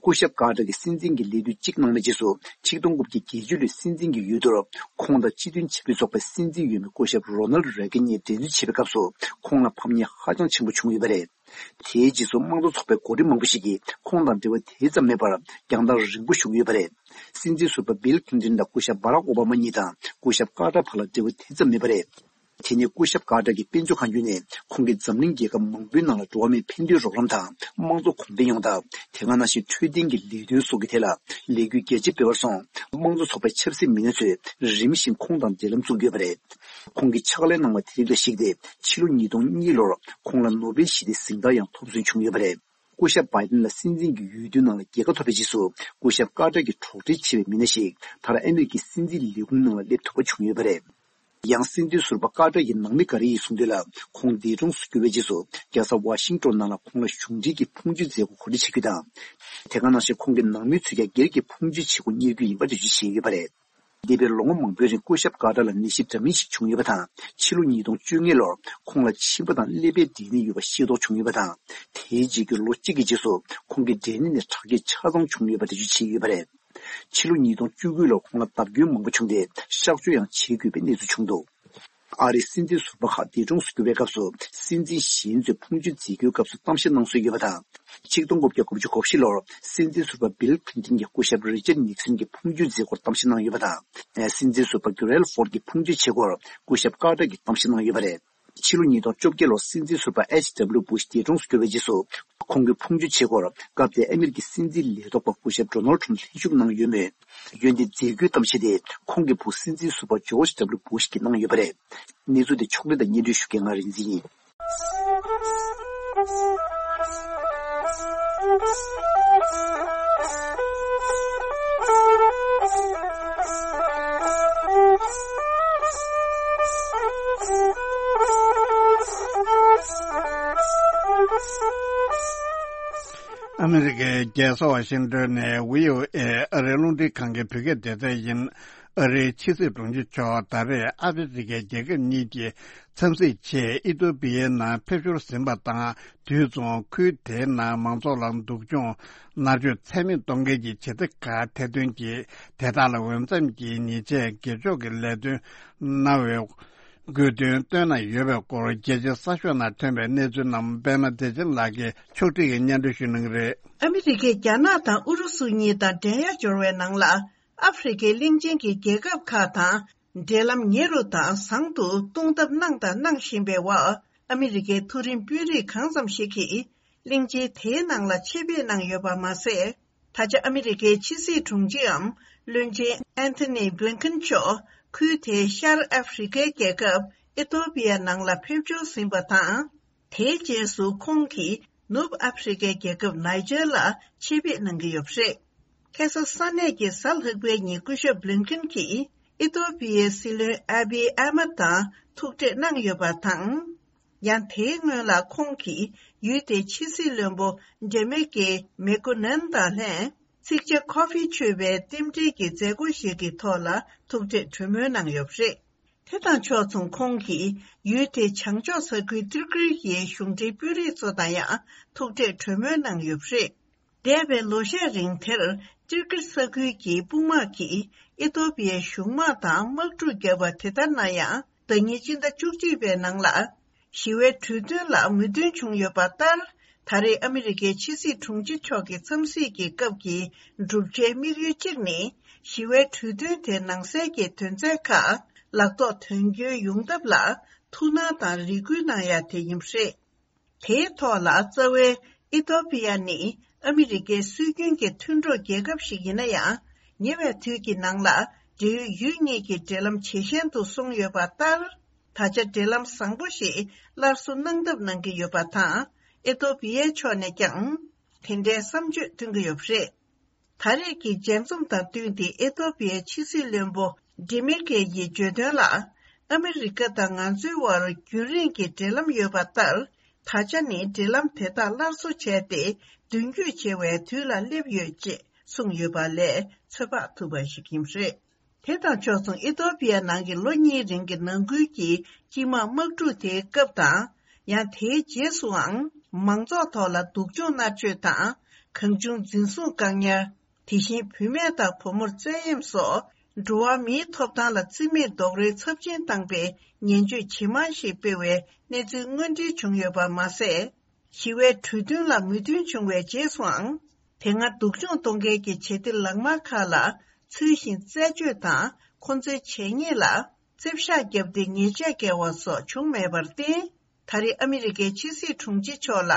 སྐུ་ཞབས་ཀར་ཏར་གྱི་སྲིད་འཛིན་གྱི་ལས་དུས་གཅིག་གནང་བའི་རྗེས་སུ་ཆིག་སྟོང་དགུ་བརྒྱ་བརྒྱད་ཅུ་ལོའི་སྲིད་འཛིན་གྱི་འོས་བསྡུར་ཁོང་དང་སྤྱི་མཐུན་བྱེད་པ་ཚོགས་པའི་སྲིད་འཛིན་འོས་མི་སྐུ་ཞབས་རོ་ནལ་རེ་གན་གཉིས་འགྲན་རྩོད་བྱེད་པའི་སྐབས་སུ་ཁོང་ལ་ཕམ་ཉེས་ཧ་ཅང་ཆེན་པོ་བྱུང་ཡོད་པ་རེད། དེའི་རྗེས་སུ་དམངས་གཙོ་ཚོགས་པའི་འགོ་ཁྲིད་མང་པོ་ཞིག་གིས་ཁོང་དང་འབྲེལ་བ་དེ་ཙམ་མེད་པར་རྒྱང་ཐག་རིང་པོ་བཞུགས་ཡོད་པ་རེད། སྲིད་འཛིན་ཟུར་པ་བིལ་ཁི་ལིན་ཏོན་དང་སྐུ་ཞབས་བྷ་རག་ཨོ་བྷ་མ་གཉིས་དང་སྐུ་ཞབས་ཀར་ཏར་བར་ལ་འབྲེལ་བ་དེ་ཙམ་མེད་པ་རེད། དེ་ནས་སྐུ་ཞབས་ཀར་ཏར་གྱི་དཔེ་མཛོད་ཁང་བརྒྱུད་ནས་ཁོང་གིས་འཛམ་གླིང་རྒྱལ་ཁབ་མང་པོའི་ནང་ལ་འགྲོ་བ་མིའི་ཕན་བདེའི་རོགས་རམ་དང་དམངས་གཙོ་གོང་འཕེལ་ཡོང་ཐབས། དེ་ག་ནང་བཞིན་འཕྲོད་བསྟེན་གྱི་ལས་དོན་སོགས་ཀྱི་ཐད་ལ་ལས་འགུལ་རྒྱ་ཆེ་སྤེལ་བར་སོང་། དམངས་གཙོ་ཚོགས་པའི་ཆབ་སྲིད་མི་སྣ་ཚོས་རིམ་བཞིན་ཁོང་དང་འབྲེལ་ལམ་བཙུགས་ཡོད་པ་རེད། ཁོང་གིས་ཕྱག་ལས་གནང་བ་དེ་རིགས་ལ་གཞིགས་ཏེ། ཕྱི་ལོ་ཉིས་སྟོང་གཉིས་ལོར་ཁོང་ལ་ནོ་བེལ་ཞི་བདེའི་གཟེངས་རྟགས་ཡང་ཐོབ་སོན་བྱུང་ཡོད་པ་རེད། སྐུ་ཞབས་བྷའི་ཏིན་ལ་སྲིད་འཛིན་གྱི་འོས་བསྡུའི་ནང་ལ་རྒྱལ་ཁ་ཐོབ་པའི་རྗེས་སུ། སྐུ་ཞབས་ཀར་ཏར་གྱི་གྲོགས་འདྲིས་ཆེ་བའི་མི་སྣ་ཞིག་ད་རེས་ཨ་མེ་རི་ཁའི་སྲིད་འཛིན་ལས་ཁུངས་ནང་ལ་སླེབས་ཐུབ་པ་བྱུང་ཡོད་པ་རེད། ཡང་སྲིད་འཛིན་ཟུར་པ་ཀར་ཏར་གྱི་ནང་མི་འགའ་རེ་ཡིས་གསུངས་དོན་ལ། ཁོང་འདས་གྲོངས་སུ་གྱུར་བའི་རྗེས་སུ། རྒྱལ་ས་ཝ་ཤིང་ཏོན་ནང་ལ་ཁོང་ལ་གཞུང་འབྲེལ་གྱི་ཕུང་མཆོད་མཛད་སྒོ་གོ་སྒྲིག་བྱེད་རྒྱུ་དང་། དེ་ག་ནང་བཞིན་ཁོང་གི་ནང་མི་ཚོས་ཀྱང་སྒེར་གྱི་ཕུང་མཆོད་བྱེད་སྒོ་གཉེར་རྒྱུ་ཡིན་པ་འགྲེལ་བརྗོད་བྱས་ཡོད་པ་རེད། འདས་པའི་ལོ་ངོ་མང་པོའི་རིང་སྐུ་ཞབས་ཀར་ཏར་ལ་ནད་གཞི་འདྲ་མིན་ཞིག་བྱུང་ཡོད་པ་དང་། ཕྱི་ལོ་ཉིས་སྟོང་བཅོ་ལྔ་ལོར་ཁོང་ལ་མཆིན་པ་དང་ཀླད་པའི་འབྲས་ནད་ཡོད་པ་ཤེས་རྟོགས་བྱུང་ཡོད་པ་དང་། དེའི་རྗེས་ཀྱི་ལོ་གཅིག་གི་རྗེས་སུ་ཁོང་གི་འབྲས་ནད་ནི་དྲག་སྐྱེད་ཆ་ཚང་བྱུང་ཡོད་པ་འགྲེལ་བརྗོད་བྱས་ཡོད་པ་རེད། ཕྱི་ལོ་ཉིས་སྟོང་བཅུ་དགུ་ལོར་ཁོང་ལ་བརྡབ་སྐྱོན་མང་པོ་བྱུང་སྟེ། གཤག་བཅོས་ཡང་བྱེད་དགོས་པའི་གནས་ཚུལ་བྱུང་འདུག་ཨ་རིའི་སྲིད་འཛིན་ཟུར་པ་ཁག་འདས་གྲོངས་སུ་གྱུར་བའི་སྐབས་སུ། སྲིད་འཛིན་གཞན་ཚོས་ཕུང་མཆོད་མཛད་རྒྱུའི་སྐབས་སུ་གཏམ་བཤད་གནང་སྲོལ་ཡོད་པ་དང་། ཆིག་སྟོང་དགུ་བརྒྱ་དགུ་བཅུ་གོ་བཞི་ལོར་སྲིད་འཛིན་ཟུར་པ་བིལ་ཁི་ལིན་ཏོན་གྱིས་སྐུ་ཞབས་རི་ཅར་ནིག་སན་གྱི་ཕུང་མཆོད་མཛད་སྒོར་གཏམ་བཤད་གནང་ཡོད་པ་དང་། སྲིད་འཛིན་ཟུར་པ་གྷི་རལ་ཧྥོར་གྱི་ཕུང་མཆོད་བྱེད་སྒོར་སྐུ་ཞབས་ཀར་ཏར་གྱིས་གཏམ་བཤད་གནང་ཡོད་པ་རེད། ཕྱི་ལོ་ཉིས་སྟོང་བཅོ་བརྒྱད་ལོར་སྲིད་འཛིན་ཟུར་པ་ཨེཆ་ཌབ་ལིའུ་བུ་ཤ་འདས་གྲོངས་སུ་གྱུར་བའི་རྗེས་སུ། ཁོང་གི་ཕུང་མཆོད་བྱེད་སྒོར་སྐབས་དེའི་ཨ་མེ་རི་ཀའི་སྲིད་འཛིན་ལས་ཐོག་པ་སྐུ་ཞབས་ཌོ་ནལ་ཌི་ཊརམ་ཕི་ལྷན་ཞུགས་གནང་ཡོད་མོད། འོན་ཏེ་མཛད་སྒོའི་གཏམ་བཤད་དེ་ཁོང་གི་བུ་སྲིད་འཛིན་ཟུར་པ་ཇོརྗ་ཌབ་ལིའུ་བུ་ཤ་གིས་གནང་ཡོད་པ་རེད། གནས་ཚུལ་དེ་ཕྱོགས་སྒྲིག་དང་སྙན་སྒྲོན་ཞུ་མཁན་ང་རིག་འཛིན་ཡིན། ཨ་མི་རི་ཀའི་རྒྱལ་ས་ཝ་ཤིང་ཏོན་ནས་བྷི་ཨོ་ཨེ་ཨ་རིའི་རླུང་འཕྲིན་ཁང་གི་བོད་སྐད་སྡེ་ཚན་ཡིན། ཨ་རིའི་ཕྱི་སྲིད་དྲུང་ཆེ་མཆོག་ད་རེས་ཨ་ཧྥེ་རི་ཁའི་རྒྱལ་ཁབ་གཉིས་ཀྱི་འཚམས་གཟིགས་ཆེད་ཨི་ཐོ་པི་ཡའི་ནང་ཕེབས་ཞོར་ཟིན་པ་དང་། དུས་མཚུངས་ཁུལ་དེའི་ནང་མང་ཚོགས་ལ་སྡུག་སྦྱོང་མནར་གཅོད་ཚད་མེད་གཏོང་མཁན་གྱི་བྱེད་གཏེ་ཁག་ཐེར་འདོན་གྱིས། དེ་དག་ལ་འོས་འཚམ་གྱི་ཉེས་ཆད་སྒེར་གཅོད་ཀྱི་ལས་དོན་གནང་བའི་དགོས་འདུན་བཏོན་གནང་ཡོད་པའི་སྐོར། རྒྱལ་སྤྱིའི་གསར་ཤོག་ནང་ཐོན་པའི་གནས་ཚུལ་རྣམས་པད་མ་བདེ་ཆེན་ལགས་ཀྱིས་ཕྱོགས་སྒྲིག་གིས་སྙན་སྒྲོན་ཞུ་གནང་གི་རེད། ཨ་མི་རི་ཀས་རྒྱ་ནག་དང་ཨུ་རུ་སུ་གཉིས་དང་འགྲན་ཡ་འབྱོར་བའི་ནང་ལ། ཨ་ཧྥེ་རི་ཁའི་གླིང་ཆེན་གྱི་རྒྱལ་ཁབ་ཁག་དང་འབྲེལ་ལམ་ཉེ་རུ་དང་བཟང་དུ་གཏོང་ཐབས་གནང་དང་གནང་བཞིན་པའི་འོག་ཨ་མི་རི་ཀའི་མཐོ་རིམ་དཔོན་རིགས་གང་ཙམ་ཞིག་གིས་གླིང་ཆེན་དེའི་ནང་ལ་ཆེད་ཕེབས་གནང་ཡོད་པ་མ་ཟད། ད་ཆ་ཨ་མི་རི་ཀའི་ཕྱི་སྲིད་དྲུང་ཆེའམ་བློན་ཆེན་ཨན་ཐོ་ནི་བྷི་ལིན་ཁན་མཆོག་ཁུལ་དེའི་ཤར་ཨ་ཧྥེ་རི་ཁའི་རྒྱལ་ཁབ་ཨི་ཐོ་པི་ཡ་ནང་ལ་ཕེབས་འབྱོར་ཟིན་པ་དང་། དེའི་རྗེས་སུ་ཁོང་གིས་ནུབ་ཨ་ཧྥེ་རི་ཁའི་རྒྱལ་ཁབ་ནའི་ཇར་ལ་ཆེད་ཕེབས་གནང་གི་ཡོད་པ་རེད། ཁ་སང་ས་གནས་ཀྱི་གཟའ་ལྷག་པའི་ཉིན་སྐུ་ཞབས་བྷི་ལིན་ཁན་གྱིས་ཨི་ཐོ་པི་ཡའི་སྲིད་བློན་ཨ་བི་ཨ་མད་དང་ཐུག་འཕྲད་གནང་ཡོད་པ་དང་། ཡང་དེའི་སྔོན་ལ་ཁོང་གིས་ཡུལ་དེའི་ཕྱི་སྲིད་བློན་པོ་ཌེ་མེ་ཀེ་མེ་ཀོ་ནན་དང་ལྷན་ཚིག་ཇ་ཁོ་ཧྥི་མཆོད་པའི་རྟེན་འབྲེལ་གྱི་མཛད་སྒོ་ཞིག་གི་ཐོག་ལ་ཐུག་འཕྲད་གྲོས་མོལ་གནང་ཡོད་པ་རེད། དེ་དང་ཕྱོགས་མཚུངས་ཁོང་གིས་ཡུལ་དེའི་བྱང་ཕྱོགས་ས་ཁུལ་ཏིར་ཀིར་གྱི་གཞུང་འབྲེལ་དཔོན་རིགས་ཚོ་དང་ཡང་ཐུག་འཕྲད་གྲོས་མོལ་གནང་ཡོད་པ་རེད། འདས་པའི་ལོ་ཤས་རིང་དེར་ཏིར་ཀིར་ས་ཁུལ་གྱི་དཔུང་དམག་གིས་ཨི་ཐོ་པི་ཡའི་གཞུང་དམག་དང་དམག་འཁྲུག་བརྒྱབ་པ་དེ་ལྟར་ན་ཡང་། ཟླ་ཉེར་གཅིག་ཟླ་བཅུ་གཅིག་པའི་ནང་ལ། ཞི་བའི་གྲོས་མཐུན་ལ་མོས་མཐུན་བྱུང་ཡོད་པ་ལྟར། ད་རེས་ཨ་མི་རི་ཀའི་ཕྱི་སྲིད་དྲུང་ཆེ་མཆོག་གི་འཚམས་གཟིགས་ཀྱི་སྐབས་ཀྱི་བསྒྲུབ་བྱའི་དམིགས་ཡུལ་གཅིག་ནི། ཞི་བའི་གྲོས་མཐུན་དེའི་ནང་གསལ་གྱི་དོན་ཚན་ཁག་ལག་ཐོག་དོན་འཁྱོལ་ཡོང་ཐབས་ལ་ཐུགས་སྣང་དང་རེ་སྐུལ་གནང་ཡ་དེ་ཡིན་པ་རེད། དེའི་ཐོག་ལ་རྩ་བའི་ཨི་ཐོ་པི་ཡ་ནི་ཨ་མི་རི་ཀའི་སྲོལ་རྒྱུན་གྱི་མཐུན་གྲོགས་རྒྱལ་ཁབ་ཞིག་ཡིན་ན་ཡང་། ཉེ་བའི་དུས་ཀྱི་ནང་ལ་འབྲེལ་ཡོད་ཡུལ་གཉིས་ཀྱི་འབྲེལ་ལམ་ཇེ་ཞན་དུ་སོང་ཡོད་པ་ལྟར། ད་ཆ་འབྲེལ་ལམ་བཟང་པོ་ཞིག་སླར་གསོ་གནང་ཐབས་གནང་གི་ཡོད་པ་དང་། ཨི་ཐོ་པི་ཡའི་ཕྱོགས་ནས་ཀྱང་དེ་འདྲའི་བསམ་བརྗོད་བཏོན་གྱི་ཡོད་པ་རེད། ད་རེས་ཀྱི་མཇལ་འཛོམས་དང་བསྟུན་ཏེ་ཨི་ཐོ་པི་ཡའི་ཕྱི་སྲིད་བློན་པོ་ཌི་མེ་ཀེ་ཡིས་བརྗོད་དོན་ལ། ཨ་མི་རི་ཀ་དང་ང་ཚོའི་དབར་རྒྱུན་རིང་གི་འབྲེལ་ལམ་ཡོད་པ་ལྟར། ད་ཆ་ནི་འབྲེལ་ལམ་དེ་དག་སླར་གསོ་བྱས་ཏེ་མདུན་སྐྱོད་བྱེད་པའི་དུས་ལ་སླེབས་ཡོད་ཅེས་གསུངས་ཡོད་པ་ལས་ཚོད་དཔག་ཐུབ་པ་ཞིག་ཡིན་པ་རེད། དེ་དང་ཕྱོགས་མཚུངས་ཨི་ཐོ་པི་ཡ་ནང་གི་ལོ་གཉིས་རིང་གི་ནང་ཁུལ་གྱི་སྤྱི་དམངས་དམག་འཁྲུག་དེའི་སྐབས་དང་། ཡང་དེའི་རྗེས་སུའང་མང་ཚོགས་ཐོག་ལ་སྡུག་སྦྱོང་མནར་གཅོད་དང་། གང་བྱུང་འཛིན་བཟུང་བཀག་ཉར། དེ་བཞིན་བུད་མེད་དང་བུ་མོར་བཙན་གཡེམ་སོགས་འགྲོ་བ་མིའི་ཐོབ་ཐང་ལ་བརྩི་མེད་རྡོག་རོལ་ཚབས་ཆེན་བཏང་པའི་ངན་བྱུས་ཇེ་མང་ཞིག་སྤེལ་བའི་གནས་ཚུལ་དངོས་འབྲེལ་བྱུང་ཡོད་པ་མ་ཟད། ཞི་བའི་གྲོས་མཐུན་ལ་མོས་མཐུན་བྱུང་བའི་རྗེས་སུའང་། དེ་སྔ་སྡུག་སྦྱོང་གཏོང་མཁན་གྱི་བྱེད་གཏེ་ལག་དམར་ཁག་ལ་ཚུལ་བཞིན་རྩད་གཅོད་དང་ཁོང་ཚོའི་བྱས་ཉེས་ལ་ རྩིབ་ཤག་བརྒྱབ་སྟེ་ཉེས་ཆད་བཀལ་བ་སོགས་བྱུང་མེད་པར་བརྟེན། ད་རེས་ཨ་མི་རི་ཀའི་ཕྱི་སྲིད་དྲུང་ཆེ་མཆོག་ལ་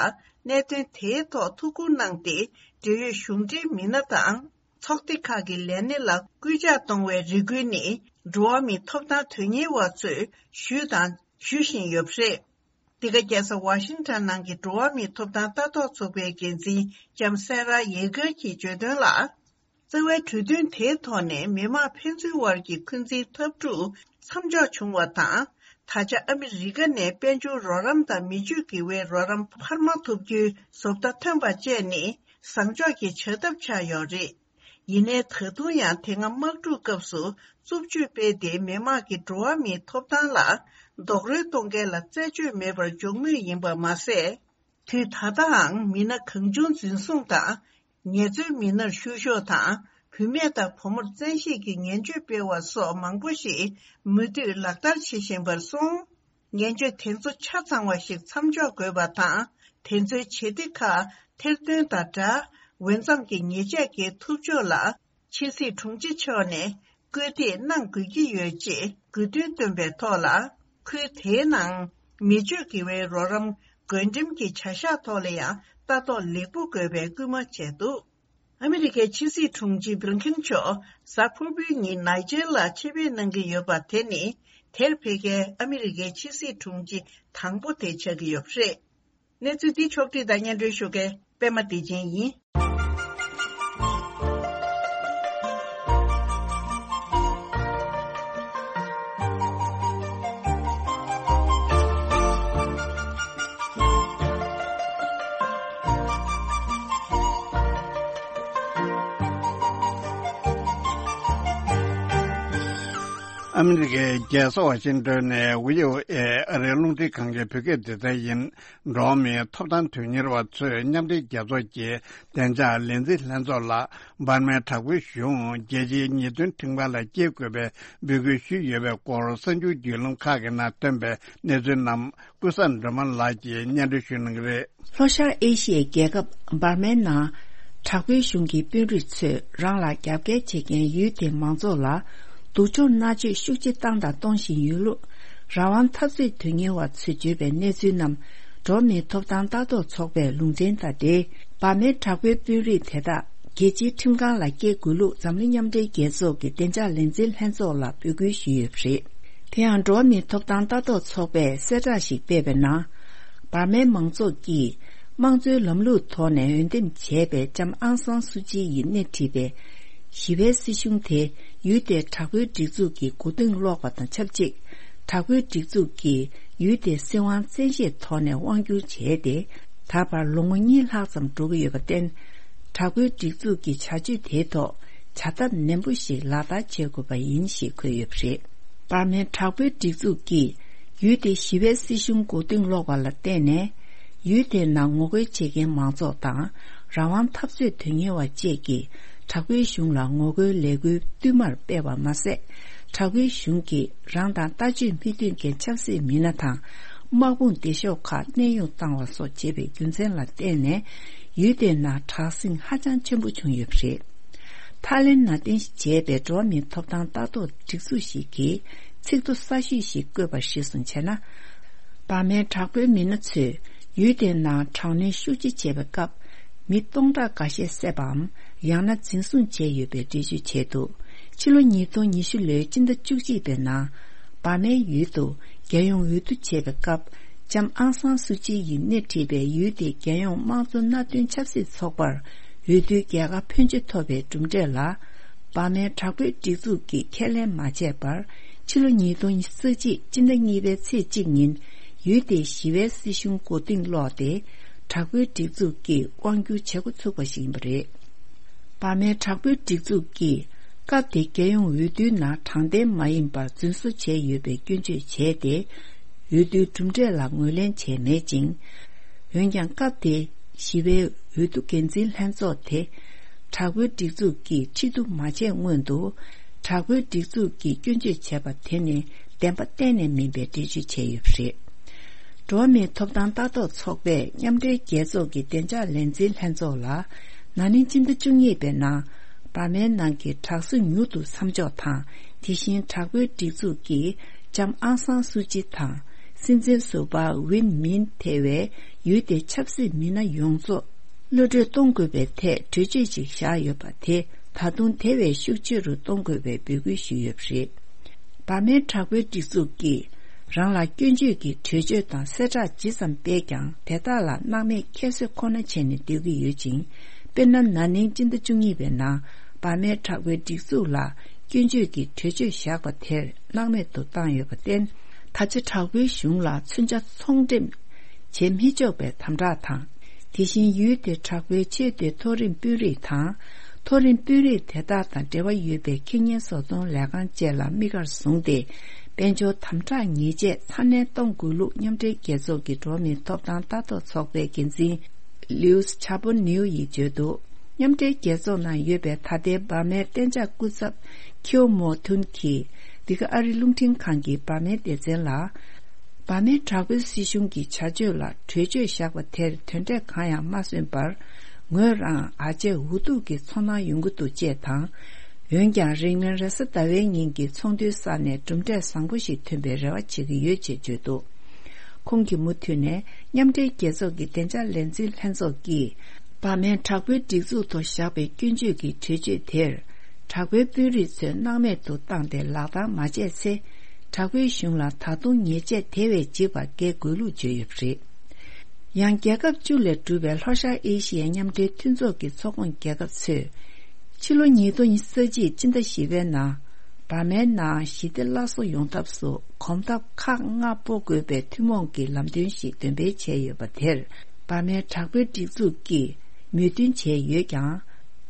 གནད་དོན་དེའི་ཐོག་ཐུགས་ཁུར་གནང་སྟེ། འབྲེལ་ཡོད་གཞུང་འབྲེལ་མི་སྣ་དང་ཚོགས་སྡེ་ཁག་གི་ལས་སྣེ་ལ་སྐུལ་ལྕག་གཏོང་བའི་རེ་སྐུལ་ནི། འགྲོ་བ་མིའི་ཐོབ་ཐང་དོན་གཉེར་བ་ཚོས་ཞུས་དང་ཞུ་བཞིན་ཡོད་པ་རེད། འདི་ག་རྒྱལ་ས་ཝ་ཤིང་ཊོན་ནང་གི་འགྲོ་བ་མིའི་ཐོབ་ཐང་ལྟ་རྟོག་ཚོགས་པའི་འགན་འཛིན་ལྕམ་སེ་ར་ཡེ་གར་གྱིས་བརྗོད་དོན་ལ། རྩ་བའི་གྲོས་མཐུན་དེའི་ཐོག་ནས་མི་དམངས་ཕན་ཚུན་དབར་གྱི་འཁོན་འཛིན་འཐབ་འཁྲུག་མཚམས་འཇོག་བྱུང་བ་དང་། ད་ཆ་ཨ་མི་རི་ཀ་ནས་དཔལ་འབྱོར་རོགས་རམ་དང་མི་སྤྱོད་དགེ་བའི་རོགས་རམ་འཕར་མ་ཐོབ་རྒྱུའི་བཟོ་ལྟ་ཐོན་པ་བཅས་ནི་བཟང་ཕྱོགས་ཀྱི་བྱ་ཐབས་ཆགས་ཡོད་རེད། ཡིན་ནའི་ད་དུང་ཡང་དེ་སྔ་དམག་འཁྲུག་སྐབས་སུ་རྩུབ་སྤྱོད་སྤེལ་ཏེ་མི་དམངས་ཀྱི་འགྲོ་བ་མིའི་ཐོབ་ཐང་ལ་རྡོག་རོལ་གཏོང་མཁན་ལ་རྩད་གཅོད་མེད་པར་འཇོག་མུས་ཡིན་པ་མ་ཟད། དུས་ད་ལྟའང་མི་སྣ་གང་བྱུང་འཛིན་བཟུང་དང་། ངལ་རྩོལ་མི་སྣར་བཤུ་གཞོག་དང་། བུད་མེད་དང་བུ་མོར་བཙན་ཤེད་ཀྱིས་ངན་སྤྱོད་སྤེལ་བ་སོགས་མང་པོ་ཞིག་མུ་མཐུད་ལག་བསྟར་བྱེད་བཞིན་པར་སོང་། ངན་སྤྱོད་དེ་ཚོ་ཆ་ཚང་བ་ཞིག་མཚམས་འཇོག་དགོས་པ་དང་། དེ་ཚོའི་བྱེད་གཏེ་ཁག་ཐེར་འདོན་དང་སྦྲགས། འོས་འཚམ་གྱི་ཉེས་ཆད་འགེལ་ཐུབ་ཕྱོགས་ལ། ཕྱི་སྲིད་དྲུང་ཆེ་མཆོག་ནས་སྐུལ་འདེད་གནང་དགོས་ཀྱི་ཡོད་ཅེས་དགོས་འདུན་བཏོན་པའི་ཐོག་ལ། ཁུལ་དེའི་ནང་མི་སྤྱོད་དགེ་བའི་རོགས་རམ་བགོ་འགྲེམས་ཀྱི་བྱ་གཞག་ཐོག་ལ་ཡང་ལྟ་རྟོག་ལེགས་པོ་དགོས་པའི་སྐུལ་མ་བྱས་འདུག་ཨ་མི་རི་ཀའི་ཕྱི་སྲིད་དྲུང་ཆེ་བྷི་ལིན་ཁེན་མཆོག་གཟའ་ཕུར་བུའི་ཉིན་ནཱི་ཇེར་ལ་ཆེད་ཕེབས་གནང་གི་ཡོད་པ་དེ་ནི་དེར་ཕེབས་མཁན་ཨ་མི་རི་ཀའི་ཕྱི་སྲིད་དྲུང་ཆེ་དང་པོ་དེ་ཆགས་ཀྱི་ཡོད་པ་རེད། གནས་ཚུལ་འདི་ཕྱོགས་བསྒྲིགས་དང་སྙན་སྒྲོན་ཞུ་མཁན་པད་མ་བདེ་ཆེན་ཡིན། ཨ་མི་རི་ཀའི་རྒྱལ་ས་ཝ་ཤིང་ཏོན་ནས་བྷི་ཨོ་ཨེ་ཨ་རིའི་རླུང་འཕྲིན་ཁང་གི་བོད་སྐད་སྡེ་ཚན་ཡིན། འགྲོ་བ་མིའི་ཐོབ་ཐང་དོན་གཉེར་བ་ཚོས་མཉམ་འབྲེལ་རྒྱལ་ཚོགས་ཀྱི་བདེ་འཇགས་ལས་འཛིན་ལྷན་ཚོགས་ལ་འབར་མའི་དྲག་པོའི་གཞུང་རྒྱལ་སྤྱིའི་ཉེས་དོན་ཁྲིམས་ཁང་ལ་སྐྱེལ་དགོས་པའི་འབོད་སྐུལ་ཞུས་ཡོད་པའི་སྐོར་གསར་འགྱུར་བརྒྱུད་ལམ་ཁག་གི་ནང་ཐོན་པའི་གནས་ཚུལ་རྣམས་ཀུན་བཟང་སྒྲོལ་མ་ལགས་ཀྱིས་སྙན་སྒྲོན་ཞུ་གནང་གི་རེད། ལྷོ་ཤར་ཨེ་ཤི་ཡའི་རྒྱལ་ཁབ་འབར་མའི་ནང་དྲག་པོའི་གཞུང་གི་དཔོན་རིགས་ཚོས་རང་ལ་རྒྱབ་འགལ་བྱེད་མཁན་ཡུལ་དེའི་མང་ཚོགས་ལ་སྡུག་སྦྱོང་མནར་གཅོད་ཤུགས་ཆེ་བཏང་དང་གཏོང་བཞིན་ཡོད་ལུགས། རང་དབང་འཐབ་རྩོད་དོན་གཉེར་བ་ཚོས་བརྗོད་པའི་གནས་ཚུལ་རྣམས་འགྲོ་བ་མིའི་ཐོབ་ཐང་ལྟ་རྟོག་ཚོགས་པས་ལུང་འདྲེན་དང་འབྲེལ། འབར་མའི་དྲག་པོའི་དཔོན་རིགས་དེ་དག་རྒྱལ་སྤྱིའི་ཁྲིམས་ཁང་ལ་སྐྱེལ་དགོས་ལུགས་འཛམ་གླིང་མཉམ་འབྲེལ་རྒྱལ་ཚོགས་ཀྱི་བདེ་འཇགས་ལས་འཛིན་ལྷན་ཚོགས་ལ་འབོད་སྐུལ་ཞུས་ཡོད་པ་རེད། དེ་ཡང་འགྲོ་བ་མིའི་ཐོབ་ཐང་ལྟ་རྟོག་ཚོགས་པས་གསལ་བསྒྲགས་ཤིག་སྤེལ་བའི་ནང་། འབར་མའི་མང་ཚོགས་ཀྱིས་དམངས་གཙོའི་ལམ་ལུགས་ཐོག་ནས་འོས་འདེམས་བྱས་པའི་ལྕམ་ཨང་སང་སུ་ཅི་ཡིས་སྣེ་ཁྲིད་པའི་ཞི་བའི་སྲིད་གཞུང་དེ་ཡུལ་དེའི་དྲག་པོའི་སྒྲིག་འཛུགས་ཀྱི་མགོ་རྟིང་སློག་པ་དང་ཆབས་ཅིག་དྲག་པོའི་སྒྲིག་འཛུགས་ཀྱིས་ཡུལ་དེའི་སྲིད་དབང་བཙན་ཤེད་ཐོག་ནས་དབང་བསྒྱུར་བྱས་ཏེ། ད་བར་ལོ་ངོ་གཉིས་ལྷག་ཙམ་འགྲོ་གི་ཡོད་པར་བརྟེན། དྲག་པོའི་སྒྲིག་འཛུགས་ཀྱི་བྱ་སྤྱོད་དེའི་ཐོག་བྱ་ཐབས་ནན་པོ་ཞིག་ལག་བསྟར་བྱེད་དགོས་པ་ཡིན་ཞེས་འཁོད་ཡོད་པ་རེད། འབར་མའི་དྲག་པོའི་སྒྲིག་འཛུགས་ཀྱིས་ཡུལ་དེའི་ཞི་བའི་སྲིད་གཞུང་མགོ་རྟིང་སློག་པ་ལ་བརྟེན་ནས། ཡུལ་དེའི་ནང་ངོ་རྒོལ་བྱེད་མཁན་མང་ཚོགས་དང་། རང་དབང་འཐབ་རྩོད་དོན་གཉེར་བ་བཅས་ཀྱིས་དྲག་པོའི་གཞུང་ལ་ངོ་རྒོལ་ལས་འགུལ་བསྟུད་མར་སྤེལ་བ་མ་ཟད། དྲག་པོའི་གཞུང་གིས་རང་དང་ལྟ་སྤྱོད་མི་མཐུན་མཁན་ཆབ་སྲིད་མི་སྣ་དང་། དམག་དཔུང་སྡེ་ཤོག་ཁག་གནས་དབྱུང་བཏང་བ་སོགས་བྱས་པའི་རྒྱུ་མཚན་ལ་བརྟེན་ནས། ཡུལ་དེའི་ནང་དྲག་ཟིང་ཧ་ཅང་ཆེན་པོ་བྱུང་ཡོད་པ་རེད། ཐའི་ལེན་ནང་རྟེན་གཞི་བྱས་པའི་འགྲོ་བ་མིའི་ཐོབ་ཐང་ལྟ་རྟོག་སྒྲིག་འཛུགས་ཤིག་གིས་ཚིག་ཐོ་གསར་ཤོས་ཤིག་བཀོད་པར་གཞིར་བཟུང་བྱས་ན། འབར་མའི་དྲག་པོའི་མི་སྣ་ཚོས་ཡུལ་དེའི་ནང་དྲག་གནོན་ཤུགས་ཆེ་བྱས་པའི་སྐབས། མི་སྟོང་ཕྲག་འགའ་ཤས་བསད་པའམ་ཡང་ན་འཛིན་བཟུང་བྱས་ཡོད་པའི་འགྲེལ་བརྗོད་བྱས་འདུག་ཕྱི་ལོ་ཉིས་སྟོང་ཉི་ཤུ་ལོའི་སྤྱི་ཟླ་བཅུ་གཅིག་པའི་ནང་། འབར་མའི་ཡུལ་དུ་རྒྱལ་ཡོངས་འོས་བསྡུ་བྱས་པའི་སྐབས། ལྕམ་ཨང་སང་སུ་ཅི་ཡིས་སྣེ་ཁྲིད་པའི་ཡུལ་དེའི་རྒྱལ་ཡོངས་དམངས་གཙོ་མནའ་མཐུན་ཆབ་སྲིད་ཚོགས་པར་འོས་བསྡུའི་རྒྱལ་ཁ་ཕོན་ཆེ་ཐོབ་པའི་གྲུབ་འབྲས་ལ། འབར་མའི་དྲག་པོའི་སྒྲིག་འཛུགས་ཀྱིས་ཁས་ལེན་མ་བྱས་པར། ཕྱི་ལོ་ཉིས་སྟོང་ཉི་ཤུ་རྩ་གཅིག་སྤྱི་ཟླ་གཉིས་པའི་ཚེས་གཅིག་ཉིན། ཡུལ་དེའི་ཞི་བའི་སྲིད་གཞུང་མགོ་རྟིང་སློག་སྟེ། དྲག་པོའི་སྒྲིག་འཛུགས་ཀྱིས་དབང་སྒྱུར་བྱེད་འགོ་ཚུགས་པ་ཞིག་ཡིན་པ་རེད། འབར་མའི་དྲག་པོའི་སྒྲིག་འཛུགས་ཀྱིས་སྐབས་དེའི་རྒྱལ་ཡོངས་འོས་བསྡུའི་ནང་དྲང་བདེན་མ་ཡིན་པར་རྫུན་བཟོ་བྱས་ཡོད་པའི་སྐྱོན་བརྗོད་བྱས་ཏེ། འོས་བསྡུའི་གྲུབ་འབྲས་ལ་ངོས་ལེན་བྱས་མེད་ཅིང་། འོན་ཀྱང་སྐབས་དེའི་ཞི་བའི་འོས་བསྡུ་འགན་འཛིན་ལྷན་ཚོགས་དེ། དྲག་པོའི་སྒྲིག་འཛུགས་ཀྱིས་ཁྲི་གདུགས་མ་བྱས་སྔོན་དུ། དྲག་པོའི་སྒྲིག་འཛུགས་ཀྱིས་སྐྱོན་བརྗོད་བྱས་པ་དེ་ནི་བདེན་པ་གཏན་ནས་མིན་པའི་འགྲེལ་བརྗོད་བྱས་ཡོད་པ་རེད། འགྲོ་བ་མིའི་ཐོབ་ཐང་ལྟ་རྟོག་ཚོགས་པས་མཉམ་འབྲེལ་རྒྱལ་ཚོགས་ཀྱི་བདེ་འཇགས་ལས་འཛིན་ལྷན་ཚོགས་ལ། ན་ནིང་སྤྱི་ཟླ་བཅུ་གཉིས་པའི་ནང་། འབར་མའི་ནང་གི་དྲག་ཟིང་མྱུར་དུ་མཚམས་འཇོག་དང་ དེ་བཞིན་དྲག་པོའི་སྒྲིག་འཛུགས་ཀྱིས་ལྕམ་ཨང་སང་སུའུ་ཅི་དང་། སྲིད་འཛིན་ཟུར་པ་ཝིན་མིན་ཐེ་བའི་ཡུལ་དེའི་ཆབ་སྲིད་མི་སྣ་ཡོངས་རྫོགས་གློད་གྲོལ་གཏོང་དགོས་པའི་ཐད་གྲོས་ཆོད་ཅིག་བཞག་ཡོད་པ་དེ་ད་དུང་དེ་བས་ཤུགས་ཆེ་རུ་གཏོང་དགོས་པའི་འབོད་སྐུལ་ཞུས་ཡོད་པ་རེད། འབར་མའི་དྲག་པོའི་སྒྲིག་འཛུགས་ཀྱིས་རང་ལ་སྐྱོན་བརྗོད་ཀྱི་གྲོས་ཆོད་དང་གསལ་བསྒྲགས་ཇི་ཙམ་སྤེལ་ཀྱང་། དེ་དག་ལ་སྣང་མེད་ཁྱད་གསོད་ཁོ་ན་བྱས་ནས་སྡོད་ཀྱི་ཡོད་ཅིང་། དཔེར་ན། ན་ནིང་སྤྱི་ཟླ་བཅུ་གཉིས་པའི་ནང་འབར་མའི་དྲག་པོའི་སྒྲིག་འཛུགས་ལ་སྐྱོན་བརྗོད་ཀྱི་གྲོས་ཆོད་བཞག་པ་དེར་སྣང་མེད་དུ་བཏང་ཡོད་པར་བརྟེན། ད་ཆ་དྲག་པོའི་གཞུང་ལ་མཚོན་ཆ་ཚོང་འགྲེམས་བྱེད་མི་ཆོག་པའི་དམ་དྲག་དང་། དེ་བཞིན་ཡུལ་དེའི་དྲག་པོའི་ཆེས་མཐོའི་མཐོ་རིམ་དཔོན་རིགས་དང་། མཐོ་རིམ་དཔོན་རིགས་དེ་དག་དང་འབྲེལ་བ་ཡོད་པའི་ཁེ་ཉེན་བཟོ་གཏོང་ལས་ཁང་བཅས་ལ་དམིགས་བཀར་བཟུང་སྟེ། དཔལ་འབྱོར་དམ་དྲག་ཉེས་ཆད་ཚ་ནན་གཏོང་དགོས་ལུགས་མཉམ་འབྲེལ་རྒྱལ་ཚོགས་ཀྱི་འགྲོ་བ་མིའི་ཐོབ་ཐང་ལྟ་རྟོག་ཚོགས་པའི་འགན་འཛིན་ལིའུ་ཆ་པོ་ནིའུ་ཡིས་བརྗོད་འདུག་མཉམ་འབྲེལ་རྒྱལ་ཚོགས་ནང་ཡོད་པའི་ད་ལྟའི་འབར་མའི་གཏན་འཇགས་སྐུ་ཚབ་ཁིའོ་མོ་ཐུན་གྱིས་འདི་ག་ཨ་རི་རླུང་འཕྲིན་ཁང་གི་འབར་མའི་སྡེ་ཚན་ལ། འབར་མའི་དྲག་པོའི་སྲིད་གཞུང་གི་བྱ་སྤྱོད་ལ་གྲོས་ཆོད་བཞག་པ་དེར་དོན་འབྲས་གང་ཡང་མ་སོན་པར། ངོས་རང་ཨ་ཅེ་འུ་ཐུག་གི་ཚོར་སྣང་ཡོང་གི་འདུག་ཅེས་དང་། འོན་ཀྱང་། རིང་མིན་རེས་གཟའ་ཟླ་བའི་ཉིན་གྱི་ཚོགས་འདུའི་ས་ནས་གྲུབ་འབྲས་བཟང་པོ་ཞིག་ཐོན་པའི་རེ་བ་བྱེད་ཀྱི་ཡོད་ཅེས་བརྗོད་འདུག་ཁོང་གིས་མུ་མཐུད་ནས། མཉམ་འབྲེལ་རྒྱལ་ཚོགས་ཀྱི་བདེ་འཇགས་ལས་འཛིན་ལྷན་ཚོགས་ཀྱིས། འབར་མའི་དྲག་པོའི་སྒྲིག་འཛུགས་ཐོག་བཞག་པའི་སྐྱོན་བརྗོད་ཀྱི་གྲོས་ཆོད་དེར། དྲག་པོའི་དཔོན་རིགས་ཚོས་སྣང་མེད་དུ་བཏང་སྟེ་ལག་བསྟར་མ་བྱས་ཚེ། དྲག་པོའི་གཞུང་ལ་ད་དུང་ཉེས་ཆད་དེ་བས་འཇིགས་པ་འགེལ་དགོས་ལུགས་བརྗོད་ཡོད་པ་རེད། ཡང་། རྒྱལ་ཁབ་བཅུ་ལས་གྲུབ་པའི་ལྷོ་ཤར་ཨེ་ཤི་ཡའི་མཉམ་འབྲེལ་མཐུན་ཚོགས་ཀྱི་ཚོགས་ཁོངས་རྒྱལ་ཁབ་ཚོས། ཕྱི་ལོ་ཉིས་སྟོང་ཉི་ཤུ་རྩ་གཅིག་སྤྱི་ཟླ་བཞི་པའི་ནང་། འབར་མའི་ནང་ཞི་བདེ་སླར་གསོ་ཡོང་ཐབས་སུ་གོམ་སྟབས་ཁག་ལྔ་སྤོ་དགོས་པའི་ཐུན་མོང་གི་ལམ་སྟོན་ཞིག་འདོན་སྤེལ་བྱས་ཡོད་པ་དེར། འབར་མའི་དྲག་པོའི་སྒྲིག་འཛུགས་ཀྱིས་མོས་མཐུན་བྱས་ཡོད་ཀྱང་།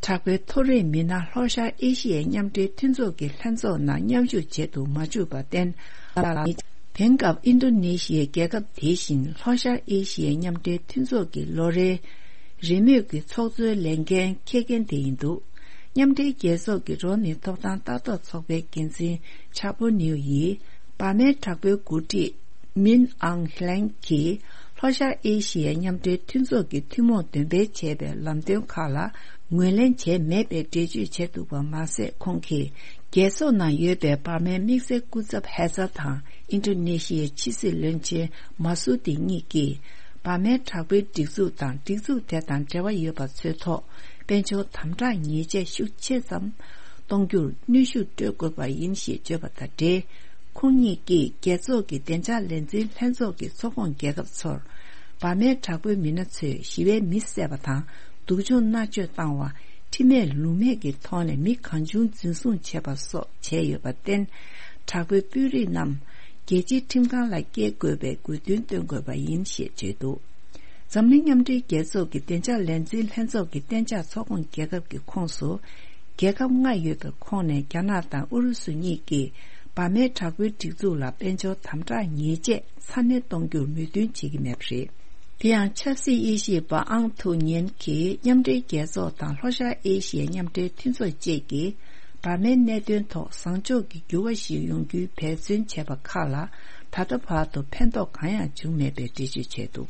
དྲག་པོའི་མཐོ་རིམ་མི་སྣ་ལྷོ་ཤར་ཨེ་ཤི་ཡའི་མཉམ་འབྲེལ་མཐུན་ཚོགས་ཀྱི་ལྷན་ཚོགས་ནང་མཉམ་ཞུགས་བྱེད་དུ་མ་བཅུག་པར་བརྟེན། དེང་སྐབས་ཨིན་རྡོ་ནེ་ཤི་ཡའི་རྒྱལ་ཁབ་དེ་བཞིན་ལྷོ་ཤར་ཨེ་ཤི་ཡའི་མཉམ་འབྲེལ་མཐུན་ཚོགས་ཀྱི་ལོ་རེའི་རེས་མོས་ཀྱི་ཚོགས་གཙོའི་ལས་འགན་འཁྱེར་མཁན་དེ་ཡིན་འདུག་མཉམ་འབྲེལ་རྒྱལ་ཚོགས་ཀྱི་འགྲོ་བ་མིའི་ཐོབ་ཐང་ལྟ་རྟོག་ཚོགས་པའི་འགན་འཛིན་ཆ་པོ་ནིའུ་ཡིས། འབར་མའི་དྲག་པོའི་འགོ་ཁྲིད་མིན་ཨང་ཧི་ལེང་གིས་ལྷོ་ཤར་ཨེ་ཤི་ཡའི་མཉམ་འབྲེལ་མཐུན་ཚོགས་ཀྱི་ཐུན་མོང་འདོན་སྤེལ་བྱས་པའི་ལམ་སྟོན་ཁག་ལ་ངོས་ལེན་བྱས་མེད་པའི་འགྲེལ་བརྗོད་བྱས་འདུག་པ་མ་ཟད། ཁོང་གིས་རྒྱལ་ཚོགས་ནང་ཡོད་པའི་འབར་མའི་དམིགས་བསལ་སྐུ་ཚབ་ཧེ་ཛར་དང་། ཨིན་ཌོ་ནེ་ཤི་ཡའི་ཕྱི་སྲིད་བློན་ཆེན་མ་སུ་ཏི་གཉིས་ཀྱིས། འབར་མའི་དྲག་པོའི་སྒྲིག་འཛུགས་དང་སྒྲིག་འཛུགས་དེ་དང་འབྲེལ་བ་ཡོད་པ་ཚོའི་ཐོག་དཔལ་འབྱོར་དམ་དྲག་ཉེས་ཆད་ཤུགས་ཆེ་ཙམ་གཏོང་རྒྱུར་གནོན་ཤུགས་སྤྲོད་དགོས་པ་ཡིན་ཞེས་བརྗོད་པ་དང་འབྲེལ། ཁོང་གཉིས་ཀྱིས་རྒྱལ་ཚོགས་ཀྱི་བདེ་འཇགས་ལས་འཛིན་ལྷན་ཚོགས་ཀྱི་ཚོགས་ཁོངས་རྒྱལ་ཁབ་ཚོར། འབར་མའི་དྲག་པོའི་མི་སྣ་ཚོས་ཞི་བའི་མི་བསད་པ་དང་། སྡུག་སྦྱོང་མནར་གཅོད་བཏང་བ། ཁྲིམས་མེད་ལུགས་མེད་ཀྱི་ཐོག་ནས་མི་གང་བྱུང་འཛིན་བཟུང་བྱས་པ་སོགས་བྱས་ཡོད་པར་བརྟེན། དྲག་པོའི་དཔོན་རིགས་རྣམས་རྒྱལ་སྤྱིའི་ཁྲིམས་ཁང་ལ་སྐྱེལ་དགོས་པའི་དགོས་འདུན་བཏོན་དགོས་པ་ཡིན་ཞེས་བརྗོད་འདུག་འཛམ་གླིང་མཉམ་འབྲེལ་རྒྱལ་ཚོགས་ཀྱི་བདེ་འཇགས་ལས་འཛིན་ལྷན་ཚོགས་ཀྱི་གཏན་འཇགས་ཚོགས་ཁོངས་རྒྱལ་ཁབ་ཀྱི་ཁོངས་སུ། རྒྱལ་ཁབ་ལྔ་ཡོད་པའི་ཁོངས་ནས་རྒྱ་ནག་དང་ཨུ་རུ་སུ་གཉིས་ཀྱིས་འབར་མའི་དྲག་པོའི་སྒྲིག་འཛུགས་ལ་དཔལ་འབྱོར་དམ་དྲག་ཉེས་ཆད་ཚ་ནན་གཏོང་རྒྱུར་མོས་མཐུན་བྱེད་ཀྱི་མེད་པ་རེད། དེ་ཡང་ཆབ་སྲིད་དབྱེ་ཞིབ་པ་ཨང་ཐུའུ་ཉེན་གྱིས་མཉམ་འབྲེལ་རྒྱལ་ཚོགས་དང་ལྷོ་ཤར་ཨེ་ཤི་ཡའི་མཉམ་འབྲེལ་མཐུན་ཚོགས་བཅས་ཀྱིས་འབར་མའི་གནད་དོན་ཐོག་བཟང་ཕྱོགས་ཀྱི་འགྱུར་བ་ཞིག་ཡོང་རྒྱུའི་འབད་བརྩོན་བྱས་པ་ཁག་ལ་ད་ལྟ་བར་དུ་ཕན་ཐོགས་གང་ཡང་བྱུང་མེད་པའི་འགྲེལ་བརྗོད་བྱས་འདུག་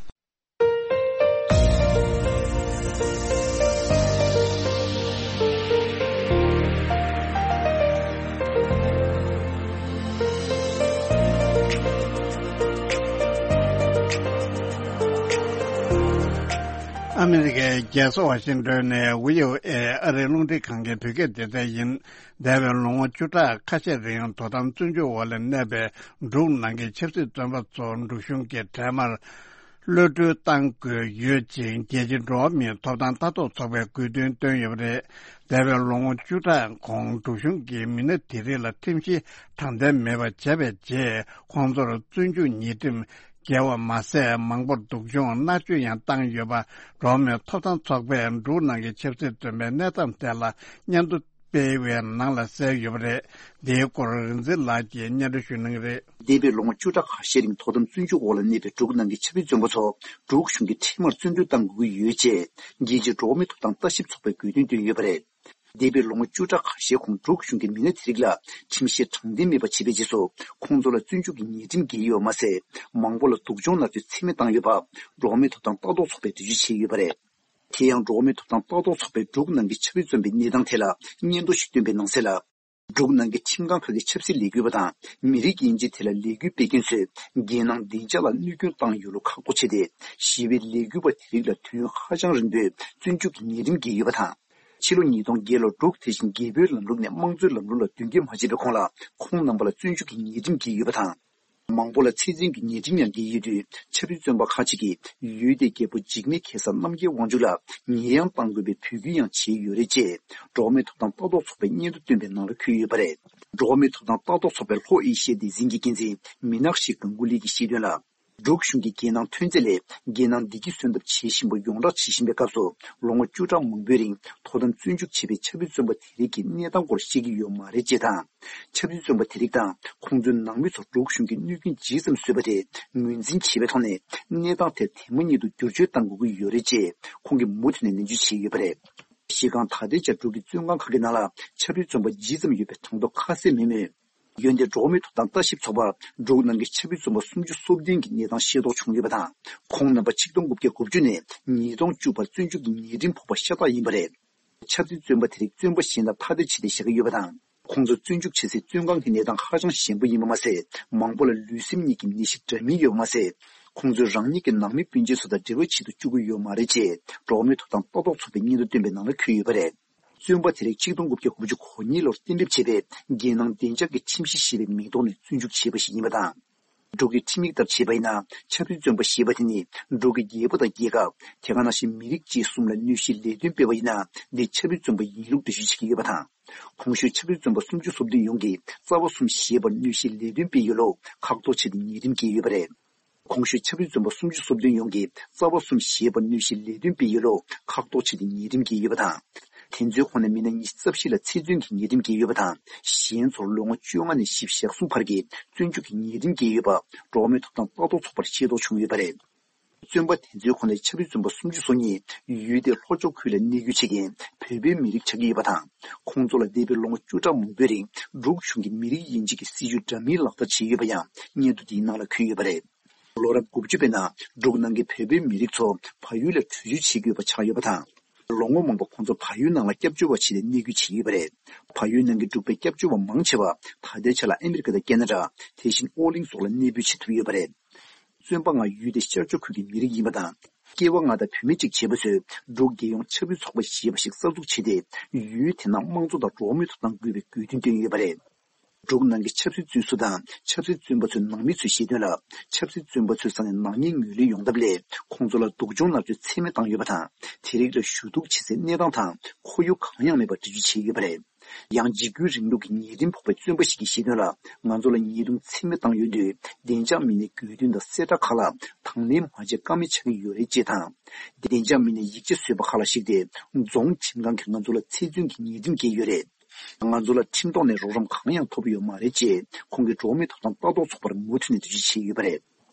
ཨ་མི་རི་ཀའི་རྒྱལ་ས་ཝ་ཤིང་ཏོན་ནས་བྷི་ཨོ་ཨེ་ཨ་རིའི་རླུང་འཕྲིན་ཁང་གི་བོད་སྐད་སྡེ་ཚན་ཡིན། འདས་པའི་ལོ་ངོ་བཅུ་ཕྲག་ཁ་ཤས་རིང་དོ་དམ་བཙོན་འཇུག་འོག་ལ་གནས་པའི་འབྲུག་ནང་གི་ཆབ་སྲིད་བཙོན་པ་ཚོ་འབྲུག་གཞུང་གིས་འཕྲལ་མར་གློད་གྲོལ་གཏང་དགོས་ཡོད་ཅེས་རྒྱལ་སྤྱིའི་འགྲོ་བ་མིའི་ཐོབ་ཐང་ལྟ་རྟོག་ཚོགས་པས་དགོས་འདུན་བཏོན་ཡོད་པ་རེད། འདས་པའི་ལོ་ངོ་བཅུ་ཕྲག་གོང་འབྲུག་གཞུང་གིས་མི་སྣ་དེ་རིགས་ལ་ཁྲིམས་གཞི་དྲང་བདེན་མེད་པ་བྱས་པའི་རྗེས། ཁོང་ཚོར་བཙོན་འཇུག་ཉེས་ཁྲིམས་འགེལ་བ་མ་ཟད། མང་པོར་སྡུག་སྦྱོང་མནར་གཅོད་ཡང་བཏང་ཡོད་པ། འགྲོ་བ་མིའི་ཐོབ་ཐང་ཚོགས་པས་འབྲུག་ནང་གི་ཆབ་སྲིད་བཙོན་པའི་གནས་སྟངས་ཐད་ལ་སྙན་ཐོ་སྤེལ་བའི་ནང་ལ་གསལ་ཡོད་པ་རེད། འདིའི་སྐོར་རིག་འཛིན་ལགས་ཀྱིས་སྙན་སྒྲོན་ཞུ་གནང་གི་རེད། འདས་པའི་ལོ་ངོ་བཅུ་ཕྲག་ཁ་ཤས་རིང་དོ་དམ་བཙོན་འཇུག་འོག་ལ་གནས་པའི་འབྲུག་ནང་གི་ཆབ་སྲིད་བཙོན་པ་ཚོ་འབྲུག་གཞུང་གིས་འཕྲལ་མར་བཙོན་གྲོལ་གཏང་དགོས་ཀྱི་ཡོད་ཅེས་རྒྱལ་སྤྱིའི་འགྲོ་བ་མིའི་ཐོབ་ཐང་ལྟ་ཞིབ་ཚོགས་པས་དགོས་འདུན་བཏོན་ཡོད་པ་རེད། འདས་པའི་ལོ་ངོ་བཅུ་ཕྲག་ཁ་ཤས་གོང་འབྲུག་གཞུང་གིས་མི་སྣ་དེ་རིགས་ལ་ཁྲིམས་གཞི་དྲང་བདེན་མེད་པ་བྱས་པའི་རྗེས་སུ། ཁོང་ཚོ་ལ་བཙོན་འཇུག་གི་ཉེས་ཁྲིམས་འགེལ་ཡོད་པ་མ་ཟད། མང་པོ་ལ་སྡུག་སྦྱོང་མནར་གཅོད་ཚད་མེད་བཏང་ཡོད་པ། འགྲོ་བ་མིའི་ཐོབ་ཐང་ལྟ་རྟོག་ཚོགས་པས་འགྲེལ་བརྗོད་བྱས་ཡོད་པ་རེད། དེ་ཡང་། འགྲོ་བ་མིའི་ཐོབ་ཐང་ལྟ་རྟོག་ཚོགས་པས་འབྲུག་ནང་གི་ཆབ་སྲིད་བཙོན་པའི་གནས་སྟངས་ཐད་ལ་སྙན་ཐོ་ཞིག་བཏོན་པའི་ནང་གསལ་ལ། འབྲུག་ནང་གི་ཁྲིམས་ཁང་ཁག་གི་ཆབ་སྲིད་ལས་འགུལ་བ་དང་མི་རིགས་དབྱེ་འབྱེད་དེ་ལ་ལས་འགུལ་སྤེལ་མཁན་ཚོས་རྒྱལ་ནང་བདེ་འཇགས་ལ་གནོད་སྐྱོན་བཏང་ཡོད་ལུགས་ཁག་ཐོག་བྱས་ཏེ། ཞི་བའི་ལས་འགུལ་བ་དེ་རིགས་ལ་དུས་ཡུན་ཧ་ཅང་རིང་པོའི་བཙོན་འཇུག་གི་ཉེས་ཁྲིམས་བཀལ་ཡོད་པ་དང་། ཕྱི་ལོ་ཉིས་སྟོང་བརྒྱད་ལོར་འབྲུག་དེ་བཞིན་རྒྱལ་པོའི་ལམ་ལུགས་ནས་དམངས་གཙོའི་ལམ་ལུགས་ལ་མདུན་སྐྱོད་མ་བྱས་པའི་གོང་ལ་ཁོང་རྣམ་པ་ལ་བཙོན་འཇུག་གི་ཉེས་ཁྲིམས་བཀལ་ཡོད་པ་དང་། མང་པོ་ལ་ཚེ་བཙོན་གྱི་ཉེས་ཁྲིམས་ཡང་འགེལ་ཡོད་དུས། ཆབ་སྲིད་བཙོན་པ་ཁག་ཅིག་གིས་ཡུལ་དེའི་རྒྱལ་པོ་འཇིགས་མེད་གེ་སར་རྣམ་རྒྱལ་དབང་ཕྱུག་ལ་ཉེས་ཡངས་གཏང་དགོས་པའི་འབོད་སྐུལ་ཡང་བྱས་ཡོད་རེད་ཅེས། འགྲོ་བ་མིའི་ཐོབ་ཐང་ལྟ་རྟོག་ཚོགས་པས་སྙན་ཐོ་བཏོན་པའི་ནང་ལ་འཁོད་ཡོད་པ་རེད། འགྲོ་བ་མིའི་ཐོབ་ཐང་ལྟ་རྟོག་ཚོགས་པའི་ལྷོ་ཨེ་ཤི་ཡའི་སྡེ་ཚན་གྱི་འགན་འཛིན་མི་ནག་ཤི་གང་གུ་ལི་གིས་བཤད་དོན་ལ། འབྲུག་གཞུང་གིས་རྒྱལ་ནང་ཐོན་རྫས་ལས་རྒྱལ་ནང་བདེ་སྐྱིད་སོན་ཐབས་བྱེད་བཞིན་པ་ཡོངས་བསྒྲགས་བྱེད་བཞིན་པའི་སྐབས་སུ། ལོ་ངོ་བཅུ་ཕྲག་མང་པོའི་རིང་དོ་དམ་བཙོན་འཇུག་བྱས་པའི་ཆབ་སྲིད་བཙོན་པ་དེ་རིགས་ཀྱི་གནས་སྟངས་སྐོར་བཤད་ཀྱི་ཡོད་མ་རེད་ཅེས་དང་། ཆབ་སྲིད་བཙོན་པ་དེ་རིགས་དང་ཁོང་ཚོའི་ནང་མི་ཚོར་འབྲུག་གཞུང་གིས་གནོད་སྐྱོན་ཇི་ཙམ་བཟོས་པ་དེ་ངོས་འཛིན་བྱས་པའི་ཐོག་ནས། གནས་སྟངས་དེར་དེ་མ་ཉིད་དུ་བསྒྱུར་བཅོས་གཏང་དགོས་ཀྱི་ཡོད་རེད་ཅེས་ཁོང་གིས་མུ་མཐུད་ནས་ནན་བརྗོད་བྱས་ཡོད་པ་རེད། གཞི་རྐང་ད་ལྟའི་ཆར་འབྲུག་གི་བཙོན་ཁང་ཁག་གི་ནང་ལ་ཆབ་སྲིད་བཙོན་པ་ཇི་ཙམ་ཡོད་པའི་གྲངས་ཐོ་ཁ་གསལ་མེད་མོད། འོན་ཏེ་འགྲོ་བ་མིའི་ཐོབ་ཐང་ལྟ་ཞིབ་ཚོགས་པར་འབྲུག་ནང་གི་ཆབ་སྲིད་བཙོན་པ་སུམ་ཅུ་སོ་བདུན་གྱི་གནས་སྟངས་ཤེས་རྟོགས་བྱུང་ཡོད་པ་དང་། ཁོང་རྣམ་པ་ཆིག་སྟོང་དགུ་བརྒྱ་དགུ་བཅུ་ནས་ཉིས་སྟོང་བཅུ་བར་བཙོན་འཇུག་གི་ཉེས་ཁྲིམས་ཕོག་པ་ཤ་སྟག་ཡིན་པ་རེད། ཆབ་སྲིད་བཙོན་པ་དེ་རིགས་བཙོན་པ་གཞན་དང་ཐ་དད་བྱས་ཏེ་བཞག་གི་ཡོད་པ་དང་། ཁོང་ཚོ་བཙོན་འཇུག་བྱེད་སའི་བཙོན་ཁང་གི་གནས་སྟངས་ཧ་ཅང་ཞན་པོ་ཡིན་པ་མ་ཟད། མང་པོ་ལ་ལུས་སེམས་གཉིས་ཀྱི་ནད་གཞི་འདྲ་མིན་ཡོད་པ་མ་ཟད། ཁོང་ཚོས་རང་ཉིད་ཀྱི་ནང་མི་སྤུན་མཆེད་ཚོ་དང་འབྲེལ་བ་བྱེད་དུ་བཅུག་གི་ཡོད་མ་རེད་ཅེས། འགྲོ་བ་མིའི་ཐོབ་ཐང་ལྟ་རྟོག་ཚོགས་པས་སྙན་ཐོ་བཏོན་པའི་ནང་ལ་འཁོད་ཡོད་པ་རེད། བཙོན་པ་དེ་རིགས་ཆིག་སྟོང་དགུ་བརྒྱ་དགུ་བཅུ་གོ་གཉིས་ལོར་གཏན་འབེབས་བྱས་པའི་རྒྱལ་ནང་བདེ་འཇགས་ཀྱི་ཁྲིམས་གཞི་ཞེས་པའི་མིང་ཐོག་ནས་བཙོན་འཇུག་བྱས་པ་ཞིག་ཡིན་པ་དང་། འབྲུག་གི་ཁྲིམས་ཡིག་ལྟར་བྱས་པ་ཡིན་ན། ཆབ་སྲིད་བཙོན་པ་ཞེས་པ་དེ་ནི་འབྲུག་གི་རྒྱལ་པོ་དང་རྒྱལ་ཁབ། དེ་ག་ནང་བཞིན་མི་རིགས་བཅས་གསུམ་ལ་གནོད་གཞིའི་ལས་དོན་སྤེལ་བ་ཡིན་ན། འདི་ཆབ་སྲིད་བཙོན་པ་ཡིན་ལུགས་འགྲེལ་བརྗོད་བྱེད་ཀྱི་ཡོད་པ་དང་། གོང་ཞུས་ཆབ་སྲིད་བཙོན་པ་སུམ་ཅུ་སོ་བདུན་ཡོངས་ཀྱིས་རྩ་བ་གསུམ་ཞེས་པར་གནོད་གཞིའི་ལས་དོན་སྤེལ་ཡོད་ལུགས་ཁག་ཐོག་ཆེད་དུ་ཉེས་ཁྲིམས་བཀལ་ཡོད་པ་རེད། གོང་ཞུས་ཆབ་སྲིད་བཙོན་པ་སུམ་ཅུ་སོ་བདུན་ཡོངས་ཀྱིས་རྩ་བ་གསུམ་ཞེས་པར་གནོད་གཞིའི་ལས་དོན་སྤེལ་ཡོད་ལུགས་ཁག་ཐོག་ཆེད་དུ་ཉེས་ཁྲིམས་བཀལ་ཡོད་པ་དང་། དེ་ཚོའི་ཁོངས་ནས་མི་སྣ་ཉི་ཤུ་རྩ་བཞི་ལ་ཚེ་བཙོན་གྱི་ཉེས་ཁྲིམས་བཀལ་ཡོད་པ་དང་། གཞན་ཚོར་ལོ་ངོ་བཅོ་ལྔ་ནས་བཞི་བཅུ་ཞེ་གསུམ་བར་གྱི་བཙོན་འཇུག་གི་ཉེས་ཁྲིམས་བཀལ་ཡོད་པ། འགྲོ་བ་མིའི་ཐོབ་ཐང་ལྟ་རྟོག་ཚོགས་པར་ཤེས་རྟོགས་བྱུང་ཡོད་པ་རེད། བཙོན་པ་དེ་ཚོའི་ཁོངས་ནས་ཆབ་སྲིད་བཙོན་པ་སུམ་ཅུ་སོ་གཉིས་ཡུལ་དེའི་ལྷོ་ཕྱོགས་ཁུལ་ལ་གནས་སྡོད་བྱེད་མཁན་བོད་པའི་མི་རིགས་ཆགས་ཀྱི་ཡོད་པ་དང་། ཁོང་ཚོ་ལ་འདས་པའི་ལོ་ངོ་བཅུ་ཕྲག་མང་པོའི་རིང་འབྲུག་གཞུང་གིས་མི་རིགས་དབྱེ་འབྱེད་ཀྱི་སྲིད་བྱུས་འདྲ་མིན་ལག་བསྟར་བྱས་ཡོད་པ་ཡང་སྙན་ཐོ་འདིའི་ནང་ལ་འཁོད་ཡོད་པ་རེད། ལོ་རབས་དགུ་བཅུ་པའི་ནང་འབྲུག་ནང་གི་བོད་པའི་མི་རིགས་ཚོ་བལ་ཡུལ་ལ་བྲོས་བྱོལ་བྱེད་དགོས་པ་ཆགས་ཡོད་པ་དང་། ལོ་ངོ་མང་པོ་ཁོང་ཚོ་བལ་ཡུལ་ནང་ལ་སྐྱབས་བཅོལ་བ་བྱས་ཏེ་གནས་སྡོད་བྱེད་ཀྱི་ཡོད་པ་རེད། བལ་ཡུལ་ནང་གི་འབྲུག་པའི་སྐྱབས་བཅོལ་བ་མང་ཆེ་བ་ད་ལྟའི་ཆ་ལ་ཨ་མི་རི་ཀ་དང་ཁེ་ན་ཌ། དེ་བཞིན་ཨོ་གླིང་སོགས་ལ་གནས་སྤོས་བྱེད་ཐུབ་ཡོད་པ་རེད། བཙོན་པ་ལྔ་ཡུལ་དེ་ཤར་ཕྱོགས་ཁུལ་གྱི་མི་རིགས་ཡིན་པ་དང་། སྐྱེ་བ་ལྔ་དང་བུད་མེད་གཅིག་བྱས་པ་ཚོས་འབྲུག་རྒྱལ་ཡོངས་ཆབ་སྲིད་ཚོགས་པ་ཞེས་པ་ཞིག་གསར་འཛུགས་བྱས་ཏེ། ཡུལ་དེ་ནང་དམངས་གཙོ་དང་འགྲོ་བ་མིའི་ཐོབ་ཐང་དགོས་པའི་དགོས་འདུན་བཏོན་ཡོད་པ་རེད། འབྲུག་ནང་གི་ཆབ་སྲིད་བཙོན་ཟུར་དང་ཆབ་སྲིད་བཙོན་པ་ཚོའི་ནང་མི་ཚོས་བཤད་དོན་ལ། ཆབ་སྲིད་བཙོན་པ་ཚོའི་ས་ནས་ནག་ཉེས་ངོས་ལེན་ཡོང་ཐབས་སླད། ཁོང་ཚོ་ལ་སྡུག་སྦྱོང་མནར་གཅོད་ཚད་མེད་བཏང་ཡོད་པ་དང་། དེ་རིགས་ལ་ཞུ་གཏུག་བྱེད་སའི་གནས་སྟངས་དང་ཁོར་ཡུག་གང་ཡང་མེད་པར་འགྲེལ་བརྗོད་བྱས་ཡོད་པ་རེད། ཡང་འཇིགས་སྐུལ་རིང་ལུགས་ཀྱི་ཉེས་ཁྲིམས་ཕོག་པའི་བཙོན་པ་ཞིག་གིས་བཤད་དོན་ལ། ང་ཚོ་ལ་ཉེས་རྡུང་ཚད་མེད་བཏང་ཡོད་དུས། བདེ་འཇགས་མི་སྣའི་དགོས་འདུན་དང་གསལ་བསྒྲགས་ཁག་ལ་དང་ལེན་མ་བྱས་ཀ་མེད་ཆགས་ཀྱི་ཡོད་རེད་ཅེས་དང་། བདེ་འཇགས་མི་སྣས་ཡིག་ཆ་བཟོས་པ་ཁག་ལ་གཞིགས་ཏེ། རྫོང་ཁྲིམས་ཁང་གིས་ང་ཚོ་ལ་ཚེ་བཙོན་གྱི་ཉེས་ཁྲིམས་བཀལ་ཡོད་རེད། ང་ཚོ་ལ་ཁྲིམས་ཐོག་ནས་རོགས་རམ་གང་ཡང་ཐོབ་ཡོད་མ་རེད་ཅེས། ཁོང་གིས་འགྲོ་བ་མིའི་ཐོབ་ཐང་ལྟ་རྟོག་ཚོགས་པར་མུ་མཐུད་ནས་འགྲེལ་བརྗོད་བྱས་ཡོད་པ་རེད།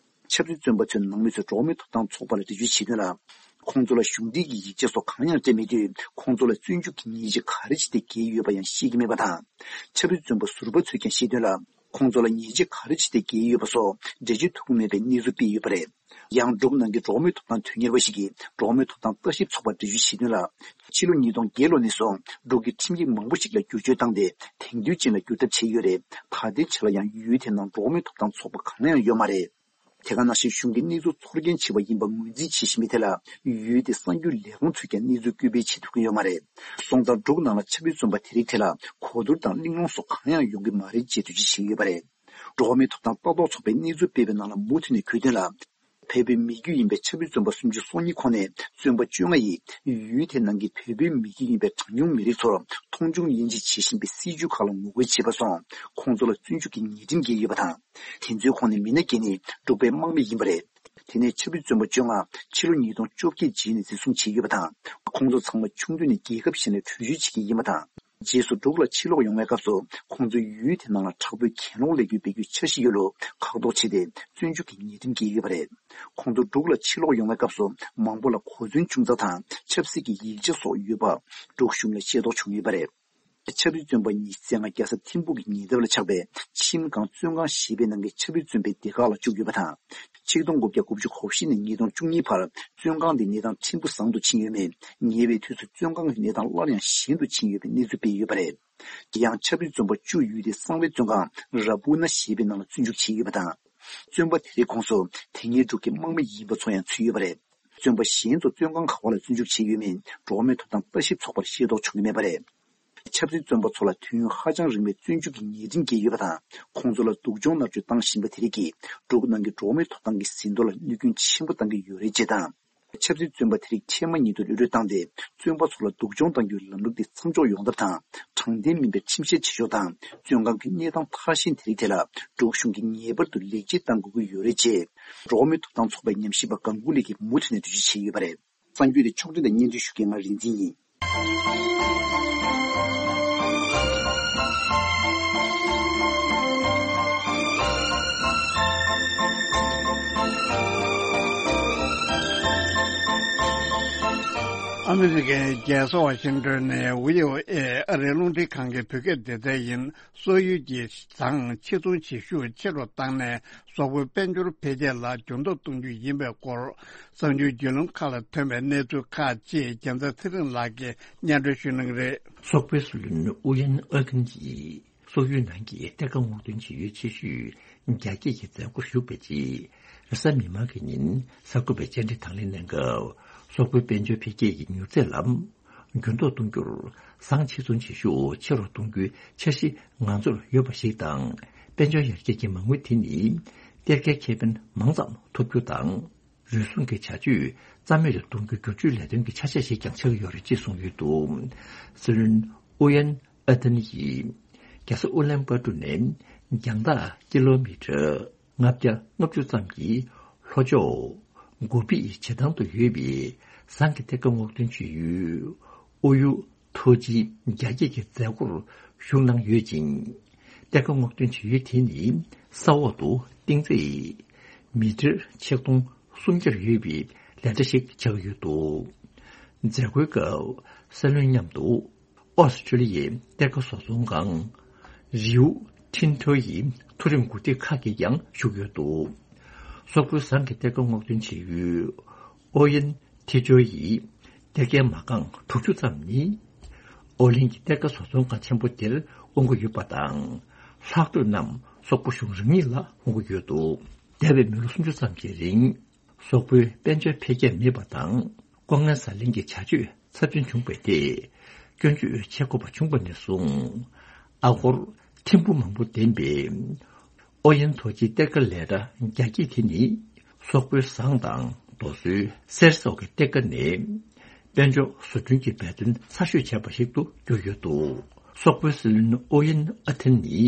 ཆབ་སྲིད་བཙོན་པ་ཚོའི་ནང་མི་ཚོས་འགྲོ་བ་མིའི་ཐོབ་ཐང་ཚོགས་པ་ལ་འགྲེལ་བརྗོད་བྱས་དོན་ལ། ཁོང་ཚོ་ལ་གཞུང་འབྲེལ་གྱི་ཡིག་ཆ་སོགས་གང་ཡང་སྤྲད་མེད་དུས། ཁོང་ཚོ་ལ་བཙོན་འཇུག་གི་ཉེས་ཆད་ག་རེ་བྱས་ཏེ་འགེལ་ཡོད་པ་ཡང་ཤེས་ཀྱི་མེད་པ་དང་། ཆབ་སྲིད་བཙོན་པ་ཟུར་པ་ཚོས་ཀྱང་བཤད་དོན་ལ། ཁོང་ཚོ་ལ་ཉེས་ཆད་ག་རེ་བྱས་ཏེ་འགེལ་ཡོད་པ་སོགས་འགྲེལ་བརྗོད་ཐུབ་ཀྱི་མེད་པའི་གནས་ཚུལ་སྤེལ་ཡོད་པ་རེད། ཡང་འབྲུག་ནང་གི་འགྲོ་བ་མིའི་ཐོབ་ཐང་དོན་གཉེར་བ་ཞིག་གིས་འགྲོ་བ་མིའི་ཐོབ་ཐང་ལྟ་ཞིབ་ཚོགས་པར་འགྲེལ་བརྗོད་བྱས་དོན་ལ། ཕྱི་ལོ་ཉིས་སྟོང་བརྒྱད་ལོ་ནས་བཟུང་འབྲུག་གི་ཁྲིམས་ཡིག་མང་པོ་ཞིག་ལ་བསྒྱུར་བཅོས་བཏང་སྟེ། དེང་དུས་ཅན་ལ་བསྒྱུར་ཐབས་བྱས་ཡོད་རེད། ད་ལྟའི་ཆ་ལ་ཡང་ཡུལ་དེ་ནང་འགྲོ་བ་མིའི་ཐོབ་ཐང་ཚོགས་པ་གང་ཡང་ཡོད་མ་རེད། དེ་ག་ནང་བཞིན་གཞུང་གིས་གནས་ཚུལ་ཚོར་སྐྱེན་ཆེ་བ་ཡིན་པ་ངོས་འཛིན་བྱེད་བཞིན་པའི་ཐད་ལ། ཡུལ་དེའི་གསར་འགྱུར་ལས་ཁང་ཚོས་ཀྱང་གནས་ཚུལ་སྐུལ་སྤེལ་བྱེད་ཐུབ་ཀྱི་ཡོད་མ་རེད། སོང་ཙང་འབྲུག་ནང་ལ་ཆབ་སྲིད་བཙོན་པ་དེ་རིགས་ཐད་ལ་གོ་བསྡུར་དང་གླེང་སློང་སོགས་གང་ཡང་ཡོང་གི་མ་རེད་ཅེས་འགྲེལ་བརྗོད་བྱས་ཡོད་པ་རེད། འགྲོ་བ་མིའི་ཐོབ་ཐང་ལྟ་རྟོག་ཚོགས་པས་གནས་ཚུལ་སྤེལ་བའི་ནང་ལ་མུ་མཐུད་ནས་འཁོད་དོན་ལ། བོད་པའི་མི་རྒྱུད་ཡིན་པའི་ཆབ་སྲིད་བཙོན་པ་སུམ་ཅུ་སོ་གཉིས་ཁོངས་ནས་བཙོན་པ་བཅོ་ལྔ་ཡིས་ཡུལ་དེ་ནང་གི་བོད་པའི་མི་རྒྱུད་ཡིན་པའི་གྲངས་ཉུང་མི་རིགས་ཚོར་མཐོང་ཆུང་དབྱེ་འབྱེད་བྱེད་བཞིན་པའི་སྲིད་བྱུས་ཁག་ལ་ངོ་རྒོལ་བྱས་པ་སོགས་ཁོང་ཚོ་ལ་བཙོན་འཇུག་གི་ཉེས་ཁྲིམས་འགེལ་ཡོད་པ་དང་། དེ་ཚོའི་ཁོངས་ནས་མི་སྣ་བརྒྱད་ནི་འབྲུག་པའི་དམག་མི་ཡིན་པ་རེད། དེ་ནས་ཆབ་སྲིད་བཙོན་པ་བཅོ་ལྔ་ཕྱི་ལོ་ཉིས་སྟོང་བཅོ་བརྒྱད་རྗེས་ནས་འཛིན་བཟུང་བྱས་ཡོད་པ་དང་། ཁོང་ཚོ་ཚང་མ་ཆུང་དུས་ནས་རྒྱལ་ཁབ་གཞན་ལ་བྲོས་བྱོལ་བྱེད་ཀྱི་ཡིན་པ་དང་། རྗེས་སུ་འབྲུག་ལ་ཕྱིར་ལོག་ཡོང་བའི་སྐབས་སུ་ཁོང་ཚོས་ཡུལ་དེ་ནང་ལ་དྲག་པོའི་གྱེན་ལོག་ལས་འགུལ་སྤེལ་རྒྱུའི་འཆར་གཞི་ཡོད་ལུགས་ཁག་ཐོག་བྱས་ཏེ་བཙོན་འཇུག་གི་ཉེས་ཁྲིམས་བཀལ་ཡོད་པ་རེད། ཁོང་ཚོ་འབྲུག་ལ་ཕྱིར་ལོག་ཡོང་བའི་སྐབས་སུ་མང་པོ་ལ་གོ་མཚོན་ཆུང་ཙག་དང་ཆབ་སྲིད་ཀྱི་ཡིག་ཆ་སོགས་ཡོད་པ་འབྲུག་གཞུང་ལ་ཤེས་རྟོགས་བྱུང་ཡོད་པ་རེད། ཆབ་སྲིད་བཙོན་པ་ཉི་ཤུ་རྩ་ལྔ་རྒྱལ་ས་ཐིམ་ཕུག་གི་ཉེ་འདབས་ལ་ཆགས་པའི་ཆིམ་ཁང་བཙོན་ཁང་ཞེས་པའི་ནང་གི་ཆབ་སྲིད་བཙོན་པའི་སྡེ་ཁག་ལ་བཅུག་ཡོད་པ་དང་། ཆིག་སྟོང་དགུ་བརྒྱ་དགུ་བཅུ་གོ་བཞི་ནས་ཉིས་སྟོང་བཅུ་གཉིས་བར་བཙོན་ཁང་འདིའི་གནས་སྟངས་ཕྲན་བུ་བཟང་དུ་ཕྱིན་ཡོད་མེད། ཉེ་བའི་དུས་སུ་བཙོན་ཁང་གི་གནས་སྟངས་སླར་ཡང་ཞན་དུ་ཕྱིན་ཡོད་པའི་གནས་ཚུལ་སྤེལ་ཡོད་པ་རེད། ཡང་ཆབ་སྲིད་བཙོན་པ་བཅུ་ཡོད་དེ་གསང་བའི་བཙོན་ཁང་ར་པུ་ན་ཞེས་པའི་ནང་ལ་བཙོན་འཇུག་བྱས་ཡོད་པ་དང་། བཙོན་པ་དེ་རེའི་ཁོངས་སུ་དེ་སྔའི་འབྲུག་གི་དམག་མི་ཡིན་པ་ཚོ་ཡང་ཚུད་ཡོད་པ་རེད། བཙོན་པ་གཞན་ཚོ་བཙོན་ཁང་ག་བ་ལ་བཙོན་འཇུག་བྱས་ཡོད་མེད་འགྲོ་བ་མིའི་ཐོབ་ཐང་ལྟ་ཞིབ་ཚོགས་པར་ཤེས་རྟོགས་བྱུང་གི་མེད་པ་རེད། ཆབ་སྲིད་བཙོན་པ་ཚོ་ལ་དུས་ཡུན་ཧ་ཅང་རིང་བའི་བཙོན་འཇུག་གི་ཉེས་འབྲིང་བཀལ་ཡོད་པ་དང་། ཁོང་ཚོ་ལ་སྡུག་སྦྱོང་མནར་གཅོད་བཏང་བཞིན་པ་དེ་རིགས་ཀྱིས་འབྲུག་ནང་གི་འགྲོ་བ་མིའི་ཐོབ་ཐང་གི་ཟིན་ཐོ་ལ་གནོད་སྐྱོན་ཆེན་པོ་བཏང་གི་ཡོད་རེད་ཅེས་དང་། ཆབ་སྲིད་བཙོན་པ་དེ་རིགས་འཕྲལ་མ་ཉིད་དུ་གློད་གྲོལ་བཏང་སྟེ། བཙོན་པ་ཚོ་ལ་སྡུག་སྦྱོང་གཏང་རྒྱུའི་ལམ་ལུགས་དེ་མཚམས་འཇོག་ཡོང་ཐབས་དང་། དྲང་བདེན་མིན་པའི་ཁྲིམས་བཤེར་བྱེད་ཕྱོགས་དང་། བཙོན་ཁང་གི་གནས་སྟངས་ཐར་ཤན་དེ་རིགས་ཐད་ལ་འབྲུག་གཞུང་གིས་ངེས་པར་དུ་ལེགས་བཅོས་གཏང་དགོས་ཀྱི་ཡོད་རེད་ཅེས། འགྲོ་བ་མིའི་ཐོབ་ཐང་ཚོགས་པའི་ཉམས་ཞིབ་པ་སྒང་ཀུ་ལི་གིས་མུ་མཐུད་ནས་འགྲེལ་བརྗོད་བྱས་ཡོད་པ་རེད། གསར་འགྱུར་དེ་ཕྱོགས་སྒྲིག་དང་སྙན་སྒྲོན་ཞུ་མཁན་ང་རིག་འཛིན་ཡིན། ཨ་མི་རི་ཀའི་རྒྱལ་ས་ཝ་ཤིང་ཏོན་ནས་བྷི་ཨོ་ཨེ་ཨ་རིའི་རླུང་འཕྲིན་ཁང་གི་བོད་སྐད་སྡེ་ཚན་ཡིན། སོག་ཡུལ་གྱིས་ཟངས་ཕྱིར་ཚོང་བྱེད་ཤུགས་ཆེ་རུ་བཏང་ནས་སོག་པོའི་དཔལ་འབྱོར་འཕེལ་རྒྱས་ལ་འགྱུར་ལྡོག་གཏོང་རྒྱུ་ཡིན་པའི་སྐོར། གསར་འགྱུར་བརྒྱུད་ལམ་ཁག་ལ་ཐོན་པའི་གནས་ཚུལ་ཁག་ཅིག་རྒྱལ་མཚན་ཚེ་རིང་ལགས་ཀྱིས་སྙན་སྒྲོན་ཞུ་གནང་གི་རེད། སོག་པོའི་སྲིད་བློན་ཨུ་ཡན་ཨ་ཐན་གྱིས་སོག་ཡུལ་ནང་གི་གཏེར་ཁ་སྔོག་འདོན་བྱེད་ཡུལ་ཆེ་ཤོས་རྒྱ་སྐྱེད་ཀྱི་མཛད་སྒོར་ཞུགས་པའི་རྗེས། རེས་གཟའ་མིག་དམར་གྱི་ཉིན་གསར་འགོད་པས་བཅར་འདྲི་དང་ལེན་གནང་སྐབས། སོག་པོའི་དཔལ་འབྱོར་འཕེལ་རྒྱས་ཀྱི་མྱུར་ཚད་ལ་འགྱུར་ལྡོག་གཏོང་རྒྱུར་ཟངས་ཕྱིར་ཚོང་བྱེད་ཤུགས་ཆེ་རུ་གཏོང་རྒྱུའི་འཆར་གཞི་ང་ཚོར་ཡོད་པ་ཞིག་དང་། དཔལ་འབྱོར་ཡར་རྒྱས་ཀྱི་མ་དངུལ་དེ་ནི་གཏེར་ཁའི་ཁེ་ཕན་མང་ཙམ་ཐོབ་རྒྱུ་དང་། རུལ་སུངས་ཀྱི་བྱ་སྤྱོད་རྩ་མེད་དུ་གཏོང་རྒྱུའི་བསྒྱུར་བཅོས་ལས་དོན་གྱི་ཆ་ཤས་ཤིག་ཀྱང་ཆགས་ཀྱི་ཡོད་རེད་ཅེས་གསུངས་ཡོད་འདུག། སྲིད་བློན་ཨུ་ཡན་ཨ་ཐན་ཡིས་རྒྱལ་ས་ཨུ་ལན་པ་ཏུ་ནས་རྒྱང་ཐག་ཀི་ལོ་མི་ཊར་ལྔ་བརྒྱ་ལྔ་བཅུ་ཙམ་གྱི་ལྷོ་ཕྱོགས་གོ་པི་བྱེ་ཐང་དུ་ཡོད་པའི་ཟངས་ཀྱི་གཏེར་ཁ་སྔོག་འདོན་བྱེད་ཡུལ་ཨོ་ཡུ་ཐོ་ཅི་རྒྱ་སྐྱེད་ཀྱི་མཛད་སྒོར་ཞུགས་གནང་ཡོད་ཅིང་། གཏེར་ཁ་སྔོག་འདོན་བྱེད་ཡུལ་དེ་ནི་ས་འོག་ཏུ་གཏིང་ཚད་མི་ཊར་ཆིག་སྟོང་སུམ་བརྒྱར་ཡོད་པའི་ལས་གྲྭ་ཞིག་ཆགས་ཡོད་འདུག། མཛད་སྒོའི་སྐབས་སྲིད་བློན་མཉམ་དུ་ཨོ་སི་ཀྲི་ལི་ཡའི་གཏེར་ཁ་བཟོ་ཚོང་ཁང་རིའུ་ཐིན་ཐོ་ཡི་མཐོ་རིམ་འགོ་ཁྲིད་ཁག་གིས་ཀྱང་ཞུགས་ཡོད་འདུག། སོག་པོའི་ཟངས་ཀྱི་གཏེར་ཁ་སྔོག་འདོན་བྱེད་ཡུལ་ཨོ་ཡན་ཐེ་ཅོ་ཡི་གཏེར་ཁའི་མ་རྐང་དྲུག་ཅུ་ཙམ་ནི། ཨོ་གླིང་གི་གཏེར་ཁ་བཟོ་ཚོང་ཁང་ཆེན་པོ་དེར་དབང་གི་ཡོད་པ་དང་། ལྷག་འདོད་རྣམས་སོག་པོ་གཞུང་རང་ཉིད་ལ་དབང་གི་ཡོད་འདུག། འདས་པའི་མི་ལོ་སུམ་ཅུ་ཙམ་གྱི་རིང་། སོག་པོའི་དཔལ་འབྱོར་འཕེལ་རྒྱས་མེད་པ་དང་། ལྐོག་རྔན་ཟ་ལེན་གྱི་བྱ་སྤྱོད་ཚབས་ཆེན་བྱུང་བའི་ཐད་སྐྱོན་བརྗོད་བྱེད་དགོས་པ་བྱུང་བ་ནས་བཟུང་། ཨ་སྒོར་ཐེར་འབུམ་མང་པོ་ལྡན་པའི་ཨོ་ཡན་ཐོ་ཅི་གཏེར་ཁ་ལས་གྲྭ་རྒྱ་སྐྱེད་དེ་ནི། སོག་པོའི་ཟངས་དང་རྡོ་སོལ་གསེར་སོགས་ཀྱི་གཏེར་ཁ་ནས་དཔལ་འབྱོར་བཟོ་སྐྲུན་གྱི་འབད་བརྩོན་ཚ་ཤོས་བྱས་པ་ཞིག་ཏུ་གྱུར་ཡོད་འདུག། སོག་པོའི་སྲིད་བློན་ཨོ་ཡན་ཨ་ཐན་ནི་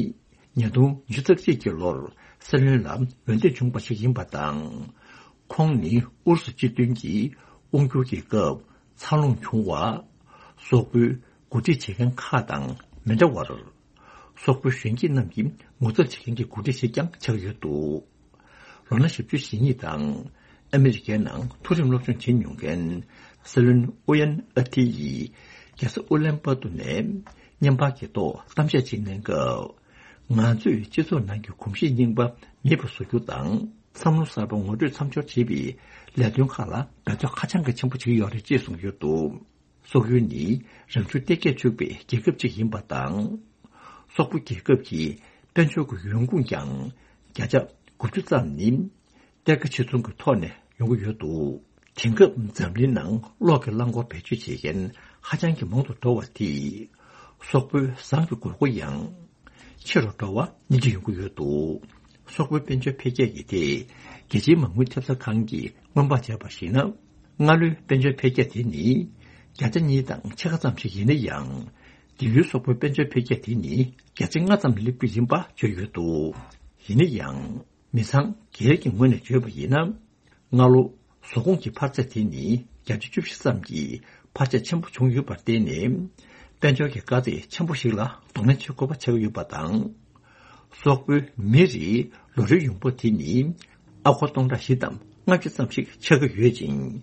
ཉིས་སྟོང་ཉི་ཤུ་རྩ་གཅིག་གི་ལོར་སྲིད་བློན་ལ་འོས་འདེམས་བྱུང་བ་ཞིག་ཡིན་པ་དང་། ཁོང་ནི་ཨུ་རུ་སུ་སྤྱི་མཐུན་གྱི་དབང་སྒྱུར་གྱི་སྐབས་འཚར་ལོངས་བྱུང་བ། སོག་པོའི་འགོ་ཁྲིད་བྱེད་མཁན་ཁག་དང་མི་འདྲ་བར། སོག་པོའི་གཞོན་སྐྱེས་རྣམས་ཀྱིས་ངོ་ཚབ་བྱེད་མཁན་གྱི་འགོ་ཁྲིད་ཞིག་ཀྱང་ཆགས་ཡོད་འདུག། ལོ་ན་བཞི་བཅུ་ཞེ་གཉིས་དང་ཨ་མི་རི་ཀའི་ནང་མཐོ་རིམ་སློབ་སྦྱོང་བྱེད་མྱོང་མཁན་སྲིད་བློན་ཨུ་ཡན་ཨ་ཐི་ཡིས་རྒྱལ་ས་ཨུ་ལན་པ་ཏུ་ནས་བརྙན་པར་གྱི་ཐོག་གཏམ་བཤད་ཅིག་གནང་སྐབས། ང་ཚོས་སྤྱི་ཚོགས་ནང་གི་གོམས་གཤིས་རྙིང་པ་མེད་པར་བཟོ་རྒྱུ་དང་། བསམ་བློ་གསར་པ་ངོ་སྤྲོད་མཚམས་སྦྱོར་བྱེད་པའི་ལས་དོན་ཁག་ལ་འབད་རྩོལ་ཧ་ཅང་གི་ཆེན་པོ་བྱེད་ཀྱི་ཡོད་རེད་ཅེས་གསུངས་ཡོད་འདུག། སོག་ཡུལ་ནི་རང་བྱུང་གཏེར་ཁས་ཕྱུག་པའི་རྒྱལ་ཁབ་ཅིག་ཡིན་པ་དང་། སོག་པོ་རྒྱལ་ཁབ་ཀྱི་དཔལ་འབྱོར་གྱི་ཡོང་ཁུངས་ཀྱང་བརྒྱ་ཆ་དགུ་བཅུ་ཙམ་ནི་གཏེར་ཁ་ཕྱིར་ཚོང་གི་ཐོག་ནས་ཡོང་གི་ཡོད་འདུག། དེང་སྐབས་འཛམ་གླིང་ནང་གློག་གི་རླངས་འཁོར་བེད་སྤྱོད་བྱེད་མཁན་ཧ་ཅང་གི་མང་དུ་འགྲོ་བ་དེས། སོག་པོའི་ཟངས་ཀྱི་དགོས་མཁོ་ཡང་ཆེ་རུ་འགྲོ་བ་སྙིང་རྗེ་ཡོང་གི་ཡོད་འདུག། སོག་པོའི་དཔལ་འབྱོར་འཕེལ་རྒྱས་ཀྱི་ཐད་རྒྱལ་སྤྱིའི་མ་དངུལ་ཐེབས་རྩ་ཁང་གིས་སྔོན་དཔག་བྱས་པར་གཞིགས་ན། སྔ་ལོའི་དཔལ་འབྱོར་འཕེལ་རྒྱས་དེ་ནི་བརྒྱ་ཆ་གཉིས་དང་ཕྱེད་ཀ་ཙམ་ཞིག་ཡིན་ན་ཡང་། དེང་ཡུལ་སོག་པོའི་དཔལ་འབྱོར་འཕེལ་རྒྱས་དེ་ནི་བརྒྱ་ཆ་ལྔ་ཙམ་སླེབས་རྒྱུ་ཡིན་པ་བརྗོད་ཡོད་འདུག། ཡིན་ན་ཡང་། མི་ཚང་སྒེར་གྱི་ངོས་ནས་བརྗོད་པ་ཡིན་ན། སྔ་ལོ་བཟོ་ཁོངས་ཀྱི་འཕར་ཚད་དེ་ནི་བརྒྱ་ཆ་བཅུ་བཞི་ཙམ་གྱི་འཕར་ཆ་ཆེན་པོ་བྱུང་ཡོད་པར་བརྟེན་ནས། དཔལ་འབྱོར་གྱི་དཀའ་ཚེགས་ཆེན་པོ་ཞིག་ལ་གདོང་ལེན་བྱེད་དགོས་པ་ཆགས་ཡོད་པ་དང་། སོག་པོའི་མི་རེའི་ལོ་རེའི་ཡོང་འབབ་དེ་ནི་ཨ་སྒོར་སྟོང་ཕྲག་བཞི་དང་ལྔ་བཅུ་ཙམ་ཞིག་ཆགས་ཀྱི་ཡོད་ཅིང་།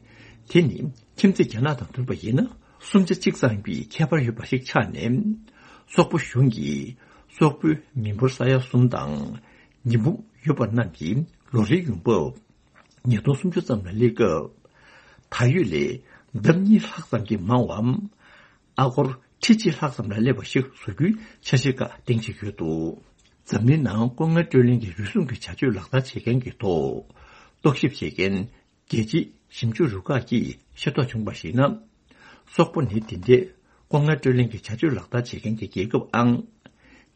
དེ་ནི་ཁྱིམ་མཚེས་རྒྱ་ནག་དང་བསྡུར་བ་ཡིན་ན་སུམ་ཆ་གཅིག་ཙམ་གྱི་ཁྱད་པར་ཡོད་པ་ཞིག་ཆགས་ནས། སོག་པོ་གཞུང་གིས་སོག་པོའི་མི་འབོར་ས་ཡ་གསུམ་དང་ཉིས་འབུམ་ཡོད་པ་རྣམས་ཀྱི་ལོ་རེའི་ཡོང་འབབ་ཉིས་སྟོང་སུམ་ཅུ་ཙམ་ལ་སླེབས་སྐབས། ད་ཡོད་ལས་ལྡབ་གཉིས་ལྷག་ཙམ་གྱིས་མང་བའམ། ཨ་སྒོར་ ཁྲི་གཅིག་ལྷག་ཙམ་ལ་སླེབས་པ་ཞིག་བཟོ་རྒྱུའི་འཆར་གཞི་ཁག་སྟེང་བྱེད་ཀྱི་ཡོད་འདུག་འཛམ་གླིང་ནང་སྐུ་ངལ་སྤྲོད་ལེན་གྱི་རུལ་སུངས་ཀྱི་བྱ་སྤྱོད་ལག་བསྟར་བྱེད་མཁན་གྱི་ཐོག་རྟོག་ཞིབ་བྱེད་མཁན་རྒྱལ་སྤྱིའི་ཞིབ་འཇུག་རུ་ཁག་གིས་ཤེས་རྟོགས་བྱུང་བར་གཞིགས་ན། སོག་པོ་ནི་དེ་འདྲའི་སྐུ་ངལ་སྤྲོད་ལེན་གྱི་བྱ་སྤྱོད་ལག་བསྟར་བྱེད་མཁན་གྱི་རྒྱལ་ཁབ་ཨང་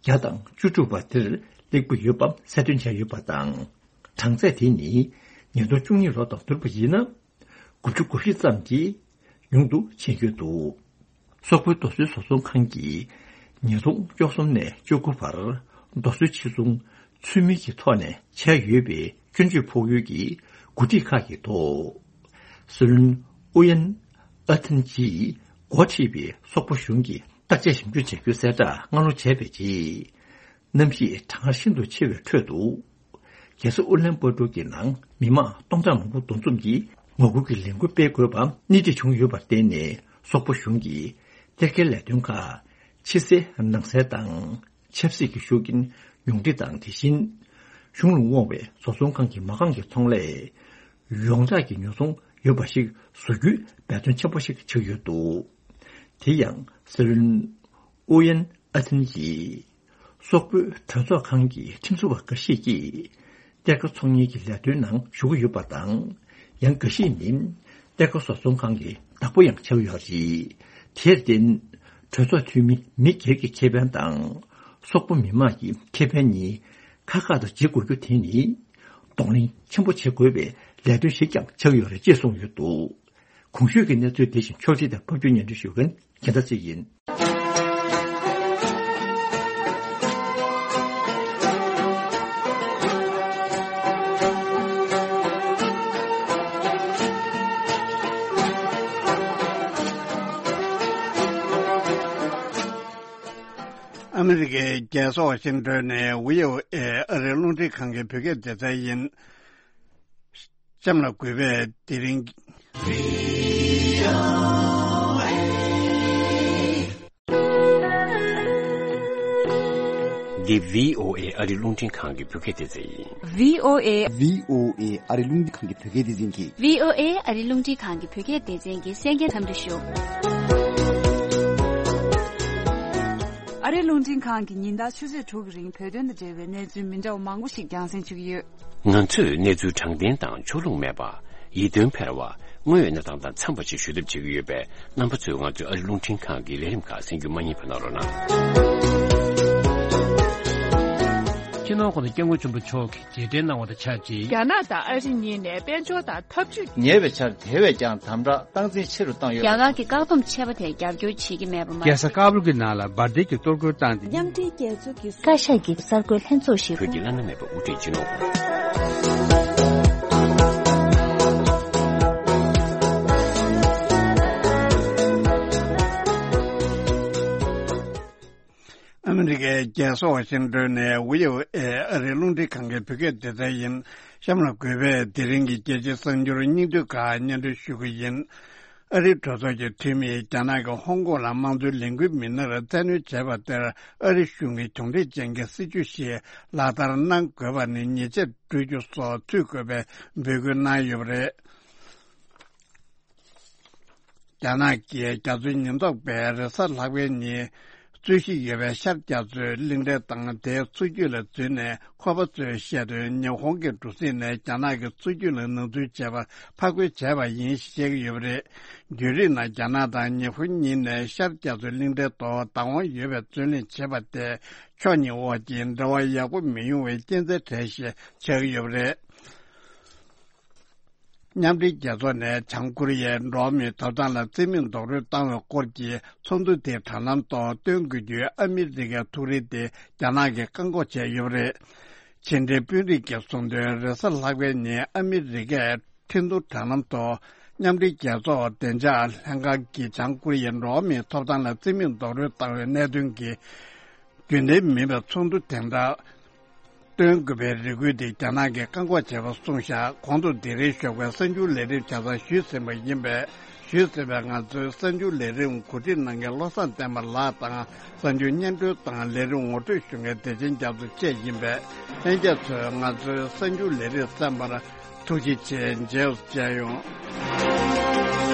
བརྒྱ་དང་བཅུ་དྲུག་པ་དེར་སླེབས་ཀྱི་ཡོད་པ་གསལ་སྟོན་བྱས་ཡོད་པ་དང་། གྲངས་ཚད་དེ་ནི་ཉིས་སྟོང་བཅུ་གཉིས་ལོ་དང་བསྡུར་བ་ཡིན་ན། དགུ་བཅུ་གོ་བཞི་ཙམ་གྱིས་ཉུང་དུ་ཕྱིན་ཡོད་འདུག་སོག་པོའི་རྡོ་སོལ་བཟོ་ཚོང་ཁང་གིས་ཉིས་སྟོང་བཅུ་གསུམ་ནས་བཅུ་དགུ་བར་རྡོ་སོལ་ཕྱིར་ཚོང་ཚུལ་མིན་གྱི་ཐོག་ནས་བྱས་ཡོད་པའི་སྐྱོན་བརྗོད་ཕོག་ཡུལ་གྱི་འགོ་ཁྲིད་ཁག་གི་ཐོག་སྲིད་བློན་ཨུ་ཡན་ཨ་ཐན་གྱིས་འགོ་ཁྲིད་པའི་སོག་པོ་གཞུང་གིས་བརྟག་དཔྱད་ཞིབ་འཇུག་བྱ་རྒྱུའི་གསལ་བསྒྲགས་སྔ་ལོ་བྱས་པའི་རྗེས། གནམ་གཤིས་གྲང་ངར་ཤིན་ཏུ་ཆེ་བའི་ཁྲོད་དུ། རྒྱལ་ས་ཨུ་ལན་པོ་ཏོ་གི་ནང་མི་མང་སྟོང་ཕྲག་མང་པོ་འདུ་འཛོམས་ཀྱིས་ངོ་རྒོལ་གྱི་ལས་འགུལ་སྤེལ་དགོས་པ་སྣེ་ཁྲིད་བྱུང་ཡོད་པར་བརྟེན་ནས། སོག་པོ་གཞུང་གིས་གཏེར་ཁའི་ལས་དོན་ཁག་ཕྱི་གསལ་ནང་གསལ་དང་། ཆབ་སྲིད་ཀྱི་ཤུགས་རྐྱེན་ཉུང་འཕྲི་དང་། དེ་བཞིན་གཞུང་ལ་དབང་བའི་བཟོ་ཚོང་ཁང་གི་མ་རྐང་གི་ཚོང་ལས་ཡོངས་གྲགས་ཀྱི་ཉོ་ཚོང་ཡོད་པ་ཞིག་བཟོ་རྒྱུའི་འབད་བརྩོན་ཆེན་པོ་ཞིག་བྱེད་ཀྱི་ཡོད་འདུག་དེ་ཡང་སྲིད་བློན་ཨུ་ཡན་ཨ་ཐན་གྱིས། སོག་པོའི་གྲོས་ཚོགས་ཁང་གི་ཁྲིམས་བཟོ་བ་འགའ་ཞིག་གིས་གཏེར་ཁ་ཚོང་གཉེར་གྱི་ལས་དོན་ནང་ཞུགས་ཀྱི་ཡོད་པ་དང་། ཡང་འགའ་ཞིག་ནི་གཏེར་ཁ་བཟོ་ཚོང་ཁང་གི་བདག་པོ་ཡང་ཆགས་ཡོད་རེད། དེར་བརྟེན། གྲོས་ཚོགས་འཐུས་མི་མི་སྒེར་གྱི་ཁེ་ཕན་དང་། སོག་པོ་མི་དམངས་ཀྱི་ཁེ་ཕན་གཉིས་ཁ་ཁ་དང་བརྗེ་དགོས་རྒྱུ་དེ་ནི་གདོང་ལེན་ཆེན་པོ་བྱེད་དགོས་པའི་ལས་དོན་ཞིག་ཀྱང་ཆགས་ཡོད་རེད་ཅེས་གསུངས་ཡོད་འདུག་གོང་ཞུས་ཀྱི་གནས་ཚུལ་དེ་བཞིན་ཕྱོགས་སྒྲིག་དང་ཕབ་སྒྱུར་སྙན་སྒྲོན་ཞུ་མཁན་རྒྱལ་མཚན་ཚེ་རིང་ཡིན། ཨ་མི་རི་ཀའི་རྒྱལ་ས་ཝ་ཤིང་ཏོན་ནས་བྷི་ཨོ་ཨེ་ཨ་རིའི་རླུང་འཕྲིན་ཁང་གི་བོད་སྐད་སྡེ་ཚན་ཡིན། གཤམ་ལ་འགོད་པའི་དེ་རིང་། འདི་བྷི་ཨོ་ཨེ་ཨ་རིའི་རླུང་འཕྲིན་ཁང་གི་བོད་སྐད་སྡེ་ཚན་ཡིན། བྷི་ཨོ་ཨེ། བྷི་ཨོ་ཨེ་ཨ་རིའི་རླུང་འཕྲིན་ཁང་གི་བོད་སྐད་སྡེ་ཚན་གྱི། བྷི་ཨོ་ཨེ་ཨ་རིའི་རླུང་འཕྲིན་ཁང་གི་བོད་སྐད་སྡེ་ཚན་གྱི་གསན་མཁན་འཚམས་འདྲི་ཞུ། ཨ་རིའི་རླུང་འཕྲིན་ཁང་གིས་ཉིན་ལྟར་ཆུ་ཚོད་དྲུག་གི་རིང་བོད་དོན་དང་འབྲེལ་བའི་གནས་ཚུལ་མི་འདྲ་བ་མང་པོ་ཞིག་རྒྱང་སྲིང་ཞུ་གི་ཡོད། ང་ཚོས་གནས་ཚུལ་དྲང་བདེན་དང་ཕྱོགས་ལྷུང་མེད་པ། ཡིད་རྟོན་འཕེར་བ། དངོས་ཡོད་གནས་སྟངས་དང་འཚམས་པ་ཞིག་ཞུ་ཐབས་བྱེད་ཀྱི་ཡོད་པས། རྣམ་པ་ཚོས་ང་ཚོའི་ཨ་རིའི་རླུང་འཕྲིན་ཁང་གི་ལས་རིམ་ཁག་གསན་རྒྱུ་མ་བསྙེལ་བ་གནང་རོགས་གནང་། སྤྱི་ནོར་༸གོང་ས་༸སྐྱབས་མགོན་ཆེན་པོ་མཆོག་གིས་རྗེས་དྲན་གནང་བ་དང་ཆབས་ཅིག་རྒྱ་ནག་དང་ཨ་རི་གཉིས་ནས་དཔལ་འབྱོར་དང་འཐབ་ཇུས། ཉེ་བའི་ཆར་དེ་བས་ཀྱང་དམ་དྲག་སྟངས་འཛིན་ཆེ་རུ་བཏང་ཡོད། རྒྱ་གར་གྱི་བཀག་སྡོམ་ཆད་པ་དེར་རྒྱབ་སྐྱོར་བྱེད་ཀྱི་མེད་པ་མ་ཟད། རྒྱལ་ས་ཀ་བུལ་གྱི་ནང་ལ་འབར་མདེལ་གྱི་གཏོར་རྒོལ་བཏང་སྟེ། མཉམ་འབྲེལ་རྒྱལ་ཚོགས་ཀྱི་བཀའ་ཤག་གི་གསར་འགོད་ལྷན་ཚོགས་ཤིག་བོད་ཀྱི་བླ་ན་མེད་པའི་དབུ་ཁྲིད་སྤྱི་ནོར་ཨ་མི་རི་ཀའི་རྒྱལ་ས་ཝ་ཤིང་ཏོན་ནས་བྷི་ཨོ་ཨེ་ཨ་རིའི་རླུང་འཕྲིན་ཁང་གི་བོད་སྐད་སྡེ་ཚན་ཡིན། གཤམ་ལ་འགོད་པའི་དེ་རིང་གི་རྒྱལ་སྤྱིའི་གསར་འགྱུར་སྙིང་བསྡུས་ཁག་སྙན་སྒྲོན་ཞུ་གི་ཡིན། ཨ་རིའི་གྲོས་ཚོགས་ཀྱི་འཐུས་མིས་རྒྱ་ནག་གིས་ཧོང་ཀོང་ལ་དམངས་གཙོའི་ལས་འགུལ་མི་སྣར་བཙན་གནོན་བྱས་པ་དེར་ཨ་རི་གཞུང་གིས་གྱོང་འཕྲད་ཅན་གྱི་སྲིད་ཇུས་ཤིག་ལག་བསྟར་གནང་དགོས་པ་ནི་ཉེས་ཆད་སྤྲོད་རྒྱུ་སོགས་ཚུད་དགོས་པའི་འབོད་སྐུལ་གནང་ཡོད་པ་རེད། རྒྱ་ནག་གིས་རྒྱ་མཚོའི་ཉེན་རྟོག་པས་རེས་གཟའ་ལྷག་པའི་ཉིན་རྩོད་གཞི་ཡོད་པའི་ཤར་རྒྱ་མཚོའི་གླིང་ཕྲན་དང་དེའི་མཚོ་རྒྱུད་ལ་འཛུལ་ནས་ཁོ་པ་ཚོས་བཤད་དོན། ཉི་ཧོང་གི་གྲུ་གཟིངས་ནས་རྒྱ་ནག་གི་མཚོ་རྒྱུད་ལ་ནང་འཛུལ་བྱས་པར་ཕར་རྒོལ་བྱས་པ་ཡིན་ཞེས་བཤད་ཀྱི་ཡོད་པ་རེད། བརྒྱུད་རིམ་ནང་རྒྱ་ནག་དང་ཉི་ཧོང་གཉིས་ནས་ཤར་རྒྱ་མཚོའི་གླིང་ཕྲན་ཐོག་བདག་དབང་ཡོད་པའི་རྩོད་གླེང་བྱས་པ་དེ་ཕྱོགས་གཉིས་དབར་གྱི་འབྲེལ་བ་ཡག་པོ་མི་ཡོང་བའི་རྐྱེན་རྩ་གྲས་ཤིག་ཆགས་ཀྱི་ཡོད་པ་རེད། མཉམ་འབྲེལ་རྒྱལ་ཚོགས་ནས་བྱང་ཀོ་རི་ཡའི་འགྲོ་བ་མིའི་ཐོབ་ཐང་ལ་རྩིས་མེད་རྡོག་རོལ་བཏང་བའི་སྐོར་གྱི་ཚོགས་འདུ་དེའི་དྲ་ལམ་ཐོག་སྟོན་དགོས་རྒྱུའི་ཨ་མི་རི་ཀའི་ཐུགས་རེ་དེ་རྒྱ་ནག་གིས་བཀག་འགོག་བྱས་ཡོད་པ་རེད། ཕྱི་འབྲེལ་དཔོན་རིགས་ཀྱིས་གསུངས་དོན། རེས་གཟའ་ལྷག་པའི་ཉིན་ཨ་མི་རི་ཀས་ཁྲིན་ཏུའུ་དྲ་ལམ་ཐོག་མཉམ་འབྲེལ་རྒྱལ་ཚོགས་བདེ་འཇགས་ལྷན་ཁང་གིས་བྱང་ཀོ་རི་ཡའི་འགྲོ་བ་མིའི་ཐོབ་ཐང་ལ་རྩིས་མེད་རྡོག་རོལ་བཏང་བའི་གནད་དོན་གྱི་རྒྱུན་ལྡན་མིན་པའི་ཚོགས་འདུ་དེ་འདྲ་སྟོན་དགོས་པའི་རེ་སྐུལ་དེ་རྒྱ་ནག་གིས་བཀག་འགོག་བྱས་པ་གསུངས་བཞག་གོང་དུ་འདི་རིང་ཞོགས་པའི་གསར་འགྱུར་ལས་རིམ་ཆ་ཚང་ཞུས་ཟིན་པ་ཡིན་པས། ཞུས་ཟིན་པའི་ང་ཚོའི་གསར་འགྱུར་ལས་རིམ་གོ་སྒྲིག་གནང་མཁན་བློ་བཟང་བསྟན་པ་ལགས་དང་། གསར་འགྱུར་སྙན་སྒྲོན་དང་ལས་རིམ་ངོ་སྤྲོད་ཞུ་མཁན་བདེ་ཆེན་རྒྱ་མཚོ་བཅས་ཡིན་པས། ལྷན་རྒྱས་ཚོས་ང་ཚོའི་གསར་འགྱུར་ལས་རིམ་གསན་པར་ཐུགས་རྗེ་ཆེ། མཇལ་མཇལ་ཡོང་།